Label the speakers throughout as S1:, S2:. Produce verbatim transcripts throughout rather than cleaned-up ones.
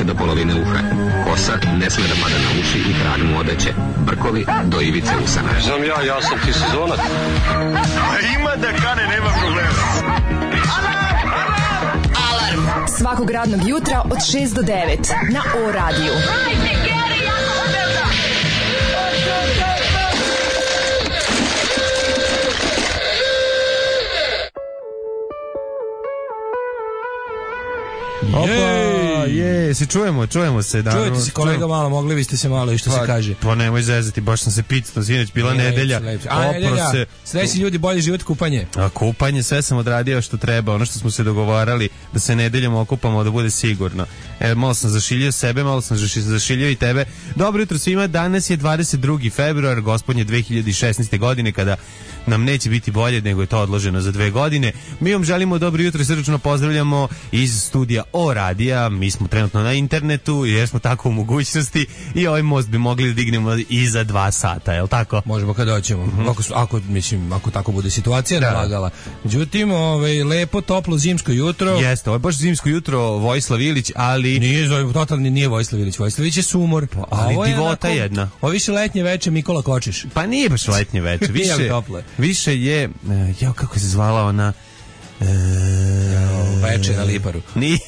S1: više do polovine uha. Kosa ne sme da pada na uši i krag mu odeće. Brkovi do ivice usana.
S2: Znam ja, ja sam ti sezonac.
S3: Ima da kane, nema problema.
S4: Alarm svakog radnog jutra od šest do devet na O radiju.
S5: Opa, je, se čujemo, čujemo se. Da,
S6: čujete se kolega malo, mogli biste se malo i što
S5: pa,
S6: se kaže.
S5: Pa nemoj zezati, baš sam se pitao, sinoć bila ne, nedelja.
S6: Lepše, a nedelja, se... sljedeći ljudi bolji život, kupanje.
S5: A kupanje, sve sam odradio što treba, ono što smo se dogovarali, da se nedeljom okupamo, da bude sigurno. E, malo sam zašiljio sebe, malo sam zašiljio i tebe. Dobro jutro svima, danas je dvadeset drugi februar, gospodnje dve hiljade šesnaeste. godine, kada nam neće biti bolje, nego je to odloženo za dve godine. Mi vam želimo dobro jutro i srdačno pozdravljamo iz studija O radija. Mi smo trenutno na internetu jer smo tako u mogućnosti i ovaj most bi mogli da dignemo i za dva sata, je li tako?
S6: Možemo kada hoćemo. Mm-hmm. Ako, ako, mislim, ako tako bude situacija da. nalagala. Međutim, ovaj, lepo, toplo zimsko jutro.
S5: Jeste, ovo je baš zimsko jutro, Vojislav Ilić, ali...
S6: Nije, totalni nije Vojislav Ilić. Vojislav Ilić je sumor.
S5: Pa, ali ovo divota je jedna.
S6: Ovo više letnje veče Mikola Kočiš.
S5: Pa nije baš letnje veče. Više, više je... Jao, kako se zvala ona...
S6: E, veče na Liparu.
S5: Ni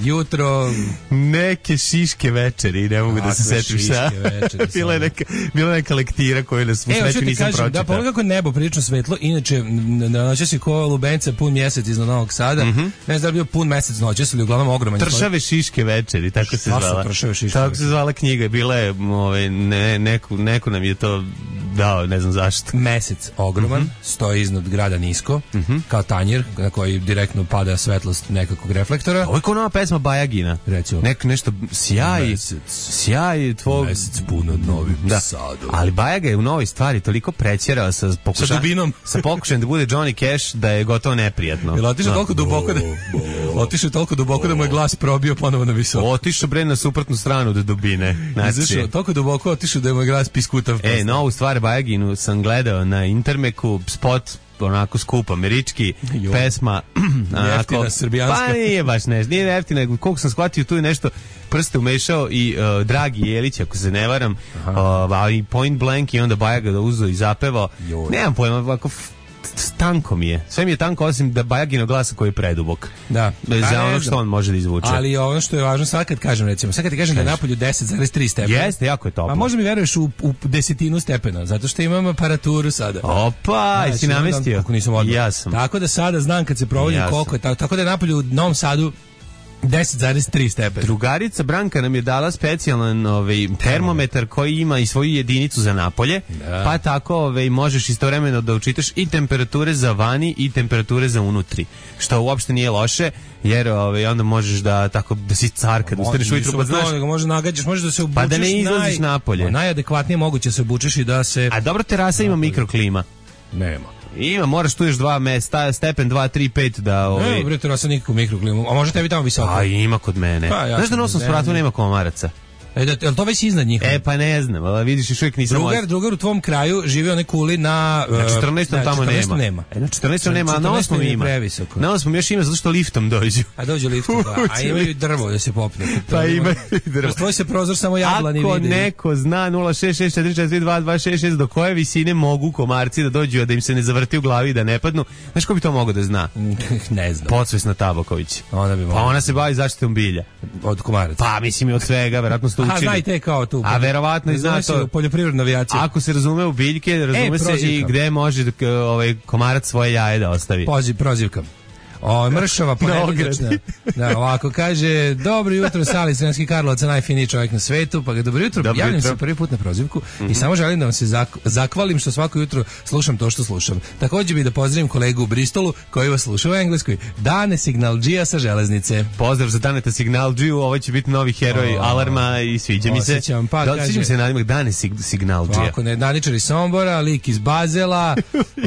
S6: jutro
S5: neke šiške večeri, ne mogu da se setim šta. Bila je neka, bila neka lektira koju na svu sreću nisam pročitao.
S6: Da, pogledaj kako nebo prilično svetlo, inače noćas je ko lubenca pun mjesec iznad Novog Sada, mm-hmm. ne znam da je bio pun mjesec noćas, ali uglavnom ogroman.
S5: Tršave šiške večeri, tako se zvala.
S6: Tršave šiške.
S5: Tako se zvala knjiga, bila je, ovaj, ne, neko, neko nam je to dao, ne znam zašto.
S6: Mesec ogroman, mm-hmm. stoji iznad grada nisko, mm-hmm. kao tanjir na koji direktno pada svetlost nekakvog reflektora.
S5: Ovo je kao nova pesma Bajagina.
S6: Recimo.
S5: Nek, nešto sjaj,
S6: mesec,
S5: sjaj tvoj...
S6: Mesec puno novim
S5: da.
S6: sadom.
S5: Ali Bajaga je u novoj stvari toliko prećerao sa pokušajem...
S6: Sa dubinom.
S5: Sa pokušajem da bude Johnny Cash da je gotovo neprijatno.
S6: Jel otišao toliko duboko da... Otišao toliko duboko da mu je glas probio ponovo na visoko.
S5: Otišao bre na suprotnu stranu do dubine. Znači,
S6: izašao toliko duboko, otišao da je mu glas piskutav.
S5: E, novu stvar Bajaginu sam gledao na Intermeku, spot onako skup američki, jo. pesma
S6: jeftina srbijanska.
S5: Pa nije baš nešto, nije jeftina, koliko sam shvatio tu je nešto prste umešao i uh, Dragi Jelić, ako se ne varam, uh, i Point Blank i onda Bajaga da uzo i zapevao. Joj. Nemam pojma, ovako tanko mi je. Sve mi je tanko osim da Bajagino glasa koji je predubok.
S6: Da.
S5: Za ono što on može da izvuče.
S6: Ali ono što je važno, sad kad kažem recimo, sad kad ti kažem Kaži. da je napolju deset zarez tri stepena.
S5: Jeste, jako je toplo.
S6: A možda mi veruješ u, u desetinu stepena, zato što imam aparaturu sada.
S5: Opa, jesi znači, namestio?
S6: Kako nisam odmah.
S5: Ja sam.
S6: Tako da sada znam kad se provodim ja koliko je, tako, tako da je napolju u Novom Sadu deset zarez tri stepena.
S5: Drugarica Branka nam je dala specijalan ovaj, termometar koji ima i svoju jedinicu za napolje, da. pa tako ovaj, možeš istovremeno da učitaš i temperature za vani i temperature za unutri, što uopšte nije loše, jer ovaj, onda možeš da tako da si car kad ustaneš ujutru, pa znaš,
S6: nego može nagađaš, možeš da se obučeš,
S5: pa da ne izlaziš
S6: naj,
S5: napolje.
S6: Najadekvatnije moguće se obučeš i da se...
S5: A dobro, terasa ima mikroklima.
S6: Nema.
S5: Ima, moraš tu još dva mesta, stepen dva, tri, pet da... Ovaj...
S6: Ne, bre, terasa nikakvu mikroklimu, a može tebi tamo visoko?
S5: A ima kod mene. Pa, ja znaš da na osam spratu nema komaraca?
S6: E, da, je li to već iznad njih?
S5: E, pa ne znam, ali vidiš, još uvijek nisam...
S6: Drugar, drugar u tvom kraju živi one kuli na...
S5: Na četrnaestom tamo nema.
S6: nema.
S5: E, na četrnaestom nema, a na osmom ima. Na osmom još ima, zato što liftom dođu.
S6: A dođu liftom, da. A imaju drvo da se popne.
S5: Pa imaju drvo.
S6: Tvoj se prozor samo jablani vidi.
S5: Ako neko zna nula šest šest četiri četiri dva dva šest šest do koje visine mogu komarci da dođu, a da im se ne zavrti u glavi i da ne padnu, znaš ko bi to mogao da zna?
S6: Ne znam.
S5: Podsvesna Tabaković.
S6: Ona bi mogla.
S5: Pa ona se bavi zaštitom bilja.
S6: Od komaraca.
S5: Pa mislim i od svega, verovatno ste učili.
S6: A znajte kao tu.
S5: A verovatno i zna to.
S6: Poljoprivredna avijacija.
S5: Ako se razume u biljke, razume e, se i gde može ovaj komarac svoje jaje da ostavi.
S6: Poziv, prozivka. O, mršava ponedjeljčna. Da, ovako kaže, dobro jutro, Sali Sremski Karlovac, najfiniji čovjek na svetu, pa ga dobro jutro, dobro javljam jutro. se prvi put na prozivku mm-hmm. i samo želim da vam se zak- zakvalim što svako jutro slušam to što slušam. Također bi da pozdravim kolegu u Bristolu koji vas sluša u Engleskoj. Dane Signalđija sa železnice.
S5: Pozdrav za Daneta Signalđiju, ovo će biti novi heroj o, Alarma i sviđa mi se.
S6: Osjećam, pa
S5: da,
S6: kaže.
S5: Sviđa mi se nadimak Dane Sig- Signalđija.
S6: Ovako, ne, Daničar iz Sombora, lik iz Bazela,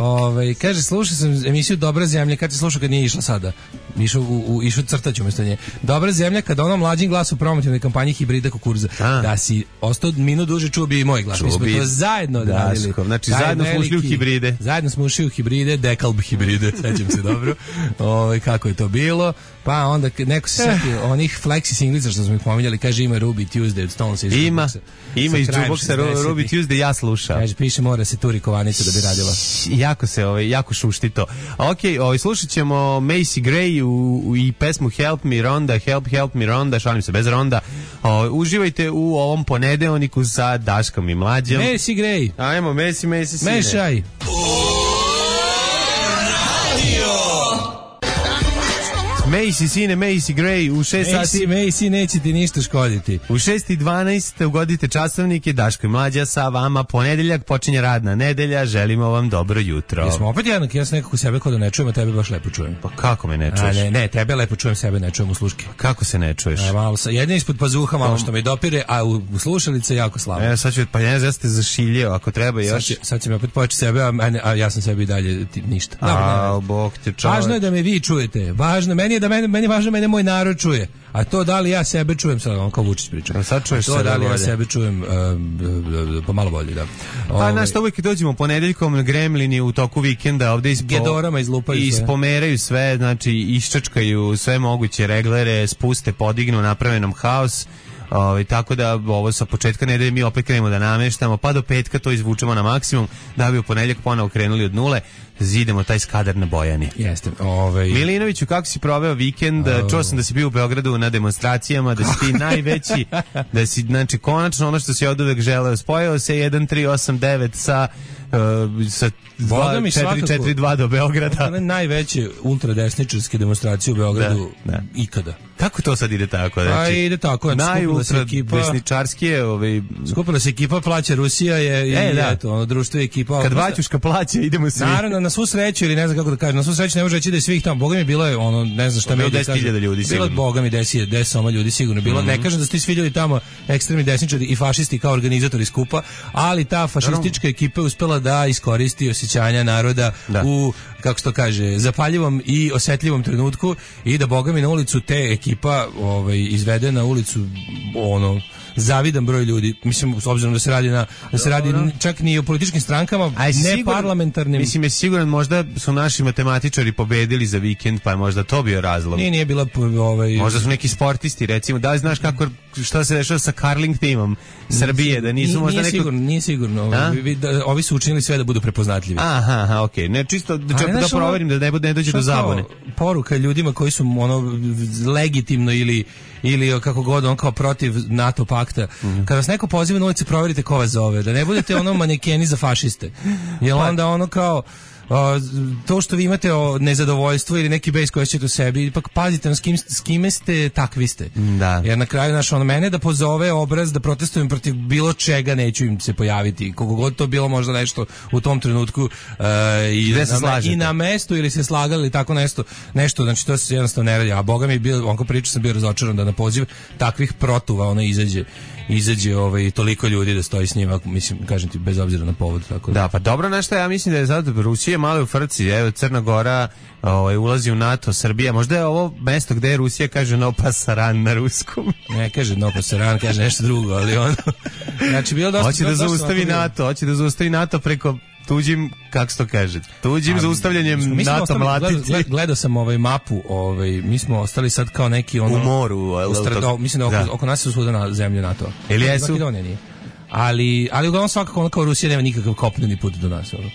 S6: ovaj, kaže, slušao sam emisiju Dobra zemlja, kad ti slušao kad nije išla sada? Išao u, u išao crtać umjesto nje. Dobra zemlja kada ono mlađim glas u promotivnoj kampanji hibrida kukuruza. A. Da si ostao minut duže čuo bi i moj glas. Mi smo to zajedno odradili.
S5: Znači zajedno smo ušli u hibride.
S6: Zajedno smo ušli u hibride, dekalb hibride, sećam se dobro. Ovaj kako je to bilo. Pa onda neko se setio onih flexi singlica što smo ih pominjali, kaže ima Ruby Tuesday od Stones iz
S5: Ima. Ima iz Jukeboxa Ruby Tuesday, ja slušam.
S6: Kaže piše mora se turi kovanica da bi radila.
S5: Jako se ovaj jako šušti to. Okej, ovaj slušaćemo Macy Gray u, u i pesmu Help Me Ronda, Help Help Me Ronda, šalim se bez Ronda. O, uživajte u ovom ponedeljniku sa Daškom i Mlađom.
S6: Macy Gray.
S5: Ajmo Macy Macy sine.
S6: Mešaj.
S5: Macy sine, Macy Gray u šest sati.
S6: Macy neće ti ništa škoditi.
S5: U šest i dvanaest ugodite časovnike, Daško i Mlađa sa vama. Ponedeljak počinje radna nedelja, želimo vam dobro jutro.
S6: Jesmo opet jednak, ja sam nekako sebe kod da ne čujem, a tebe baš lepo čujem.
S5: Pa kako me ne čuješ?
S6: A ne, ne, tebe lepo čujem, sebe ne čujem u sluške.
S5: Kako se ne čuješ?
S6: A, malo sa, jedin ispod pazuha, malo što me dopire, a u, u slušalice jako slabo.
S5: E, sad ću, pa ja ne ste zašiljio, ako treba još.
S6: Sad će, sad će mi opet poći sebe, a, a ja sam sebi i dalje ti, ništa.
S5: A, bog te čovjek.
S6: Važno je da me vi čujete, važno, meni je da mene, meni je važno da mene moj narod čuje. A to da li ja sebe čujem, sad on kao Vučić priča.
S5: A sad čuješ
S6: to
S5: sebe
S6: da li
S5: bolje.
S6: Ja sebe čujem uh, pa malo bolje, da.
S5: Pa znaš što uvijek dođemo ponedeljkom, gremlini u toku vikenda ovde ispo,
S6: gedorama izlupaju sve.
S5: Ispomeraju sve, znači iščačkaju sve moguće reglere, spuste, podignu, naprave nam haos. Ovaj tako da ovo sa početka nedelje mi opet krenemo da nameštamo, pa do petka to izvučemo na maksimum, da bi u ponedeljak ponovo krenuli od nule, zidemo taj Skadar na Bojani.
S6: Jeste. Ovaj
S5: Milinoviću, kako si proveo vikend? Oh. Čuo sam da si bio u Beogradu na demonstracijama, da si ti najveći, da si znači konačno ono što si oduvek želeo, spojio se jedan tri osam devet sa Uh, sa četiri četiri dva do Beograda.
S6: One najveće ultradesničarske demonstracije u Beogradu da, da. ikada.
S5: Kako to sad ide tako? Znači,
S6: a ide tako.
S5: Najultradesničarskije ovaj...
S6: skupila se ekipa, plaća Rusija je,
S5: e,
S6: i
S5: da.
S6: eto, ono, društvo je ekipa.
S5: Kad Vaćuška plaća, idemo svi.
S6: Naravno, na svu sreću, ili ne znam kako da kažem, na svu sreću ne može reći da je svih tamo. Boga mi bilo je, ono, ne znam šta me
S5: deset hiljada ljudi
S6: sigurno. Bilo Boga mi desi, desoma ljudi sigurno bilo. Mm -hmm. Ne kažem da su ti svi ljudi tamo ekstremni desničari i fašisti kao organizatori skupa, ali ta fašistička ekipa je uspela da iskoristi osjećanja naroda da. u, kako se to kaže, zapaljivom i osetljivom trenutku i da Boga mi na ulicu te ekipa ovaj, izvede na ulicu ono zavidan broj ljudi, mislim s obzirom da se radi na da se radi čak ni o političkim strankama, ne siguran, parlamentarnim.
S5: Mislim je siguran možda su naši matematičari pobedili za vikend, pa je možda to bio razlog.
S6: Nije, nije bila ovaj
S5: možda su neki sportisti, recimo, da li znaš kako šta se dešava sa curling timom Srbije, da nisu
S6: nije,
S5: možda
S6: nije
S5: neko
S6: sigurno, nije sigurno. Ovi, da, ovi su učinili sve da budu prepoznatljivi.
S5: Aha, aha, okej. Okay. Ne čisto da da, da proverim da ne bude ne dođe do zabune.
S6: Poruka ljudima koji su ono legitimno ili ili kako god on kao protiv NATO pakta. Mm-hmm. Kad vas neko poziva na ulici, proverite ko vas zove, da ne budete ono manekeni za fašiste. Jer onda ono kao Uh, to što vi imate o nezadovoljstvo ili neki bejs koji ćete u sebi, ipak pazite na s, kim, s kime ste, takvi ste.
S5: Da.
S6: Jer na kraju naš ono mene da pozove obraz da protestujem protiv bilo čega, neću im se pojaviti. Koliko god to bilo možda nešto u tom trenutku uh, i, na, i na mestu ili se slagali ili tako nešto, nešto, znači to se jednostavno ne radi. A Boga mi je bio, onko priča sam bio razočaran da na poziv takvih protuva ono izađe izađe ovaj toliko ljudi da stoji s njima, mislim, kažem ti, bez obzira na povod, tako da.
S5: Da, pa dobro, nešto ja mislim da je sad Rusija malo u frci, evo Crna Gora ovaj ulazi u NATO, Srbija, možda je ovo mesto gde je Rusija kaže no pasaran na ruskom.
S6: Ne kaže no pasaran, kaže nešto drugo, ali ono znači bilo dosta.
S5: Hoće da zaustavi NATO, hoće da zaustavi NATO preko tuđim, kako se to kaže, tuđim zaustavljanjem NATO mlatici.
S6: Gled, gledao sam ovaj mapu, ovaj, mi smo ostali sad kao neki ono...
S5: U moru.
S6: U strad, o, mislim da oko, da oko nas su svuda na zemlju NATO.
S5: Ili jesu?
S6: Ali, ali uglavnom svakako ono kao Rusija nema nikakav kopneni put do nas. Ono.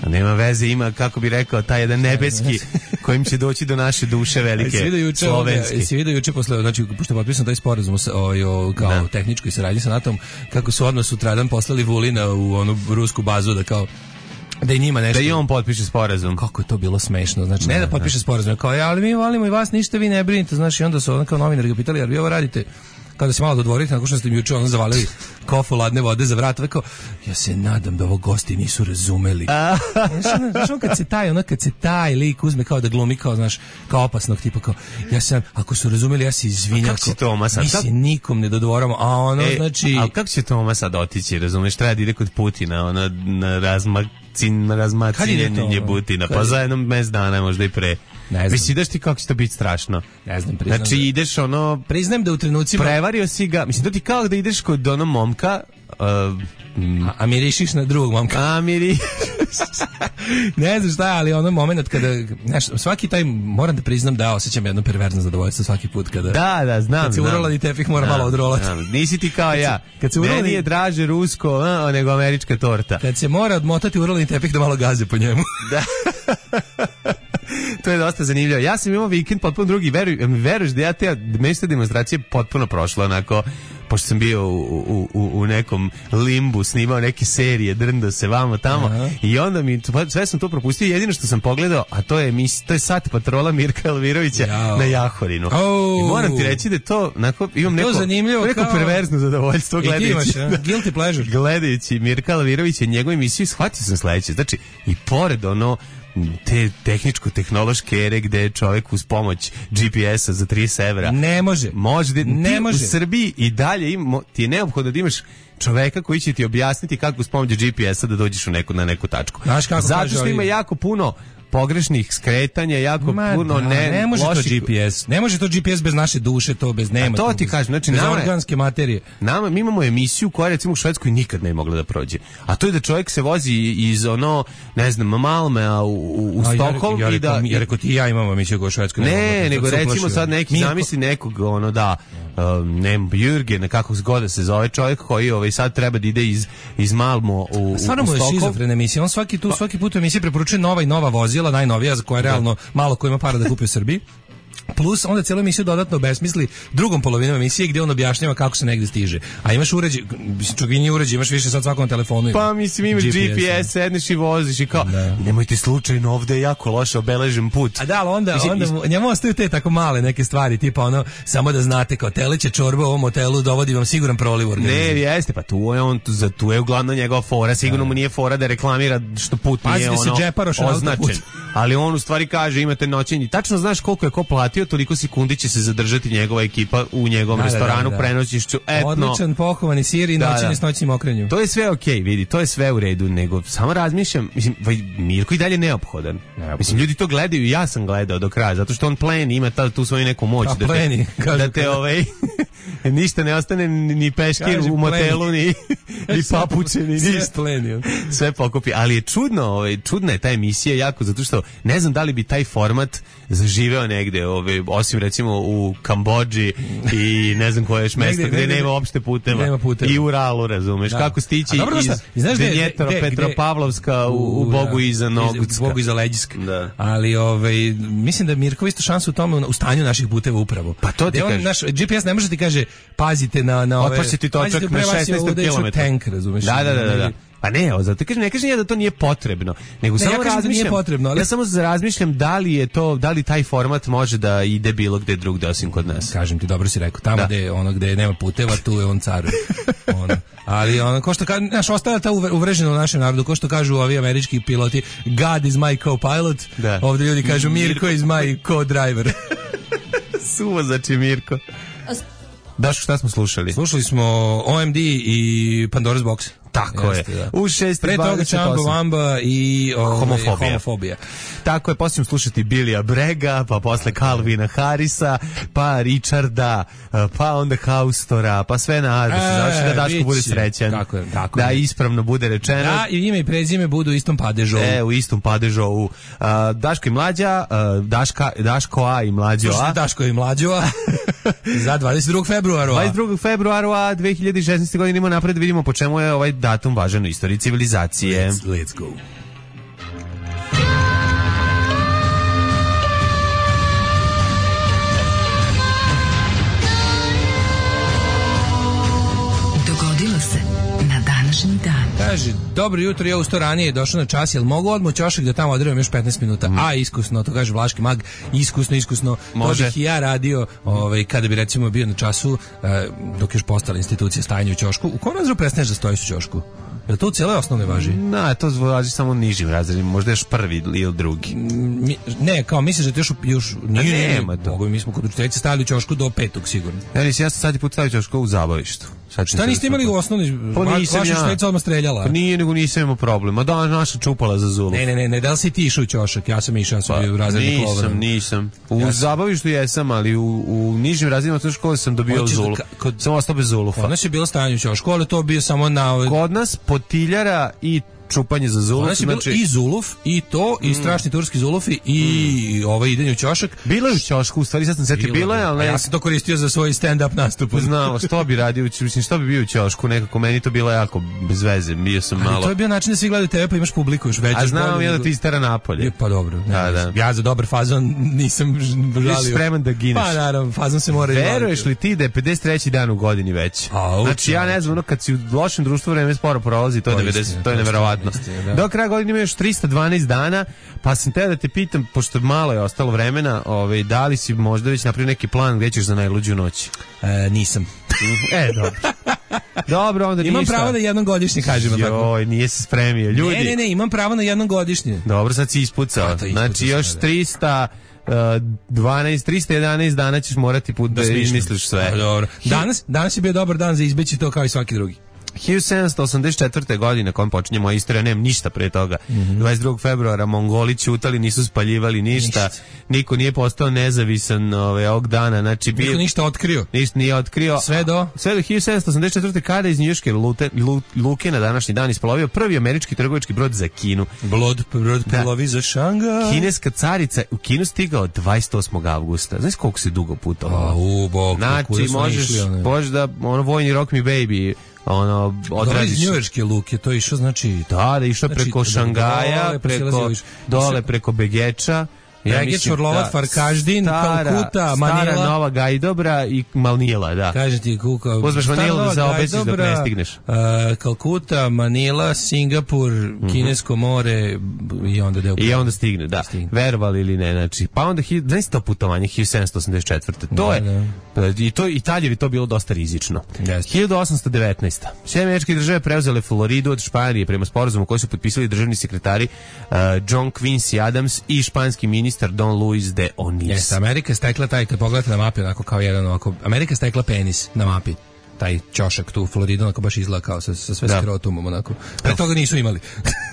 S5: Nema veze, ima, kako bi rekao, taj jedan nebeski kojim će doći do naše duše velike slovenske.
S6: Jesi vidio juče posle, znači, pošto je potpisan taj sporazum o, o, kao da. tehničkoj saradnji sa NATO-om, kako su odmah sutradan poslali Vulina u onu rusku bazu da kao da i njima nešto...
S5: Da i on potpiše sporazum.
S6: Kako je to bilo smešno. Znači, ne da potpiše sporazum, kao, ja, ali mi volimo i vas, ništa vi ne brinite. Znači, onda su on kao novinari ga pitali, jer vi ovo radite kada se malo dodvorite, nakon što ste mi juče ono zavalili kofu ladne vode za vrat, kao, ja se nadam da ovo gosti nisu razumeli. Znaš, ono kad se taj, ono kad se taj lik uzme kao da glumi, kao, znaš, kao opasnog tipa, kao, ja sam, ako su razumeli, ja se izvinjam, mi se nikom ne dodvoramo, a ono, e, znači...
S5: Ali kako će Toma sad otići, razumeš, treba da ide kod Putina, ona na razmak Cin razmacinjenje Putina, pa za jednom mes dana, možda i pre.
S6: Ne znam.
S5: Mislim, ideš ti kako će to biti strašno.
S6: Ne znam, priznam.
S5: Znači,
S6: da,
S5: ideš ono...
S6: Priznajem da u trenucima...
S5: Prevario si ga. Mislim, to ti kao da ideš kod onog momka... Uh,
S6: a, a mirišiš na drugog momka.
S5: A mirišiš.
S6: Ne znam šta, ali ono moment kada... Znaš, svaki taj, moram da priznam da osjećam jedno perverzno zadovoljstvo svaki put kada...
S5: Da, da, znam.
S6: Kad se urolani tepih mora
S5: znam,
S6: malo odrolati.
S5: Znam. Nisi ti kao ja.
S6: Kad se urolani...
S5: Meni je draže rusko a, nego američka torta.
S6: Kad se mora odmotati urolani tepih da malo gaze po njemu.
S5: Da. To je dosta zanimljivo. Ja sam imao vikend potpuno drugi. Veruj, veruješ da ja te mesta demonstracije potpuno prošla onako, pošto sam bio u, u, u, u nekom limbu, snimao neke serije, drndao se vamo tamo. Aha. I onda mi, sve sam to propustio. Jedino što sam pogledao, a to je, to je Sat patrola Mirka Elvirovića Jao. na Jahorinu. Oh. I moram ti reći da to, onako, imam neko, neko kao... perverzno zadovoljstvo gledajući. I ti imaš,
S6: guilty pleasure.
S5: Gledajući Mirka Elvirovića i njegovu emisiju, shvatio sam sledeće. Znači, i pored ono, te tehničko-tehnološke ere gde čovjek uz pomoć G P S-a za trideset evra
S6: ne može,
S5: može da,
S6: ne
S5: ti
S6: može.
S5: U Srbiji i dalje im, ti je neophodno da imaš čoveka koji će ti objasniti kako uz pomoć G P S-a da dođeš u neku, na neku tačku. Zato što ima jako puno pogrešnih skretanja, jako Ma puno da, ne,
S6: ne može
S5: loših...
S6: to G P S. Ne može to G P S bez naše duše, to bez nema.
S5: A to ti kažem, znači nama
S6: organske materije.
S5: Nama mi imamo emisiju koja recimo u Švedskoj nikad ne mogla da prođe. A to je da čovjek se vozi iz ono, ne znam, Malmea u, u, u Stockholm
S6: ja, ja,
S5: i da
S6: ja rekao ti ja imamo emisiju koja u Švedskoj.
S5: Ne,
S6: ne
S5: nego recimo uplašio. Sad neki Minko. Zamisli nekog ono da um, ne Jürgen, nekako zgoda se zove čovjek koji ovaj sad treba da ide iz iz Malmo u, u
S6: Stvarno mu je šizofrena emisija. On svaki tu svaki put u emisiji preporučuje nova i nova vozila, najnovija za koje realno malo ko ima para da kupi u Srbiji. Plus onda cijelu emisiju dodatno besmisli drugom polovinom emisije gdje on objašnjava kako se negdje stiže. A imaš uređaj, čak i nije uređaj, imaš više sad svakom telefonu. Ima.
S5: Pa mislim imaš G P S, sedneš i voziš i kao, da. Nemojte slučajno, ovdje je jako loše obeležen put.
S6: A da, ali onda, mislim, onda njemu ostaju te tako male neke stvari, tipa ono, samo da znate kao teleće čorba u ovom hotelu dovodi vam siguran proliv u organizmu.
S5: Ne, jeste, pa tu je on, za tu je uglavnom njegova fora, sigurno da. Mu nije fora da reklamira što put Pazi nije ono označen. Ali on u stvari kaže imate noćenje. Tačno znaš koliko je ko platio, toliko sekundi će se zadržati njegova ekipa u njegovom da, restoranu, da, da, da. Prenoćišću. Etno.
S6: Odličan pohovani sir i noćenje da, s noćnim okrenjom.
S5: To je sve okej, okay, vidi, to je sve u redu, nego samo razmišljam, mislim, Mirko i dalje neophodan. Neophodan. Mislim, ljudi to gledaju, ja sam gledao do kraja, zato što on pleni, ima ta, tu svoju neku moć.
S6: A,
S5: da
S6: pleni,
S5: te, da te ovaj, ništa ne ostane ni peškir Kaži, u motelu, ni, ni papuče, ni ništa.
S6: Pleni.
S5: Sve pokupi, ali je čudno, ovaj, čudna je ta emisija jako, zato što ne znam da li bi taj format zaživeo negde, ovaj, osim recimo u Kambodži i ne znam koje još mesto gde nema uopšte puteva.
S6: Nema puteva.
S5: I u Uralu, razumeš, da. Kako stići
S6: dobro,
S5: iz Denjetara, Petropavlovska u, u Bogu iza Nogutska.
S6: U Bogu iza Leđiska.
S5: Da.
S6: Ali ovaj, mislim da Mirko isto šansu u tome u stanju naših puteva upravo.
S5: Pa to ti
S6: on,
S5: kaže.
S6: Naš G P S ne može ti kaže pazite na, na ove...
S5: Otpašće ti točak na šesnaest kilometara.
S6: Tank, razumeš.
S5: Da, da, da, da. da. Pa ne, zato kažem, ne kažem ja da to nije potrebno, nego
S6: ne,
S5: samo
S6: ja
S5: razmišljam,
S6: nije potrebno, ali...
S5: ja samo razmišljam da li je to, da li taj format može da ide bilo gde drugde osim kod nas.
S6: Kažem ti, dobro si rekao, tamo da. Gde ono gde nema puteva, tu je on car. ono. Ali ono ko što kaže, naš ostala ta uvrežena u našem narodu, ko što kažu ovi američki piloti, God is my co-pilot. Da. Ovdje ljudi kažu Mirko is my co-driver.
S5: Suvozači Mirko. Daško, šta smo slušali?
S6: Slušali smo O M D i Pandora's Box.
S5: Tako
S6: Jeste,
S5: je.
S6: Da.
S5: U šest
S6: pre toga Čambo Vamba i o,
S5: homofobija.
S6: homofobija.
S5: Tako je, poslije slušati Billya Brega, pa posle Calvina Harrisa, pa Richarda, pa onda Haustora, pa sve na da se završi da Daško bude srećan.
S6: Tako je, tako
S5: da
S6: je.
S5: Ispravno bude rečeno.
S6: Da, i ime i prezime budu u istom padežovu.
S5: E, u istom padežovu. Uh, Daško i Mlađa, uh, Daška, Daško A i Mlađo A.
S6: Slušajte Daško i Mlađo A. Za dvadeset drugog februara.
S5: dvadeset drugog februara dve hiljade šesnaeste. godine idemo napred, vidimo po čemu je ovaj datum važan u istoriji civilizacije.
S6: Let's, let's go.
S4: Dogodilo se na današnji dan.
S6: Kaže, dobro jutro, ja usto ranije došao na čas, jel mogu odmah ćošak da tamo odrevam još petnaest minuta? Mm. A, iskusno, to kaže Vlaški mag, iskusno, iskusno.
S5: Može.
S6: To bih i ja radio, ovaj, kada bi recimo bio na času, eh, dok još postala institucija stajanja u ćošku. U kom razredu prestaneš da stojiš u ćošku? Jel to u cijeloj osnovne važi?
S5: Na, to važi samo nižim razredima, možda još prvi ili drugi.
S6: Mi, ne, kao misliš da to još... još nije,
S5: nema to.
S6: Mogu, mi smo kod učiteljice stavili u ćošku do petog sigurno.
S5: Ja nisam, ja sam sad i put stavio ćošku u zabavištu.
S6: Šta niste imali u osnovnoj?
S5: Pa nisam
S6: vaša
S5: ja.
S6: šteca odmah streljala.
S5: Pa nije, nego nisam imao problema. Da, naša čupala za Zuluf.
S6: Ne, ne, ne, ne, da li si ti išao u ćošak? Ja sam išao, ja sam bio u razredni klovar.
S5: Nisam, nisam. U ja zabavištu jesam, ali u, u nižim razredima osnovne škole sam dobio Zuluf. Kod... Sam ostao bez Zulufa.
S6: Kod nas je bilo stajanje u ćošku, ali to bio samo na...
S5: Kod nas potiljara i čupanje za Zuluf.
S6: Znači, znači i Zuluf, i to, i strašni turski Zulufi, i mm. ovaj idenje u ćošak.
S5: Bilo je u ćošku, u stvari sad sam setio, bilo je, ali ne...
S6: Ja sam to koristio za svoj stand-up nastup.
S5: Znao, što bi radio, mislim, što bi bio u ćošku, nekako, meni to bilo jako bez veze, bio sam
S6: ali
S5: malo...
S6: to je bio način da svi gledaju tebe, pa imaš publiku još veću.
S5: A znam ja da ti istera napolje.
S6: Pa dobro, ne,
S5: da, da.
S6: Ja za dobar fazon nisam žalio.
S5: Ti spreman da gineš.
S6: Pa naravno, fazon se mora...
S5: Veruješ li ti da je pedeset treći dan u godini već?
S6: A,
S5: znači, ja ne znam, ono, kad si u lošem društvu vreme sporo prolazi, to je devedeset, to je neverovatno. Do kraja godine ima još trista dvanaest dana, pa sam te da te pitam, pošto malo je ostalo vremena, ovaj, da li si možda već napravio neki plan gdje ćeš za najluđu noć?
S6: E, nisam.
S5: E, dobro. Dobro, onda
S6: imam
S5: ništa.
S6: Imam pravo na jednom godišnje, kažemo tako.
S5: Joj, nije se spremio. Ljudi.
S6: Ne, ne, ne, imam pravo na jednom godišnje.
S5: Dobro, sad si ispucao. Znači, još trista dvanaest, trista jedanaest dana ćeš morati put da, da izmisliš sve.
S6: A, dobro. Danas, danas je bio dobar dan za izbeći to kao i svaki drugi.
S5: hiljadu sedamsto osamdeset četvrte. godine kojom počinje moja istorija, nemam ništa pre toga. Mm-hmm. dvadeset drugog februara Mongoli ćutali, nisu spaljivali ništa. ništa. Niko nije postao nezavisan ove, ovog dana. Znači,
S6: niko ništa otkrio.
S5: Ništa nije otkrio.
S6: Sve do?
S5: Sve do hiljadu sedamsto osamdeset četvrte. kada iz njujorške luke na današnji dan isplovio prvi američki trgovački brod za Kinu.
S6: Brod, brod plovi za Šangaj.
S5: Kineska carica u Kinu stigao dvadeset osmog avgusta. Znaš koliko se dugo putovalo?
S6: A, u, bok,
S5: znači, možeš, možeš da, ono, vojni rock me baby, ono, odradiš.
S6: Iz njujorške luke, to je išao, znači...
S5: Da, da išao znači, preko Šangaja, dole, preko, dole preko Begeča.
S6: Ja mislim, Orlovat, da, Farkaždin,
S5: stara,
S6: Kalkuta, Manila.
S5: Stara Nova Gajdobra i Malnila, da.
S6: Kaže ti kuka.
S5: Uzmeš Manilu da zaobesiš dok ne stigneš.
S6: Uh, Kalkuta, Manila, Singapur, mm-hmm. Kinesko more i onda deo.
S5: I onda stigne, da. Stigne. Verovali ili ne, znači. Pa onda, znaš to putovanje, hiljadu sedamsto osamdeset četvrte. To da, je, da. I to Italjevi to bilo dosta rizično.
S6: Yes.
S5: hiljadu osamsto devetnaeste. Sve američke države preuzele Floridu od Španije prema sporazumu koji su potpisali državni sekretari uh, John Quincy Adams i španski ministar Don Luis de Onis.
S6: Jeste, Amerika stekla taj, kad pogledate na mapi, onako kao jedan, onako, Amerika stekla penis na mapi. Taj ćošak tu u Floridu, onako baš izgleda kao sa, sa sve da. skrotumom, onako. Pre toga nisu imali.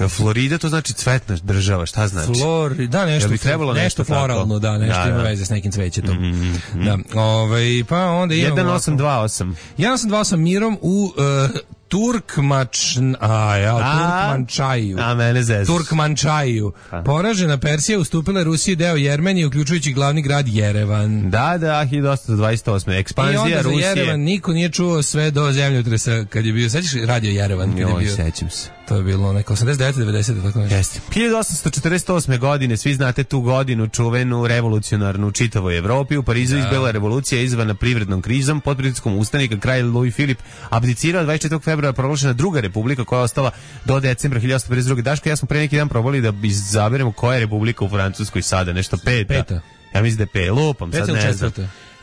S5: Florida to znači cvetna država, šta znači?
S6: Florida, da, nešto,
S5: ja nešto,
S6: nešto floralno, da, nešto da, ima da. veze s nekim cvećetom. Mm-hmm. Da, ovaj, pa onda imamo...
S5: jedan osam dva osam.
S6: jedan osam dva osam mirom u... Uh, Turkmač, a ja, Turkmančaju.
S5: A mene zezaš.
S6: Turkmančaju. Poražena Persija ustupila Rusiji deo Jermenije, uključujući glavni grad Jerevan.
S5: Da, da, hiljadu osamsto dvadeset osme. Ekspanzija Rusije. I onda za
S6: Jerevan niko nije čuo sve do zemljotresa kad je bio. Sećaš radio Jerevan? Kad
S5: Joj,
S6: je bio?
S5: sećam se.
S6: To je bilo neko osamdeset devete devedesete tako nešto.
S5: Jeste. hiljadu osamsto četrdeset osme. godine, svi znate tu godinu čuvenu revolucionarnu u čitavoj Evropi. U Parizu da. izbila revolucija izvana privrednom krizom, pod pritiskom ustanika kralj Louis Filip abdicirao dvadeset četvrtog februara proglašena druga republika koja je ostala do decembra hiljadu osamsto pedeset druge. Daško, ja smo pre neki dan probali da izaberemo koja je republika u Francuskoj sada, nešto peta.
S6: Peta.
S5: Ja mislim da je pe, lupam, sad ne znam.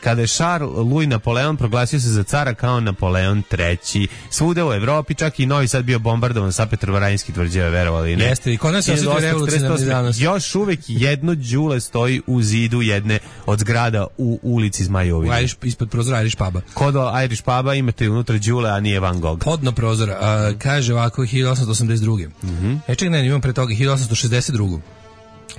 S5: Kada je Charles Louis Napoleon proglasio se za cara kao Napoleon treći. Svuda u Evropi, čak i Novi Sad bio bombardovan sa petrovaradinskih tvrđava, verovali ne.
S6: Jeste, i kod nas se osjetio revolucionarni danas.
S5: Još uvek jedno đule stoji u zidu jedne od zgrada u ulici Zmajovine.
S6: Irish, ispod prozora Irish puba.
S5: Kod Irish puba imate unutra đule, a nije Van Gogh.
S6: Podno prozora, a, kaže ovako hiljadu osamsto osamdeset druge.
S5: Mm-hmm.
S6: E ček, ne, imam pre toga hiljadu osamsto šezdeset druge.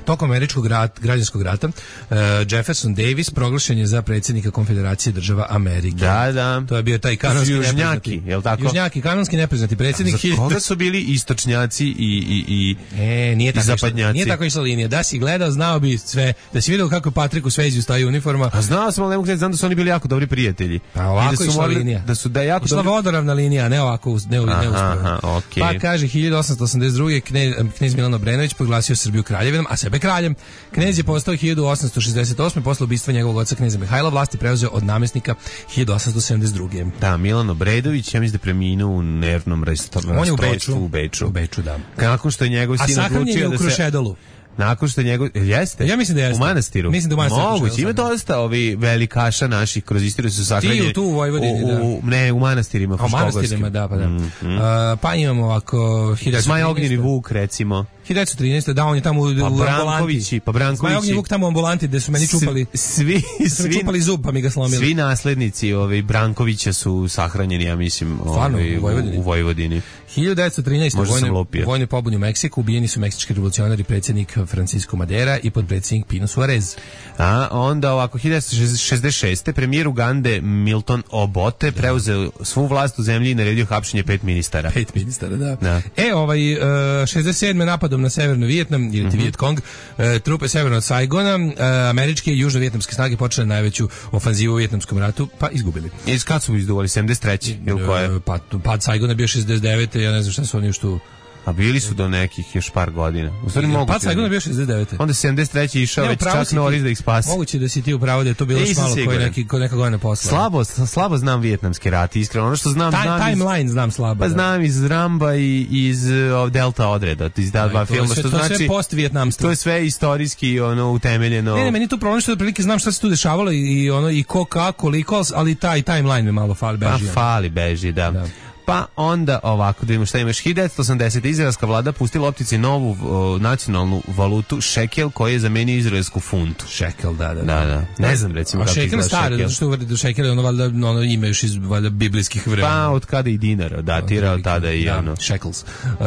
S6: Tokom američkog rat, građanskog rata uh, Jefferson Davis proglašen je za predsjednika Konfederacije država Amerike.
S5: Da, da.
S6: To je bio taj kanonski
S5: južnjaki, je l' tako?
S6: Južnjaki, kanonski nepriznati predsjednik.
S5: Za koga su bili istočnjaci i, i, i,
S6: e, nije
S5: i zapadnjaci?
S6: Nije tako išla linija. Da si gledao, znao bi sve. Da si vidio kako Patriku Swayze staje uniforma.
S5: A znao sam, ali ne mogu znam da su oni bili jako dobri prijatelji.
S6: Pa ovako da išla linija.
S5: Da su da jako
S6: išla
S5: dobri...
S6: vodoravna linija, ne ovako, ne, aha, ne
S5: aha, okay.
S6: Pa kaže hiljadu osamsto osamdeset druge. knez, knez Milan Obrenović proglasio Srbiju kraljevinom, a sebe kraljem. Knez je postao hiljadu osamsto šezdeset osme. posle ubistva njegovog oca kneza Mihajla, vlasti preuzeo od namjesnika hiljadu osamsto sedamdeset druge.
S5: Da, Milan Obredović, ja mislim da preminuo u nervnom rastrojstvu
S6: u Beču.
S5: U Beču.
S6: U Beču, da.
S5: Nakon što je njegov sin odlučio da se...
S6: A sahranjen je u Krušedolu.
S5: nakon što njegov jeste.
S6: Ja mislim da jeste.
S5: U manastiru.
S6: Mislim da u manastiru.
S5: Moguće, ima dosta ovi velikaša naših kroz istoriju su sahranjeni.
S6: Ti tu u Vojvodini, da.
S5: U, ne, u manastirima.
S6: U manastirima, da, pa da. Mm, mm. Uh, pa imamo ovako...
S5: Zmaj Ognjeni Vuk, recimo.
S6: hiljadu devetsto trinaeste da, on je tamo u,
S5: pa
S6: u
S5: Brankovići, pa Brankovići.
S6: Zmaj Ognjeni Vuk tamo u ambulanti gde su meni čupali.
S5: Svi, svi,
S6: su čupali zub, pa mi ga slomili.
S5: Svi naslednici ovaj, Brankovića su sahranjeni, ja mislim, ovaj, u Vojvodini. U Vojvodini.
S6: hiljadu devetsto trinaeste vojne, vojne pobuni u Meksiku, ubijeni su meksički revolucionari, predsjednik Francisco Madera i podpredsjednik Pino Suarez.
S5: A onda ovako, hiljadu devetsto šezdeset šeste premijer Ugande Milton Obote preuzeo svu vlast u zemlji i naredio hapšenje pet ministara.
S6: Pet ministara, da. da. E, ovaj, uh, šezdeset sedme napadom na severno Vijetnam, ili mm -hmm. Vietkong, uh, trupe severno od Saigona, uh, američke i južno-vijetnamske snage počele najveću ofanzivu u Vijetnamskom ratu, pa izgubili.
S5: Iz kad su izduvali? sedamdeset treće ili koje?
S6: Uh, pad, pad Saigona bio šezdeset devete ja ne znam šta su oni još tu.
S5: A bili su do nekih još par godina. U stvari moguće.
S6: Pa Saigon je bio šezdeset devete
S5: Onda sedamdeset treće išao već čak Norris da ih spasi.
S6: Moguće da si ti upravo da je to bilo još malo koji neki koji neka godina posle.
S5: Slabo, slabo znam vijetnamski rat, iskreno. Ono što znam,
S6: Time,
S5: znam
S6: timeline iz, znam slabo.
S5: Pa
S6: da.
S5: znam iz Ramba i iz uh, Delta odreda, iz da dva filma, što
S6: to
S5: znači
S6: sve post-vijetnamstvo.
S5: To je sve istorijski ono utemeljeno.
S6: Ne, ne, meni tu problem što otprilike znam šta se tu dešavalo i ono i ko kako, koliko, ali taj timeline me malo fali beži.
S5: Pa fali beži, da. da. Pa onda ovako, da vidimo šta imaš. hiljadu devetsto osamdesete izraelska vlada pustila optici novu o, nacionalnu valutu šekel koji je zamenio izraelsku funtu.
S6: Šekel, da, da.
S5: Da, da. Ne znam recimo kako
S6: izgleda šekel. Staro, zato što do šekel je ono valjda ono ime još iz valjda biblijskih vremena.
S5: Pa od kada i dinar datira od tada i
S6: da,
S5: ono.
S6: Shekels. Uh,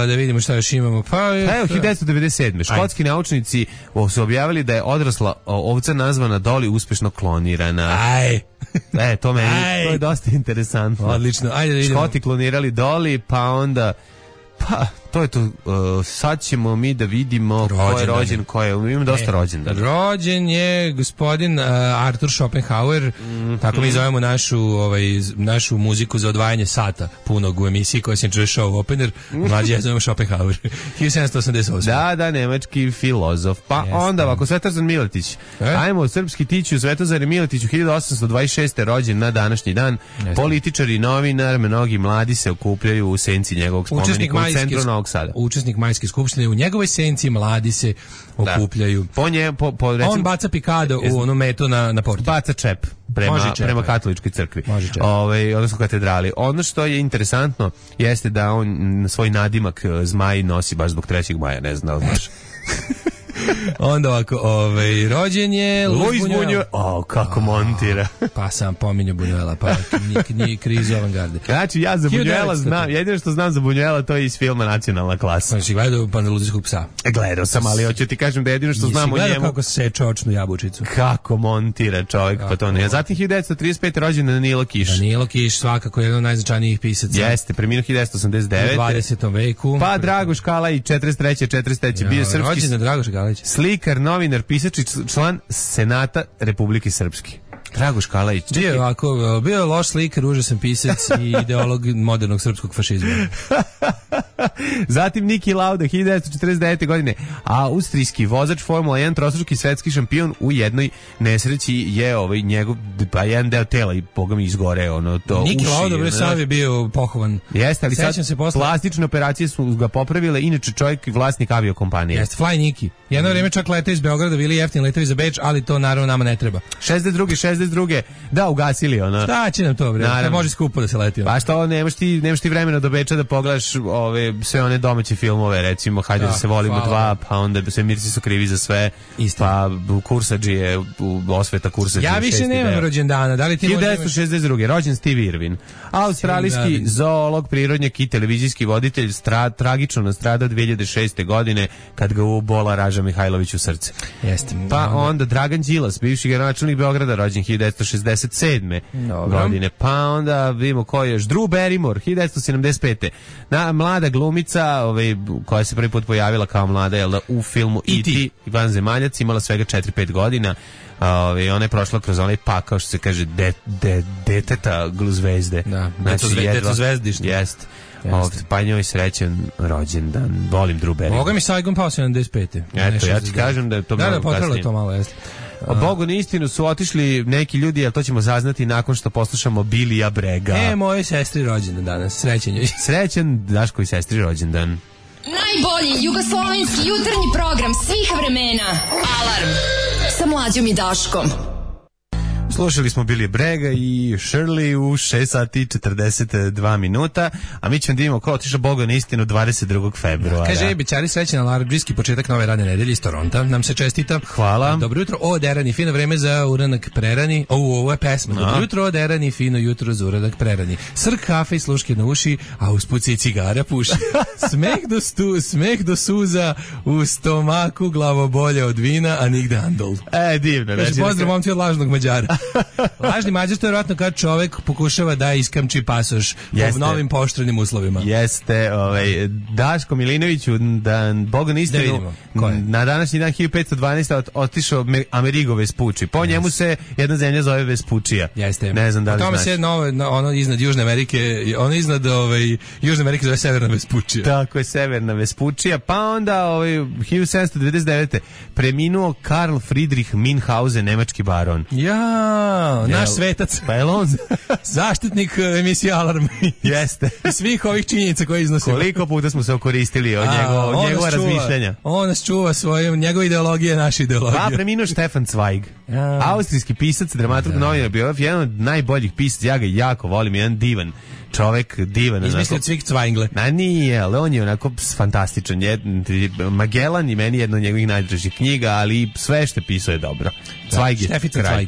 S6: da vidimo šta još imamo. Pa
S5: evo hiljadu devetsto devedeset sedme škotski Aj. naučnici su objavili da je odrasla ovca nazvana Dolly uspešno klonirana.
S6: Aj.
S5: E, to meni, Aj. to je dosta interesantno.
S6: Odlično. Ajde da vidimo.
S5: Škoti klonirali Dolly, pa onda pa to je to, uh, sad ćemo mi da vidimo rođen, ko je rođen, ko je, imam dosta e, rođen.
S6: Rođen je gospodin uh, Arthur Schopenhauer, mm -hmm. tako mi zovemo našu, ovaj, našu muziku za odvajanje sata punog u emisiji koja se čuje show opener, mlađi ja zovemo Schopenhauer, hiljadu sedamsto osamdeset osme
S5: Da, da, nemački filozof. Pa Jeste. onda ovako, Svetozar Miletić. E? Ajmo, srpski tiću, Svetozar Miletić u hiljadu osamsto dvadeset šeste rođen na današnji dan. Jeste. Političar i novinar, mnogi mladi se okupljaju u senci njegovog spomenika u centru Novog Sada.
S6: Učesnik majske skupštine, u njegovoj senci mladi se okupljaju.
S5: Da. Po nje, po, po, recimo,
S6: on baca pikado u onu metu na, na portu.
S5: Baca čep prema, čep, prema katoličkoj crkvi. Ove, odnosno katedrali. Ono što je interesantno jeste da on svoj nadimak zmaj nosi baš zbog trećeg maja, ne znam da li znaš.
S6: Onda ovako, ovaj, rođen je
S5: Luis Buñuel. O, kako montira.
S6: Pa sam pominjao Buñuela, pa nije krizu avangarde.
S5: Znači, ja za Buñuela znam, jedino što znam za Buñuela to je iz filma Nacionalna klasa.
S6: Pa si gledao Pandaluzijskog psa?
S5: Gledao sam, ali hoću ti kažem da jedino što znam o njemu.
S6: Kako seče očnu jabučicu.
S5: Kako montira čovjek, pa to ne. Zatim hiljadu devetsto trideset pete rođen Danilo Kiš.
S6: Danilo Kiš, svakako jedan od najznačajnijih pisaca.
S5: Jeste, preminuo hiljadu devetsto osamdeset devete.
S6: U dvadesetom veku.
S5: Pa Dragoš Kalaj, četrdeset treće četrdeset treće bio srpski.
S6: Rođen je Dragoš Kalaj.
S5: Slikar, novinar, pisač i član Senata Republike Srpske. Dragoš Kalajić.
S6: Bio je ovako, bio je loš slikar, užasan pisac i ideolog modernog srpskog fašizma.
S5: Zatim Niki Lauda, hiljadu devetsto četrdeset devete godine, austrijski vozač Formula jedan, trostruki svetski šampion, u jednoj nesreći je ovaj njegov, pa jedan deo tela i boga mi izgore, ono, to
S6: Niki
S5: uši.
S6: Lauda, bre, sad je bio pohovan.
S5: Jeste, ali
S6: Sećam
S5: sad
S6: se posle...
S5: plastične operacije su ga popravile, inače čovjek vlasnik aviokompanije.
S6: Jeste, Fly Niki. Jedno vrijeme čak lete iz Beograda, bili jeftini letovi za Beč, ali to naravno nama ne treba.
S5: šezdeset druge šezdeset druge Da, ugasili ono.
S6: Šta će nam to, bre? Da može skupo da se leti.
S5: Pa što, nemaš ti, nemaš ti vremena do Beča da pogledaš ove sve one domaće filmove, recimo Hajde da, da se volimo hvala. dva, pa onda Svemirci su krivi za sve. Isto. Pa Kursadžije, Osveta Kursadžije.
S6: Ja više nemam rođendana. Da li ti
S5: hiljadu devetsto šezdeset druge rođen Steve Irwin. Australijski zoolog, prirodnjak i televizijski voditelj, stra, tragično nastradao dve hiljade šeste godine kad ga ubola Raža Mihajlović u srce.
S6: Jeste.
S5: Pa onda Dragan Đilas, bivši gradonačelnik Beograda, rođen hiljadu devetsto šezdeset sedme godine. Pa onda vidimo ko je još. Drew Barrymore, hiljadu devetsto sedamdeset pete Na, mlada glumica, ovaj, koja se prvi put pojavila kao mlada, jel da, u filmu E T Vanzemaljac, imala svega četiri pet godina. Ove, ona je prošla kroz onaj pakao, što se kaže, de, de, deteta zvezde.
S6: Da, znači, deto zvezdište.
S5: Jest. Ovdje, pa njoj srećan rođendan. Volim Drew Barrymore.
S6: Boga mi Saigon pao sedamdeset pete
S5: Eto, ja ti kažem da je to
S6: da,
S5: mnogo
S6: kasnije. Da,
S5: da,
S6: to malo, jeste.
S5: O Bogu na istinu su otišli neki ljudi, ali to ćemo saznati nakon što poslušamo Bilija Brega.
S6: E, moje sestri rođendan danas, srećan joj.
S5: Srećan Daško i sestri rođendan.
S4: Najbolji jugoslovenski jutarnji program svih vremena. Alarm sa Mlađom i Daškom.
S5: Slušali smo Billy Bragga i Shirley u šest sati i četrdeset dva minuta, a mi ćemo da imamo ko otišao Boga na istinu dvadeset drugog februara.
S6: Kaže, bićari srećan alarmdžijski početak nove radne nedelje iz Toronta. Nam se čestita.
S5: Hvala.
S6: Dobro jutro, o derani, fino vreme za uranak prerani. O, ovo je pesma.
S5: No.
S6: Dobro jutro, o derani, fino jutro za uranak prerani. Srk kafe i sluške na uši, a usput se i cigara puši. Smeh do, stu, smeh do suza, u stomaku glavobolje od vina, a nigde andol.
S5: E, divno.
S6: Kaže,
S5: znači,
S6: pozdrav momci od lažnog Mađara. Lažni Mađar, to je vjerojatno kad čovek pokušava da iskamči pasoš po novim pooštrenim uslovima.
S5: Jeste, ovaj, Daško Milinoviću, da Boga na istinu,
S6: da
S5: na današnji dan hiljadu petsto dvanaeste. Ot, otišao Amerigo Vespucci. Po yes. njemu se jedna zemlja zove Vespučija.
S6: Jeste.
S5: Ne znam da li
S6: znaš.
S5: znaš.
S6: Tome se novo, no, ono iznad Južne Amerike, ono iznad ovaj, Južne Amerike zove Severna Vespučija.
S5: Tako je, Severna Vespučija. Pa onda ovaj, hiljadu sedamsto devedeset devete. preminuo Karl Friedrich Minhausen, nemački baron.
S6: Ja, naš svetac.
S5: Pa je on
S6: zaštitnik emisije Alarm.
S5: Jeste.
S6: I svih ovih činjenica koje iznosimo.
S5: Koliko puta smo se okoristili od njegova, njegova razmišljanja.
S6: On nas čuva svojom, njegova ideologija je naša ideologija.
S5: Pa preminuo Stefan Zweig. Ja. Austrijski pisac, dramaturg, ja. novinar, biograf, jedan od najboljih pisaca, ja ga jako volim, jedan divan čovek, divan.
S6: Izmislio Cvik Cvajngle.
S5: Na nije, ali on je onako fantastičan. Jed, Magellan i meni jedno od njegovih najdražih knjiga, ali sve što pisao je dobro. Zweig je kraj.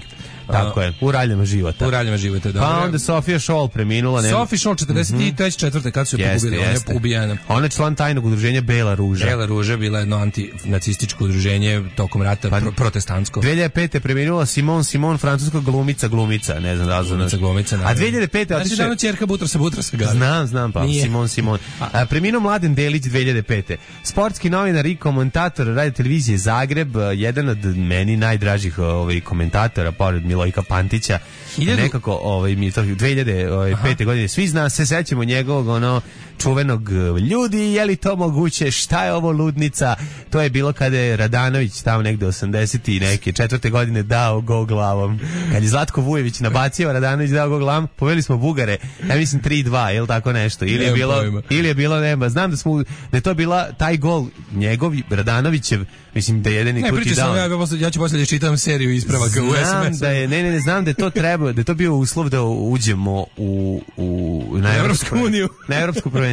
S5: Tako je, u raljama života.
S6: U raljama života, dobro.
S5: Pa onda Sofia Scholl preminula.
S6: Sofia Scholl, četrdeset treće četvrte kad su je pogubili, ona je ubijena.
S5: Ona je član tajnog udruženja Bela ruža.
S6: Bela ruža bila jedno antinacističko udruženje tokom rata, pa, pro, protestantsko.
S5: dve hiljade pete preminula Simon Simon, francuska glumica, glumica, ne znam da li
S6: glumica, glumica, ne.
S5: A dve hiljade pete
S6: otiše... Znači da ono ćerka Butrasa Butrasa ga.
S5: Znam, znam pa, Nije. Simon Simon. A, preminuo Mladen Delić dve hiljade pete. Sportski novinar i komentator radio televizije Zagreb, jedan od meni najdražih ovaj, komentatora, pored Milojka Pantića. Hiljadu... Nekako ovaj, mi to dve hiljade pete. godine svi zna, se sećamo njegovog ono čuvenog ljudi, je li to moguće, šta je ovo ludnica, to je bilo kada je Radanović tamo negde osamdeset i neke četvrte godine dao go glavom, kad je Zlatko Vujević nabacio, Radanović dao go glavom, poveli smo Bugare, ja mislim tri dva, je li tako nešto, ili je bilo, ili je bilo nema, znam da smo, da je to bila taj gol njegov, Radanovićev, mislim da je jedan i
S6: ne,
S5: tuti dao.
S6: Ja, ja ću poslije čitam seriju ispravaka u es em es.
S5: Da je, ne, ne, ne, znam da je to treba, da je to bio uslov da uđemo u, u, na Evropsku uniju, na Evropsko prvenstvo.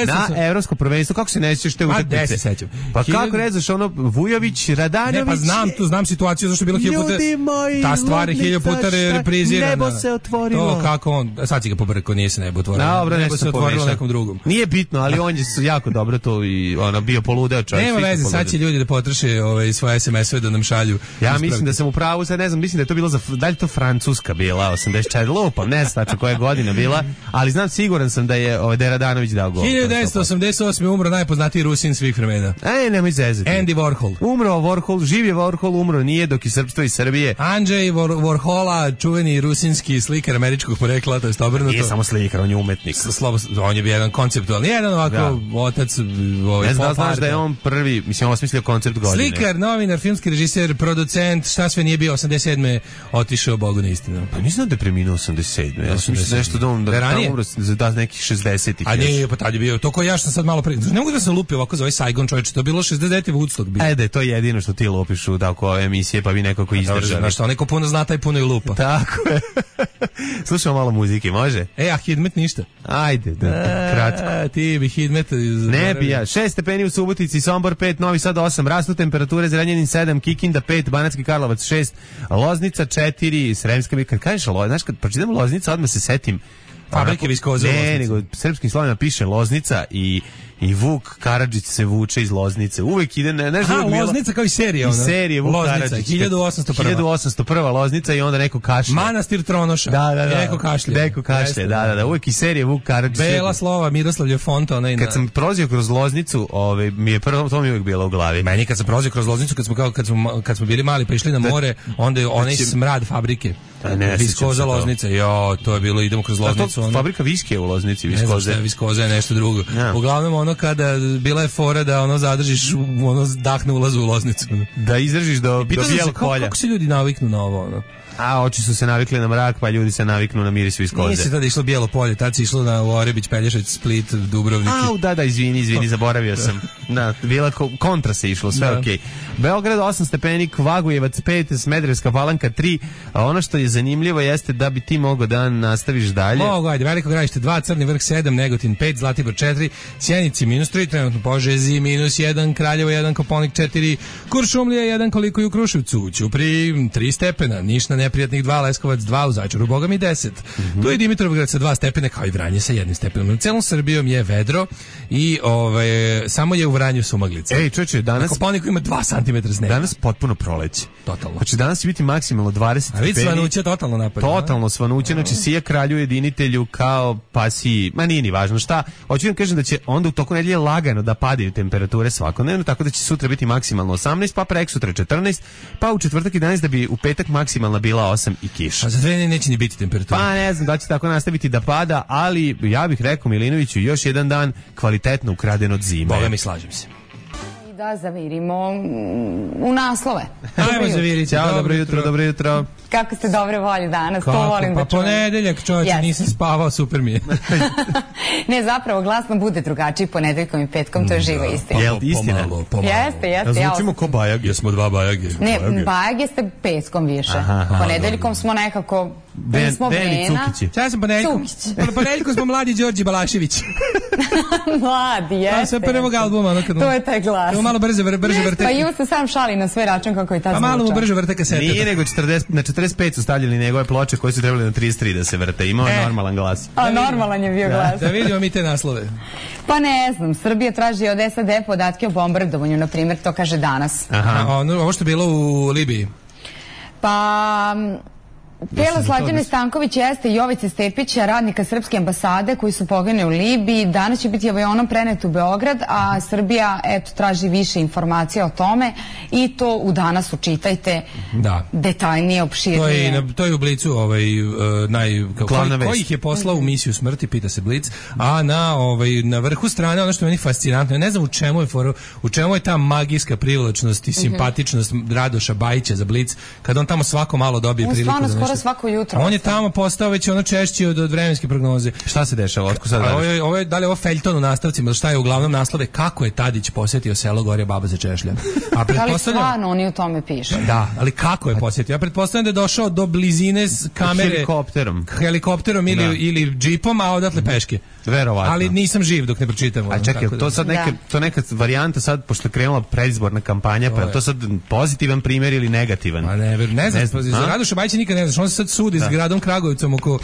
S5: Na Evropsko prvenstvo, kako se ne sjećaš te utakmice?
S6: sećam.
S5: Pa Hiljad... kako ne znaš, ono, Vujović, Radanović...
S6: Ne, pa znam tu, znam situaciju, zašto je bilo hiljadu puta...
S5: Moji,
S6: ta stvar je hiljadu puta reprizirana.
S5: Nebo se otvorilo.
S6: To kako on, sad si ga pobrko, nije se nebo otvorilo.
S5: Dobro,
S6: nebo se otvorilo nekom drugom.
S5: Nije bitno, ali on je jako dobro to i ono, bio poludeo čovjek.
S6: Nema veze, sad će ljudi da potroše ovaj, svoje es em es-ove da nam šalju.
S5: Ja mislim da sam u pravu, sad ne znam, mislim da je to bilo za, da li to Francuska bila, osamdeset četiri, lupam, ne znam tačno koja godina bila, ali znam, siguran sam da je, ovaj, da je Radanović dao gol.
S6: hiljadu devetsto osamdeset osme umro najpoznatiji Rusin svih vremena.
S5: Ej, nemoj zezati.
S6: Andy Warhol.
S5: Umro Warhol, živ je Warhol, umro nije, dok je srpstvo iz Srbije.
S6: Andrzej Warhola, čuveni rusinski slikar američkog porekla, to je obrnuto.
S5: Nije samo slikar, on je umetnik.
S6: Slobo, on je bio jedan konceptualni, jedan ovako ja. otac. Ovaj,
S5: ne znam, znaš da je on prvi, mislim, on osmislio koncept godine.
S6: Slikar, novinar, filmski režiser, producent, šta sve nije bio, osamdeset sedme otišao Bogu na istinu.
S5: Pa nisam da je preminuo osamdeset sedme Ja sam mislio nešto da on da tamo umro za nekih šezdesetih
S6: A nije, pa tad je bio, to ko ja što sam sad malo pre... Ne mogu da se lupi ovako za ovaj Saigon, čovječe, to je bilo šezdeset deveti Woodstock bio.
S5: Ajde, to je jedino što ti lupiš u tako ove emisije, pa vi nekako izdržali.
S6: Znaš što, neko puno zna, taj puno i lupa.
S5: Tako je. Slušamo malo muzike, može?
S6: E, a Hidmet ništa.
S5: Ajde, da, da kratko.
S6: A, ti bi Hidmet...
S5: Ne bi ja. Šest stepeni u Subotici, Sombor pet, Novi Sad osam, rastu temperature, Zrenjanin sedam, Kikinda pet, Banatski Karlovac šest, Loznica četiri, Sremska mi, kad kažeš Loznica, znaš, kad pročitam Loznica, odmah se setim
S6: fabrike viskoze.
S5: Ne, nego srpskim slovima piše Loznica i i Vuk Karadžić se vuče iz Loznice. Uvek ide, ne, ne znam,
S6: Loznica kao i serija, ona.
S5: I serija Vuk Karadžić.
S6: hiljadu osamsto prva
S5: hiljadu osamsto prva Loznica i onda neko kašlje.
S6: Manastir Tronoša.
S5: Da, da, da.
S6: Neko kašlje.
S5: Neko kašlje, da, da, da. Uvek i serija Vuk Karadžić.
S6: Bela slova, Miroslavlje Fonta, onaj.
S5: Kad sam prolazio kroz Loznicu, ovaj mi je prvo to mi uvek bilo u glavi.
S6: Meni kad sam prolazio kroz Loznicu, kad smo kao kad smo kad smo bili mali pa išli na more, onda je onaj smrad fabrike. Viskoza Loznica. Jo, to je bilo, idemo kroz Loznicu.
S5: Fabrika viskije u Loznici, Viskoze.
S6: Viskoza je nešto drugo. Uglavnom ono ono kada bila je fora da ono zadržiš ono dah na ulazu u Loznicu.
S5: Da izdržiš do, do bijelog polja.
S6: Kako se ljudi naviknu na ovo, ono?
S5: A oči su se navikli na mrak, pa ljudi se naviknu na miris iz koze.
S6: Nije se tada išlo bijelo polje, tad se išlo na Orebić, Pelješac, Split, Dubrovnik.
S5: Au, da, da, izvini, izvini, zaboravio sam. Da, bila kontra se išlo, sve okej. Okay. Beograd osam stepeni, Vagujevac pet, Smederevska Palanka tri. A ono što je zanimljivo jeste da bi ti mogao da nastaviš dalje.
S6: Mogu, ajde, Veliko Gradište dva, Crni Vrh sedam, Negotin pet, Zlatibor četiri, Sjenici minus tri, trenutno Požegi minus jedan, Kraljevo jedan, Koponik četiri, Kuršumlija jedan, koliko i u Kruševcu, Ćupriji tri stepena, Niš na neprijatnih dva, Leskovac dva, u Zaječaru Boga mi deset. Mm-hmm. Tu je Dimitrovgrad sa dva stepena, kao i Vranje sa jednim stepenom. Na celom Srbijom je vedro i ovaj, samo je u Vranju sumaglica.
S5: Ej, čoče, danas...
S6: Na Koponiku ima dva centimetra snega.
S5: Danas potpuno proleće.
S6: Totalno.
S5: Znači, danas će biti maksimalno dvadeset stepeni.
S6: A vidi svanuće totalno napad.
S5: Totalno svanuće, znači sija kralju jedinitelju kao pasiji, ma nije ni važno šta. Hoću vam kažem da će onda u toku nedelje lagano da padaju temperature svakodnevno, tako da će sutra biti maksimalno osamnaest, pa preksutra četrnaest, pa u četvrtak jedanaest, da bi u petak maksimalna bila osam i kiša.
S6: A za dve neće ni biti temperatura.
S5: Pa ne znam da će tako nastaviti da pada, ali ja bih rekao Milinoviću još jedan dan kvalitetno ukraden od zime.
S6: Boga mi, slažem se.
S7: Da zavirimo u naslove.
S6: Ajmo zaviriti.
S5: Ćao, dobro, dobro jutro, dobro jutro.
S7: Kako ste dobre volje danas,
S6: Kako?
S7: To volim
S6: pa
S7: da čujem.
S6: Pa ponedeljak, čovječe, yes. Nisam spavao, super mi je.
S7: Ne, zapravo glasno bude drugačiji ponedeljkom i petkom, to je živa istina.
S5: Jel istina?
S6: Pomalo, pomalo.
S7: Jeste, jeste.
S5: Ja zvučimo ko bajag.
S6: Jesmo dva bajage.
S7: Ne, bajage ste petkom više. Aha, ponedeljkom smo nekako...
S5: Den,
S7: smo
S5: Deni Cukići.
S6: Ja sam ponedeljkom. Ponedeljkom smo mladi Đorđe Balašević.
S7: Mladi, jeste.
S6: Pa sve prvog albuma. Ono kad
S7: to je taj glas.
S6: Malo brže, brže vrte.
S7: Pa Ivo se sam šali na svoj račun kako je ta zvuča.
S6: Pa malo mu brže vrte kasete.
S5: Nije nego četrdeset, na četrdeset pet su stavljali njegove ploče koje su trebali na trideset tri da se vrte. Imao je e. normalan glas.
S7: A normalan je bio
S6: da,
S7: glas.
S6: Da vidimo mi te naslove.
S7: Pa ne znam, Srbija traži od S A D podatke o bombardovanju, na primjer, to kaže danas.
S6: Aha. A, ono, ovo što je bilo u Libiji?
S7: Pa... Telo Slađane Stanković jeste Jovice Stepića, radnika srpske ambasade koji su poginuli u Libiji. Danas će biti avionom prenet u Beograd, a Srbija eto traži više informacija o tome i to u Danasu čitajte
S6: da. Detaljnije,
S7: opširnije.
S6: To je, na, to je u Blicu ovaj, uh, naj... Koji, koji ih je poslao u misiju smrti, pita se Blic, a na, ovaj, na vrhu strane ono što je meni fascinantno, ja ne znam u čemu je for, u čemu je ta magijska privlačnost i simpatičnost mm-hmm. Radoša Bajića za Blic, kad on tamo svako malo dobije
S7: on
S6: priliku da nešto...
S7: svako jutro.
S6: On je tamo postao već ono češći od, od vremenske prognoze.
S5: Šta se dešava? Otko sad
S6: ovo je, ovo je, da li je ovo feljton u nastavcima, šta je uglavnom naslove, kako je Tadić posjetio selo Gorja Baba za Češlja.
S7: A da li stvarno oni u tome piše?
S6: Da, ali kako je posjetio? Ja pretpostavljam da je došao do blizine s kamere
S5: helikopterom,
S6: helikopterom ili, da. ili džipom, a odatle peške.
S5: Verovatno.
S6: Ali nisam živ dok ne pročitam.
S5: A čekaj, to
S6: da.
S5: sad neka,
S7: da.
S5: to neka varijanta sad, pošto je krenula predizborna kampanja, to pa je to sad pozitivan primjer ili negativan?
S6: A ne, ne znam, ne znam. Za Radoša Bajića nikad ne znaš, on se sad sudi da. s gradom Kragujevcom oko,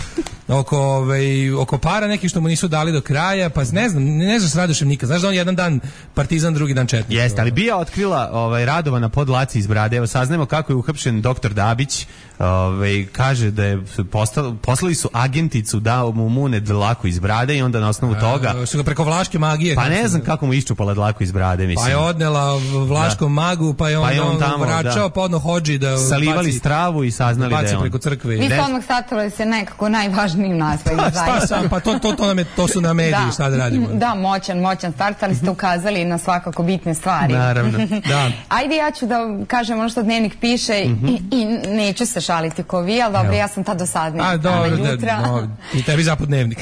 S6: oko, ovaj, oko para nekih što mu nisu dali do kraja, pa ne znam, ne znaš s Radošem nikad. Znaš da on jedan dan partizan, drugi dan četnik.
S5: Jeste, ali bija otkrila ovaj, Radovana podlaci iz brade. Evo, saznajemo kako je uhapšen doktor Dabić. Ovaj, kaže da je postali, poslali su agenticu da mu mune dlaku iz brade i onda na osnovu toga...
S6: A, su ga preko vlaške magije.
S5: Pa ne znam kako mu iščupala dlaku iz brade, mislim.
S6: Pa je odnela vlaškom da. magu, pa je on, pa je on, on tamo, vraćao, da. pa odno hođi da...
S5: Salivali
S6: baci,
S5: stravu i saznali da je on.
S6: preko crkve.
S7: Vi ste odmah statili se nekako najvažnijim nasledima.
S6: Šta sam, pa to, to, to, nam je, to su na mediji, da. šta da radimo.
S7: Da, moćan, moćan start, ali ste ukazali na svakako bitne stvari.
S5: Naravno, da.
S7: Ajde, ja ću da kažem ono što Dnevnik piše mm-hmm. i, i neću se šaliti ko vi, ali dobro, ja sam ta dosadnija.
S6: A, dobro, da, no, i tebi zapad Dnevnik.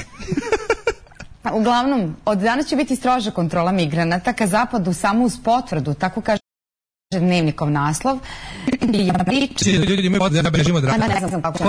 S7: Uglavnom, od danas će biti stroža kontrola migranata ka zapadu samo uz potvrdu, tako kaže Dnevnikov naslov.
S6: Ljudi imaju potvrdu da bežimo od rata.
S7: Ne znam kako će.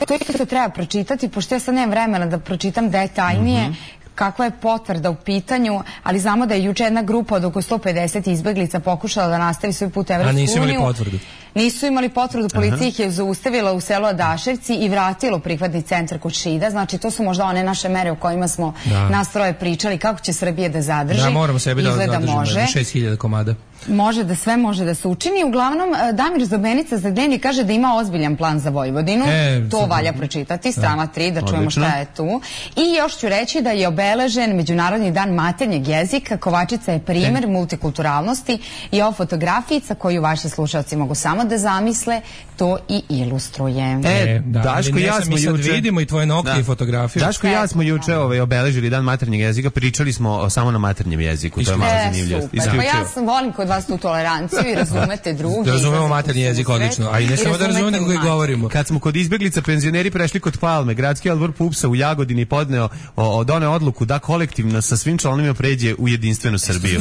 S7: To isto treba pročitati, pošto ja sad nemam vremena da pročitam detaljnije kakva je potvrda u pitanju, ali znamo da je juče jedna grupa od oko sto pedeset izbeglica pokušala da nastavi svoj put u Evropsku uniju.
S6: A nisu imali potvrdu?
S7: Nisu imali potvrdu, policija ih je zaustavila u selu Adaševci i vratila u prihvatni centar kod Šida. Znači, to su možda one naše mere o kojima smo da. nas troje pričali, kako će Srbije da zadrži.
S6: Da, moramo sebi da zadržimo šest hiljada komada.
S7: Može da sve može da se učini. Uglavnom, Damir Zobenica za Dnevnik kaže da ima ozbiljan plan za Vojvodinu. E, to valja pročitati, strana tri, da, da čujemo šta je tu. I još ću reći da je obeležen Međunarodni dan maternjeg jezika. Kovačica je primer e. multikulturalnosti i ovo fotografijica koju vaši slušalci mogu samo samo da zamisle, to i ilustruje.
S5: E,
S6: da,
S5: Daško i ja smo juče
S6: vidimo i tvoje nokte i fotografiju.
S5: Daško i ja smo juče ovaj, obeležili dan maternjeg jezika, pričali smo o, samo na maternjem jeziku, to je malo zanimljivo.
S7: E, super, pa ja sam, volim kod vas tu toleranciju i razumete drugi.
S6: Razumemo maternji jezik odlično, a i ne samo da razumemo, nego ga i govorimo.
S5: Kad smo kod izbeglica penzioneri prešli kod Palme, gradski odbor Pupsa u Jagodini podneo o, doneo odluku da kolektivno sa svim članovima pređe u jedinstvenu Srbiju.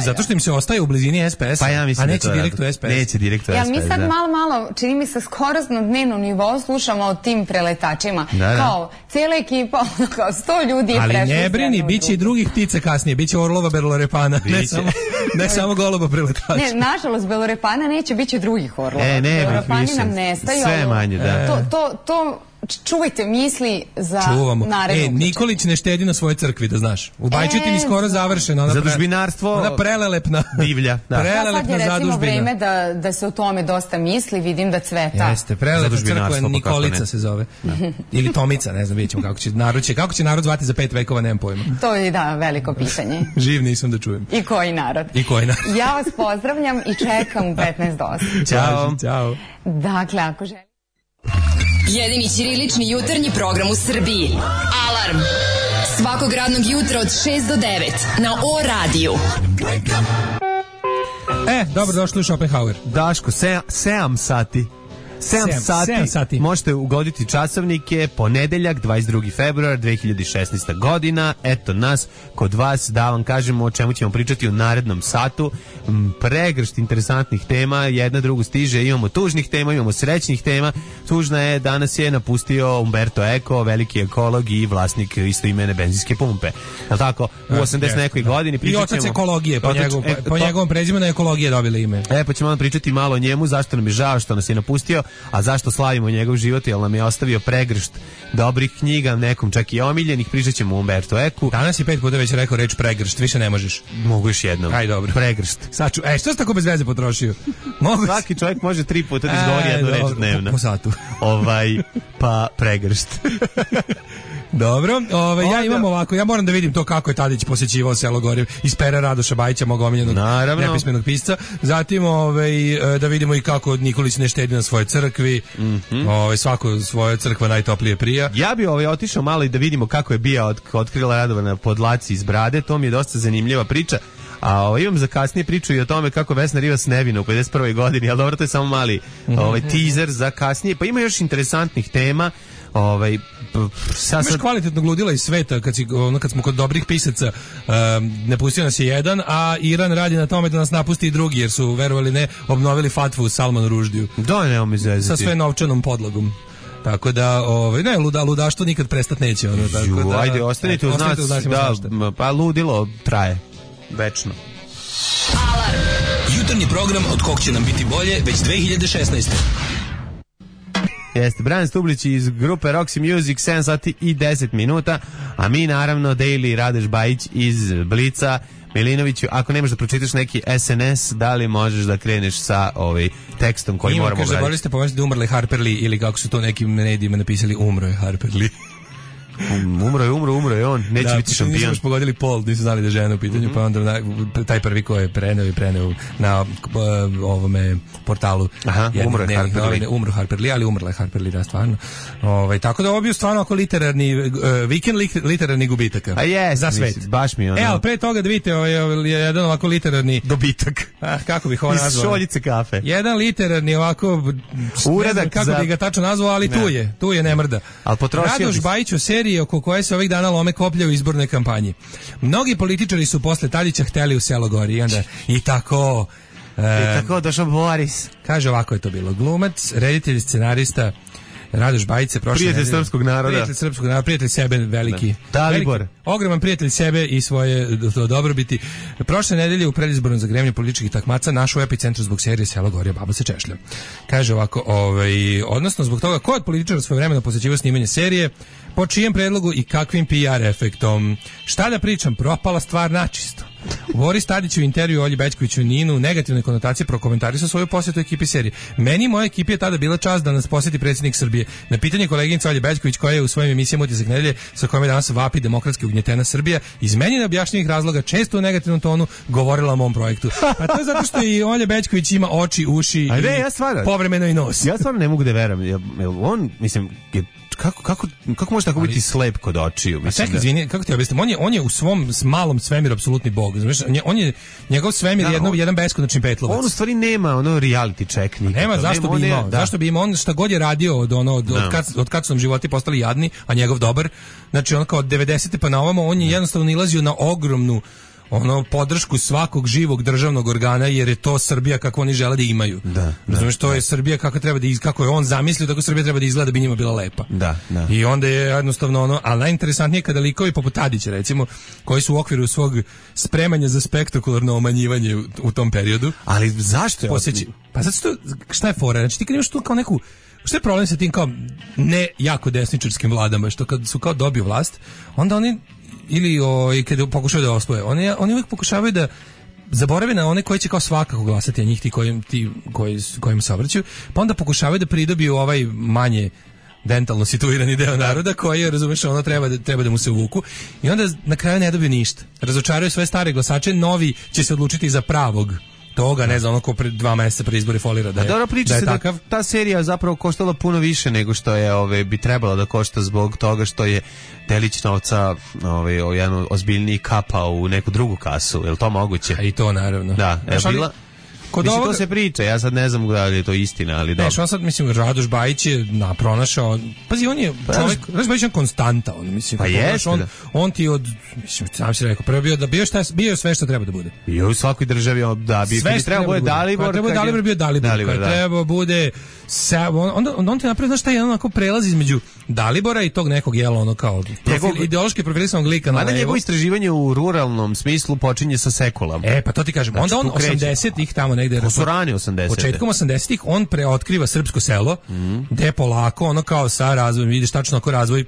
S6: Zato što im se ostaje u blizini es pe es,
S5: pa ja
S6: a neće direkt u es pe es.
S5: Neće direkt u es pe es,
S7: ja, mi sad
S5: da.
S7: malo, malo, čini mi se skoro na dnevnom nivou slušamo o tim preletačima.
S5: Da, da.
S7: Kao, cijela ekipa, kao sto ljudi je prešlo.
S6: Ali ne brini, bit će i drugih ptica kasnije, bit će orlova belorepana, ne samo, ne samo goloba preletača.
S7: Ne, nažalost, belorepana neće, bit će drugih orlova.
S5: E, ne,
S7: belorepani nam nestaju.
S5: Sve manje, da.
S7: To, to, to čuvajte misli za narednu.
S6: E, Nikolić ne štedi na svojoj crkvi, da znaš. U Bajčetini skoro završeno. Ona
S5: zadužbinarstvo.
S6: Ona prelelepna.
S5: Divlja.
S7: Da. Prelelepna sad je recimo vreme da, da se o tome dosta misli, vidim da cveta.
S6: Jeste, prelelepna crkva Nikolica se zove. Da. Ili Tomica, ne znam, vidjet ćemo kako će narod, će, kako će narod zvati za pet vekova, nemam pojma.
S7: To je, da, veliko pitanje.
S6: Živ nisam da čujem.
S7: I koji narod.
S6: I koji narod.
S7: Ja vas pozdravljam i čekam u petnaest do osam.
S6: Ćao. Ćao.
S7: Dakle, ako želim.
S4: Jedini ćirilični jutarnji program u Srbiji. Alarm. Svakog radnog jutra od šest do devet na O radiju.
S6: E, dobro došli u Schopenhauer.
S5: Daško, sedam sati. sedam sati, sati možete ugoditi časovnike, ponedeljak dvadeset drugi februar dve hiljade šesnaeste. godina, eto nas kod vas da vam kažemo o čemu ćemo pričati u narednom satu. Pregršt interesantnih tema, jedna drugu stiže, imamo tužnih tema, imamo srećnih tema. Tužna je, danas je napustio Umberto Eco, veliki ekolog i vlasnik istoimene benzinske pumpe. Jel tako? U osamdeset nekoj godini pričat ćemo...
S6: I otac ekologije, po, njegov, e, po njegovom prezimenu ekologije dobili ime.
S5: E, pa ćemo vam pričati malo o njemu, zašto nam je žao što nas je napustio, a zašto slavimo njegov život, jer nam je ostavio pregršt dobrih knjiga, nekom čak i omiljenih. Pričat ćemo o Umberto Eku.
S6: Danas je pet puta već rekao reč pregršt, više ne možeš.
S5: Mogu još jednom.
S6: Aj, dobro.
S5: Pregršt.
S6: Saču, e, što si tako bez veze potrošio? Mogu...
S5: Svaki čovjek može tri puta da izgovori jednu reč dnevno.
S6: Po satu.
S5: Ovaj, pa pregršt.
S6: Dobro, ove, ja imam ovako, ja moram da vidim to kako je Tadić posjećivao selo Gorje iz pera Radoša Bajića, mog omiljenog nepismenog pisca. Zatim ove, da vidimo i kako Nikolić ne štedi na svojoj crkvi. Mm-hmm. Ove, svako svoja crkva najtoplije prija.
S5: Ja bi ovaj, otišao malo i da vidimo kako je bija od, otkrila Radovana podlaci iz brade, to mi je dosta zanimljiva priča. A ovaj, imam za kasnije priču i o tome kako Vesna Rivas nevina u pedeset prvoj godini, ali dobro, to je samo mali ovaj, teaser za kasnije. Pa ima još interesantnih tema. Ovaj
S6: sad sad kvalitetnog ludila iz sveta kad si ono kad smo kod dobrih pisaca, um, ne pustio nas je jedan, a Iran radi na tome da nas napusti i drugi, jer su verovali ne obnovili fatvu u Salmanu Ruždiju.
S5: Da, ne mi zezati.
S6: Sa sve novčanom podlogom. Tako da, ovaj ne luda, ludaštvo nikad prestat neće, ono, tako
S5: Ju,
S6: da.
S5: Ajde, ostanite uz nas, da, pa ludilo traje večno.
S8: Alarm. Jutarnji program od kog će nam biti bolje već dve hiljade šesnaeste.
S5: Jeste, Brian Stublić iz grupe Roxy Music, sedam sati i deset minuta, a mi naravno Daily Radeš Bajić iz Blica. Milinoviću, ako nemaš da pročitaš neki es en es, da li možeš da kreneš sa ovaj tekstom koji
S6: Ima,
S5: moramo
S6: gledati? Ima, kaže, zaboravili ste pomenuti da umrli Harper Lee, ili kako su to nekim medijima napisali, umro je Harper Lee.
S5: Um, umro je, umro, umro je on, neće
S6: da,
S5: biti šampion. Da,
S6: nismo pogodili pol, nisu znali da je žena u pitanju, mm-hmm. pa onda na, taj prvi ko je preneo i preneo na uh, ovome portalu.
S5: Aha, jedne, umro je
S6: dnevnih,
S5: Harper Lee.
S6: Ne, umro Harper Lee, ali umrla je Harper Lee, da, stvarno. Ovaj, tako da ovo bio stvarno ako literarni, uh, vikend literarni gubitaka.
S5: A jes,
S6: za svet.
S5: Mislim, baš mi ono.
S6: E, ali pre toga da vidite, ovaj, jedan ovako literarni
S5: dobitak.
S6: Ah, kako bih ovo nazvao?
S5: Iz šoljice kafe.
S6: Jedan literarni ovako,
S5: uradak
S6: kako
S5: za...
S6: bi ga tačno nazvao, ali ne. tu je, tu je ne mrda.
S5: Al potrošio
S6: Radoš Bajić u seriji oko koje se ovih dana lome koplja u izbornoj kampanji. Mnogi političari su posle Tadića hteli u selo Gori i onda i tako
S5: e, i tako došao Boris.
S6: Kaže, ovako je to bilo. Glumac, reditelj, scenarista Radoš Bajić se prošle
S5: prijatelj
S6: nedelje,
S5: srpskog naroda.
S6: Prijatelj srpskog naroda, prijatelj sebe veliki.
S5: Dalibor.
S6: Veliki, ogroman prijatelj sebe i svoje to dobrobiti. Prošle nedelje u predizbornom zagrevanju političkih takmaca našao u epicentru zbog serije Selo Gorje, baba se češlja. Kaže ovako, ovaj, odnosno zbog toga ko od političara svoje vremena posjećivao snimanje serije, po čijem predlogu i kakvim P R efektom. Šta da pričam, propala stvar načisto. Boris Tadić u intervju Olji Bećkoviću Ninu negativne konotacije prokomentarisao svoju posjetu ekipi serije. Meni i moja ekipi je tada bila čast da nas posjeti predsjednik Srbije. Na pitanje koleginice Olje Bećković koja je u svojim emisijama Utisak nedelje sa kojom je danas vapi demokratski ugnjetena Srbija, iz meni neobjašnjivih razloga često u negativnom tonu govorila o mom projektu. A to je zato što i Olja Bećković ima oči, uši
S5: Ajde,
S6: i
S5: ja stvarno,
S6: povremeno i nos.
S5: Ja stvarno ne mogu da verujem. Jel, jel on, mislim, je, kako, kako, kako može tako biti slep kod očiju?
S6: A čekaj, izvini, kako ti objasnim? On je, on je u svom malom svemiru apsolutni bog. Znaš, on je, njegov svemir je jedno, jedan beskonačni petlovac.
S5: On u stvari nema ono reality check nikako.
S6: Nema, zašto bi imao?
S5: Da.
S6: Zašto bi imao? On šta god je radio od, ono, od, od, kad, od kad su nam životi postali jadni, a njegov dobar, znači on kao od devedesete pa na ovamo, on je jednostavno nilazio na ogromnu ono podršku svakog živog državnog organa jer je to Srbija kako oni žele da imaju.
S5: Da,
S6: razumeš, to
S5: da.
S6: je Srbija kako treba da iz, kako je on zamislio tako Srbija treba da izgleda da bi njima bila lepa.
S5: Da, da.
S6: I onda je jednostavno ono, ali najinteresantnije kada likovi poput Tadića recimo, koji su u okviru svog spremanja za spektakularno omanjivanje u, u tom periodu.
S5: Ali zašto je
S6: posjeći? Pa zato što šta je fora? Znači ti kad imaš tu kao neku šta je problem sa tim kao ne jako desničarskim vladama što kad su kao dobiju vlast, onda oni ili o, i kada pokušavaju da osvoje, oni, oni uvijek pokušavaju da zaborave na one koji će kao svakako glasati, a njih ti kojim, ti koji, kojim se obraćaju, pa onda pokušavaju da pridobiju ovaj manje dentalno situirani deo naroda koji je, razumeš, ono treba da, treba da mu se uvuku i onda na kraju ne dobiju ništa. Razočaraju sve stare glasače, novi će se odlučiti za pravog toga, ne znam, ono ko pred dva mjeseca pre izbori folira da je,
S5: dobro, priča
S6: da je
S5: se
S6: takav.
S5: Da ta serija zapravo koštala puno više nego što je ove, bi trebala da košta zbog toga što je delić novca ove, jedan ozbiljniji kapao u neku drugu kasu, je li to moguće?
S6: A i to naravno.
S5: Da, je
S6: Znaš,
S5: bila...
S6: Kod
S5: mislim,
S6: ovoga...
S5: to se priča, ja sad ne znam da li je to istina, ali dobro.
S6: Ne, što sad, mislim, Radoš Bajić je na, pronašao, pazi, on je čovjek, Radoš Bajić je konstanta, on, mislim,
S5: pa jeste,
S6: on,
S5: da.
S6: on ti od, mislim, sam si rekao, prvo bio da bio, šta, bio sve što treba da bude.
S5: Bio u svakoj državi, da, bi,
S6: sve
S5: kad treba bude Dalibor.
S6: Kad treba Dalibor, bio Dalibor, Dalibor kad da. treba bude, sa, on, onda, onda on ti napravi, znaš šta je onako prelaz između Dalibora i tog nekog, jela, ono kao, profil, njegov, ideološki profilisanog lika na levo.
S5: Mada njegovo istraživanje u ruralnom smislu počinje sa sekulom.
S6: E, pa to ti kažem,
S5: znači,
S6: onda on osamdesetih tamo negde,
S5: osamdesetih
S6: početkom osamdesetih on preotkriva srpsko selo, mm. gde polako ono kao sa razvojem, vidiš tačno ako razvoj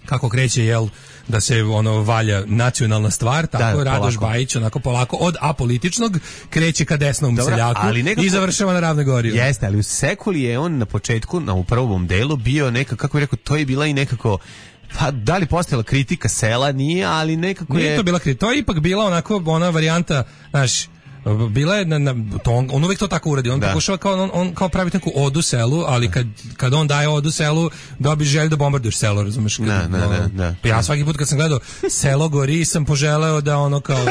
S6: kako kreće, jel, da se ono valja nacionalna stvar, tako da, Radoš Bajić onako polako od apolitičnog kreće ka desnom Dobra, seljaku nekako, i završava na Ravnoj Gori.
S5: Jeste, ali u sekuli je on na početku, na u prvom delu bio nekako, kako bih rekao, to je bila i nekako, pa da li postojala kritika sela, nije, ali nekako
S6: nije
S5: je...
S6: to bila kritika, to je ipak bila onako ona varijanta, znaš, bila je na, na to on, on uvijek to tako uradi, on da. pokušava kao on, on kao praviti neku odu selu, ali kad, kad on daje odu selu dobiš želju da bombarduješ selo, razumeš? Kad,
S5: ne, ne, ne, ne.
S6: Ja svaki put kad sam gledao Selo gori sam poželeo da ono kao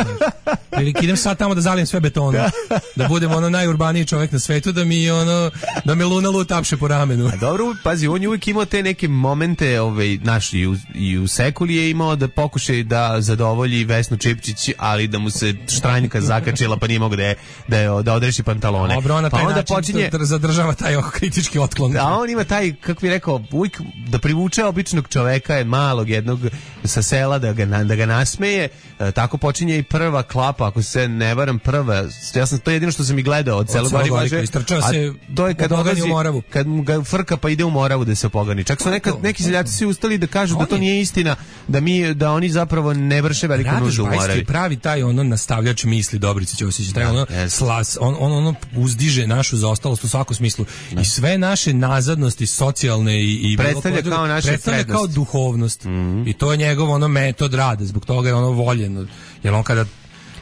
S6: prilike idem sad tamo da zalijem sve betonom, da, da budem ono najurbaniji čovjek na svetu, da mi ono da me Luna Lu tapše po ramenu.
S5: A dobro, pazi, on je uvijek imao te neke momente, ovaj, naš, i u, i u sekuli je imao da pokušaj da zadovolji Vesnu Čipčić, ali da mu se štranjka zakačila pa nije mogu da je, da, je, da odreši pantalone.
S6: Dobro, on na taj
S5: pa onda
S6: način
S5: počinje,
S6: zadržava taj kritički otklon.
S5: A on ima taj, kako bih rekao, uvijek da privuče običnog čoveka, malog jednog sa sela, da ga, da ga nasmeje. E, tako počinje i prva klapa, ako se ne varam, prva. Ja sam to jedino što sam i gledao od Selo gori važe.
S6: Istrčao se
S5: to je kad
S6: odlazi u Moravu.
S5: Kad mu ga frka pa ide u Moravu da se opogani. Čak su neka, neki seljaci svi ustali da kažu da to nije istina, da mi da oni zapravo ne vrše veliku nuždu u Moravi.
S6: Pravi taj ono nastavljač misli Dobrice Ćosić, taj ono
S5: yes.
S6: slas, on, on ono uzdiže našu zaostalost u svakom smislu ne. I sve naše nazadnosti socijalne i, i
S5: predstavlja kao naše
S6: predstavlja kao duhovnost mm-hmm. I to je njegov ono metod rada, zbog toga je ono voljen, jer on kada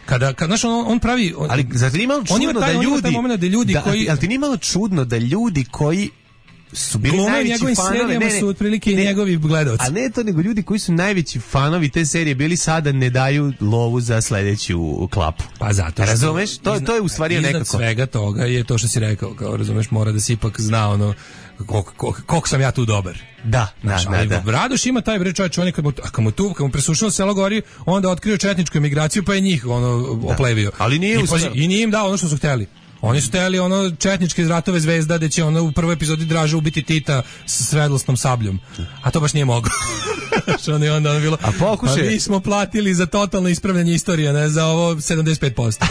S6: kada kad znaš on, on pravi on,
S5: ali zar ti nije malo čudno da ljudi,
S6: da ljudi
S5: da,
S6: koji
S5: ali ti nije malo čudno da ljudi koji su bili Glume najveći fanovi, ne, ne,
S6: su otprilike ne, njegovi gledaoci.
S5: A ne to, nego ljudi koji su najveći fanovi te serije bili sada ne daju lovu za sledeću klapu.
S6: Pa zato što...
S5: Razumeš? To,
S6: izna,
S5: to je u stvari
S6: iznad
S5: nekako.
S6: Iznad svega toga je to što si rekao, kao razumeš, mora da se ipak zna ono koliko kol, kol sam ja tu dobar.
S5: Da,
S6: znaš,
S5: da, da, da.
S6: Radoš ima taj bre čovjek, on kad mu, kad mu tu, kad mu presušilo Selo gori, onda otkrio četničku emigraciju pa je njih ono da. oplevio.
S5: Ali nije
S6: I, pozi, i nije im dao ono što su hteli. Oni su htjeli ono četničke iz Ratove zvezda da će ono u prvoj epizodi Draža ubiti Tita s sredlosnom sabljom. A to baš nije mogao. Što ne onda ono bilo.
S5: A pokušaj.
S6: A mi smo platili za totalno ispravljanje istorije, ne za ovo sedamdeset pet posto.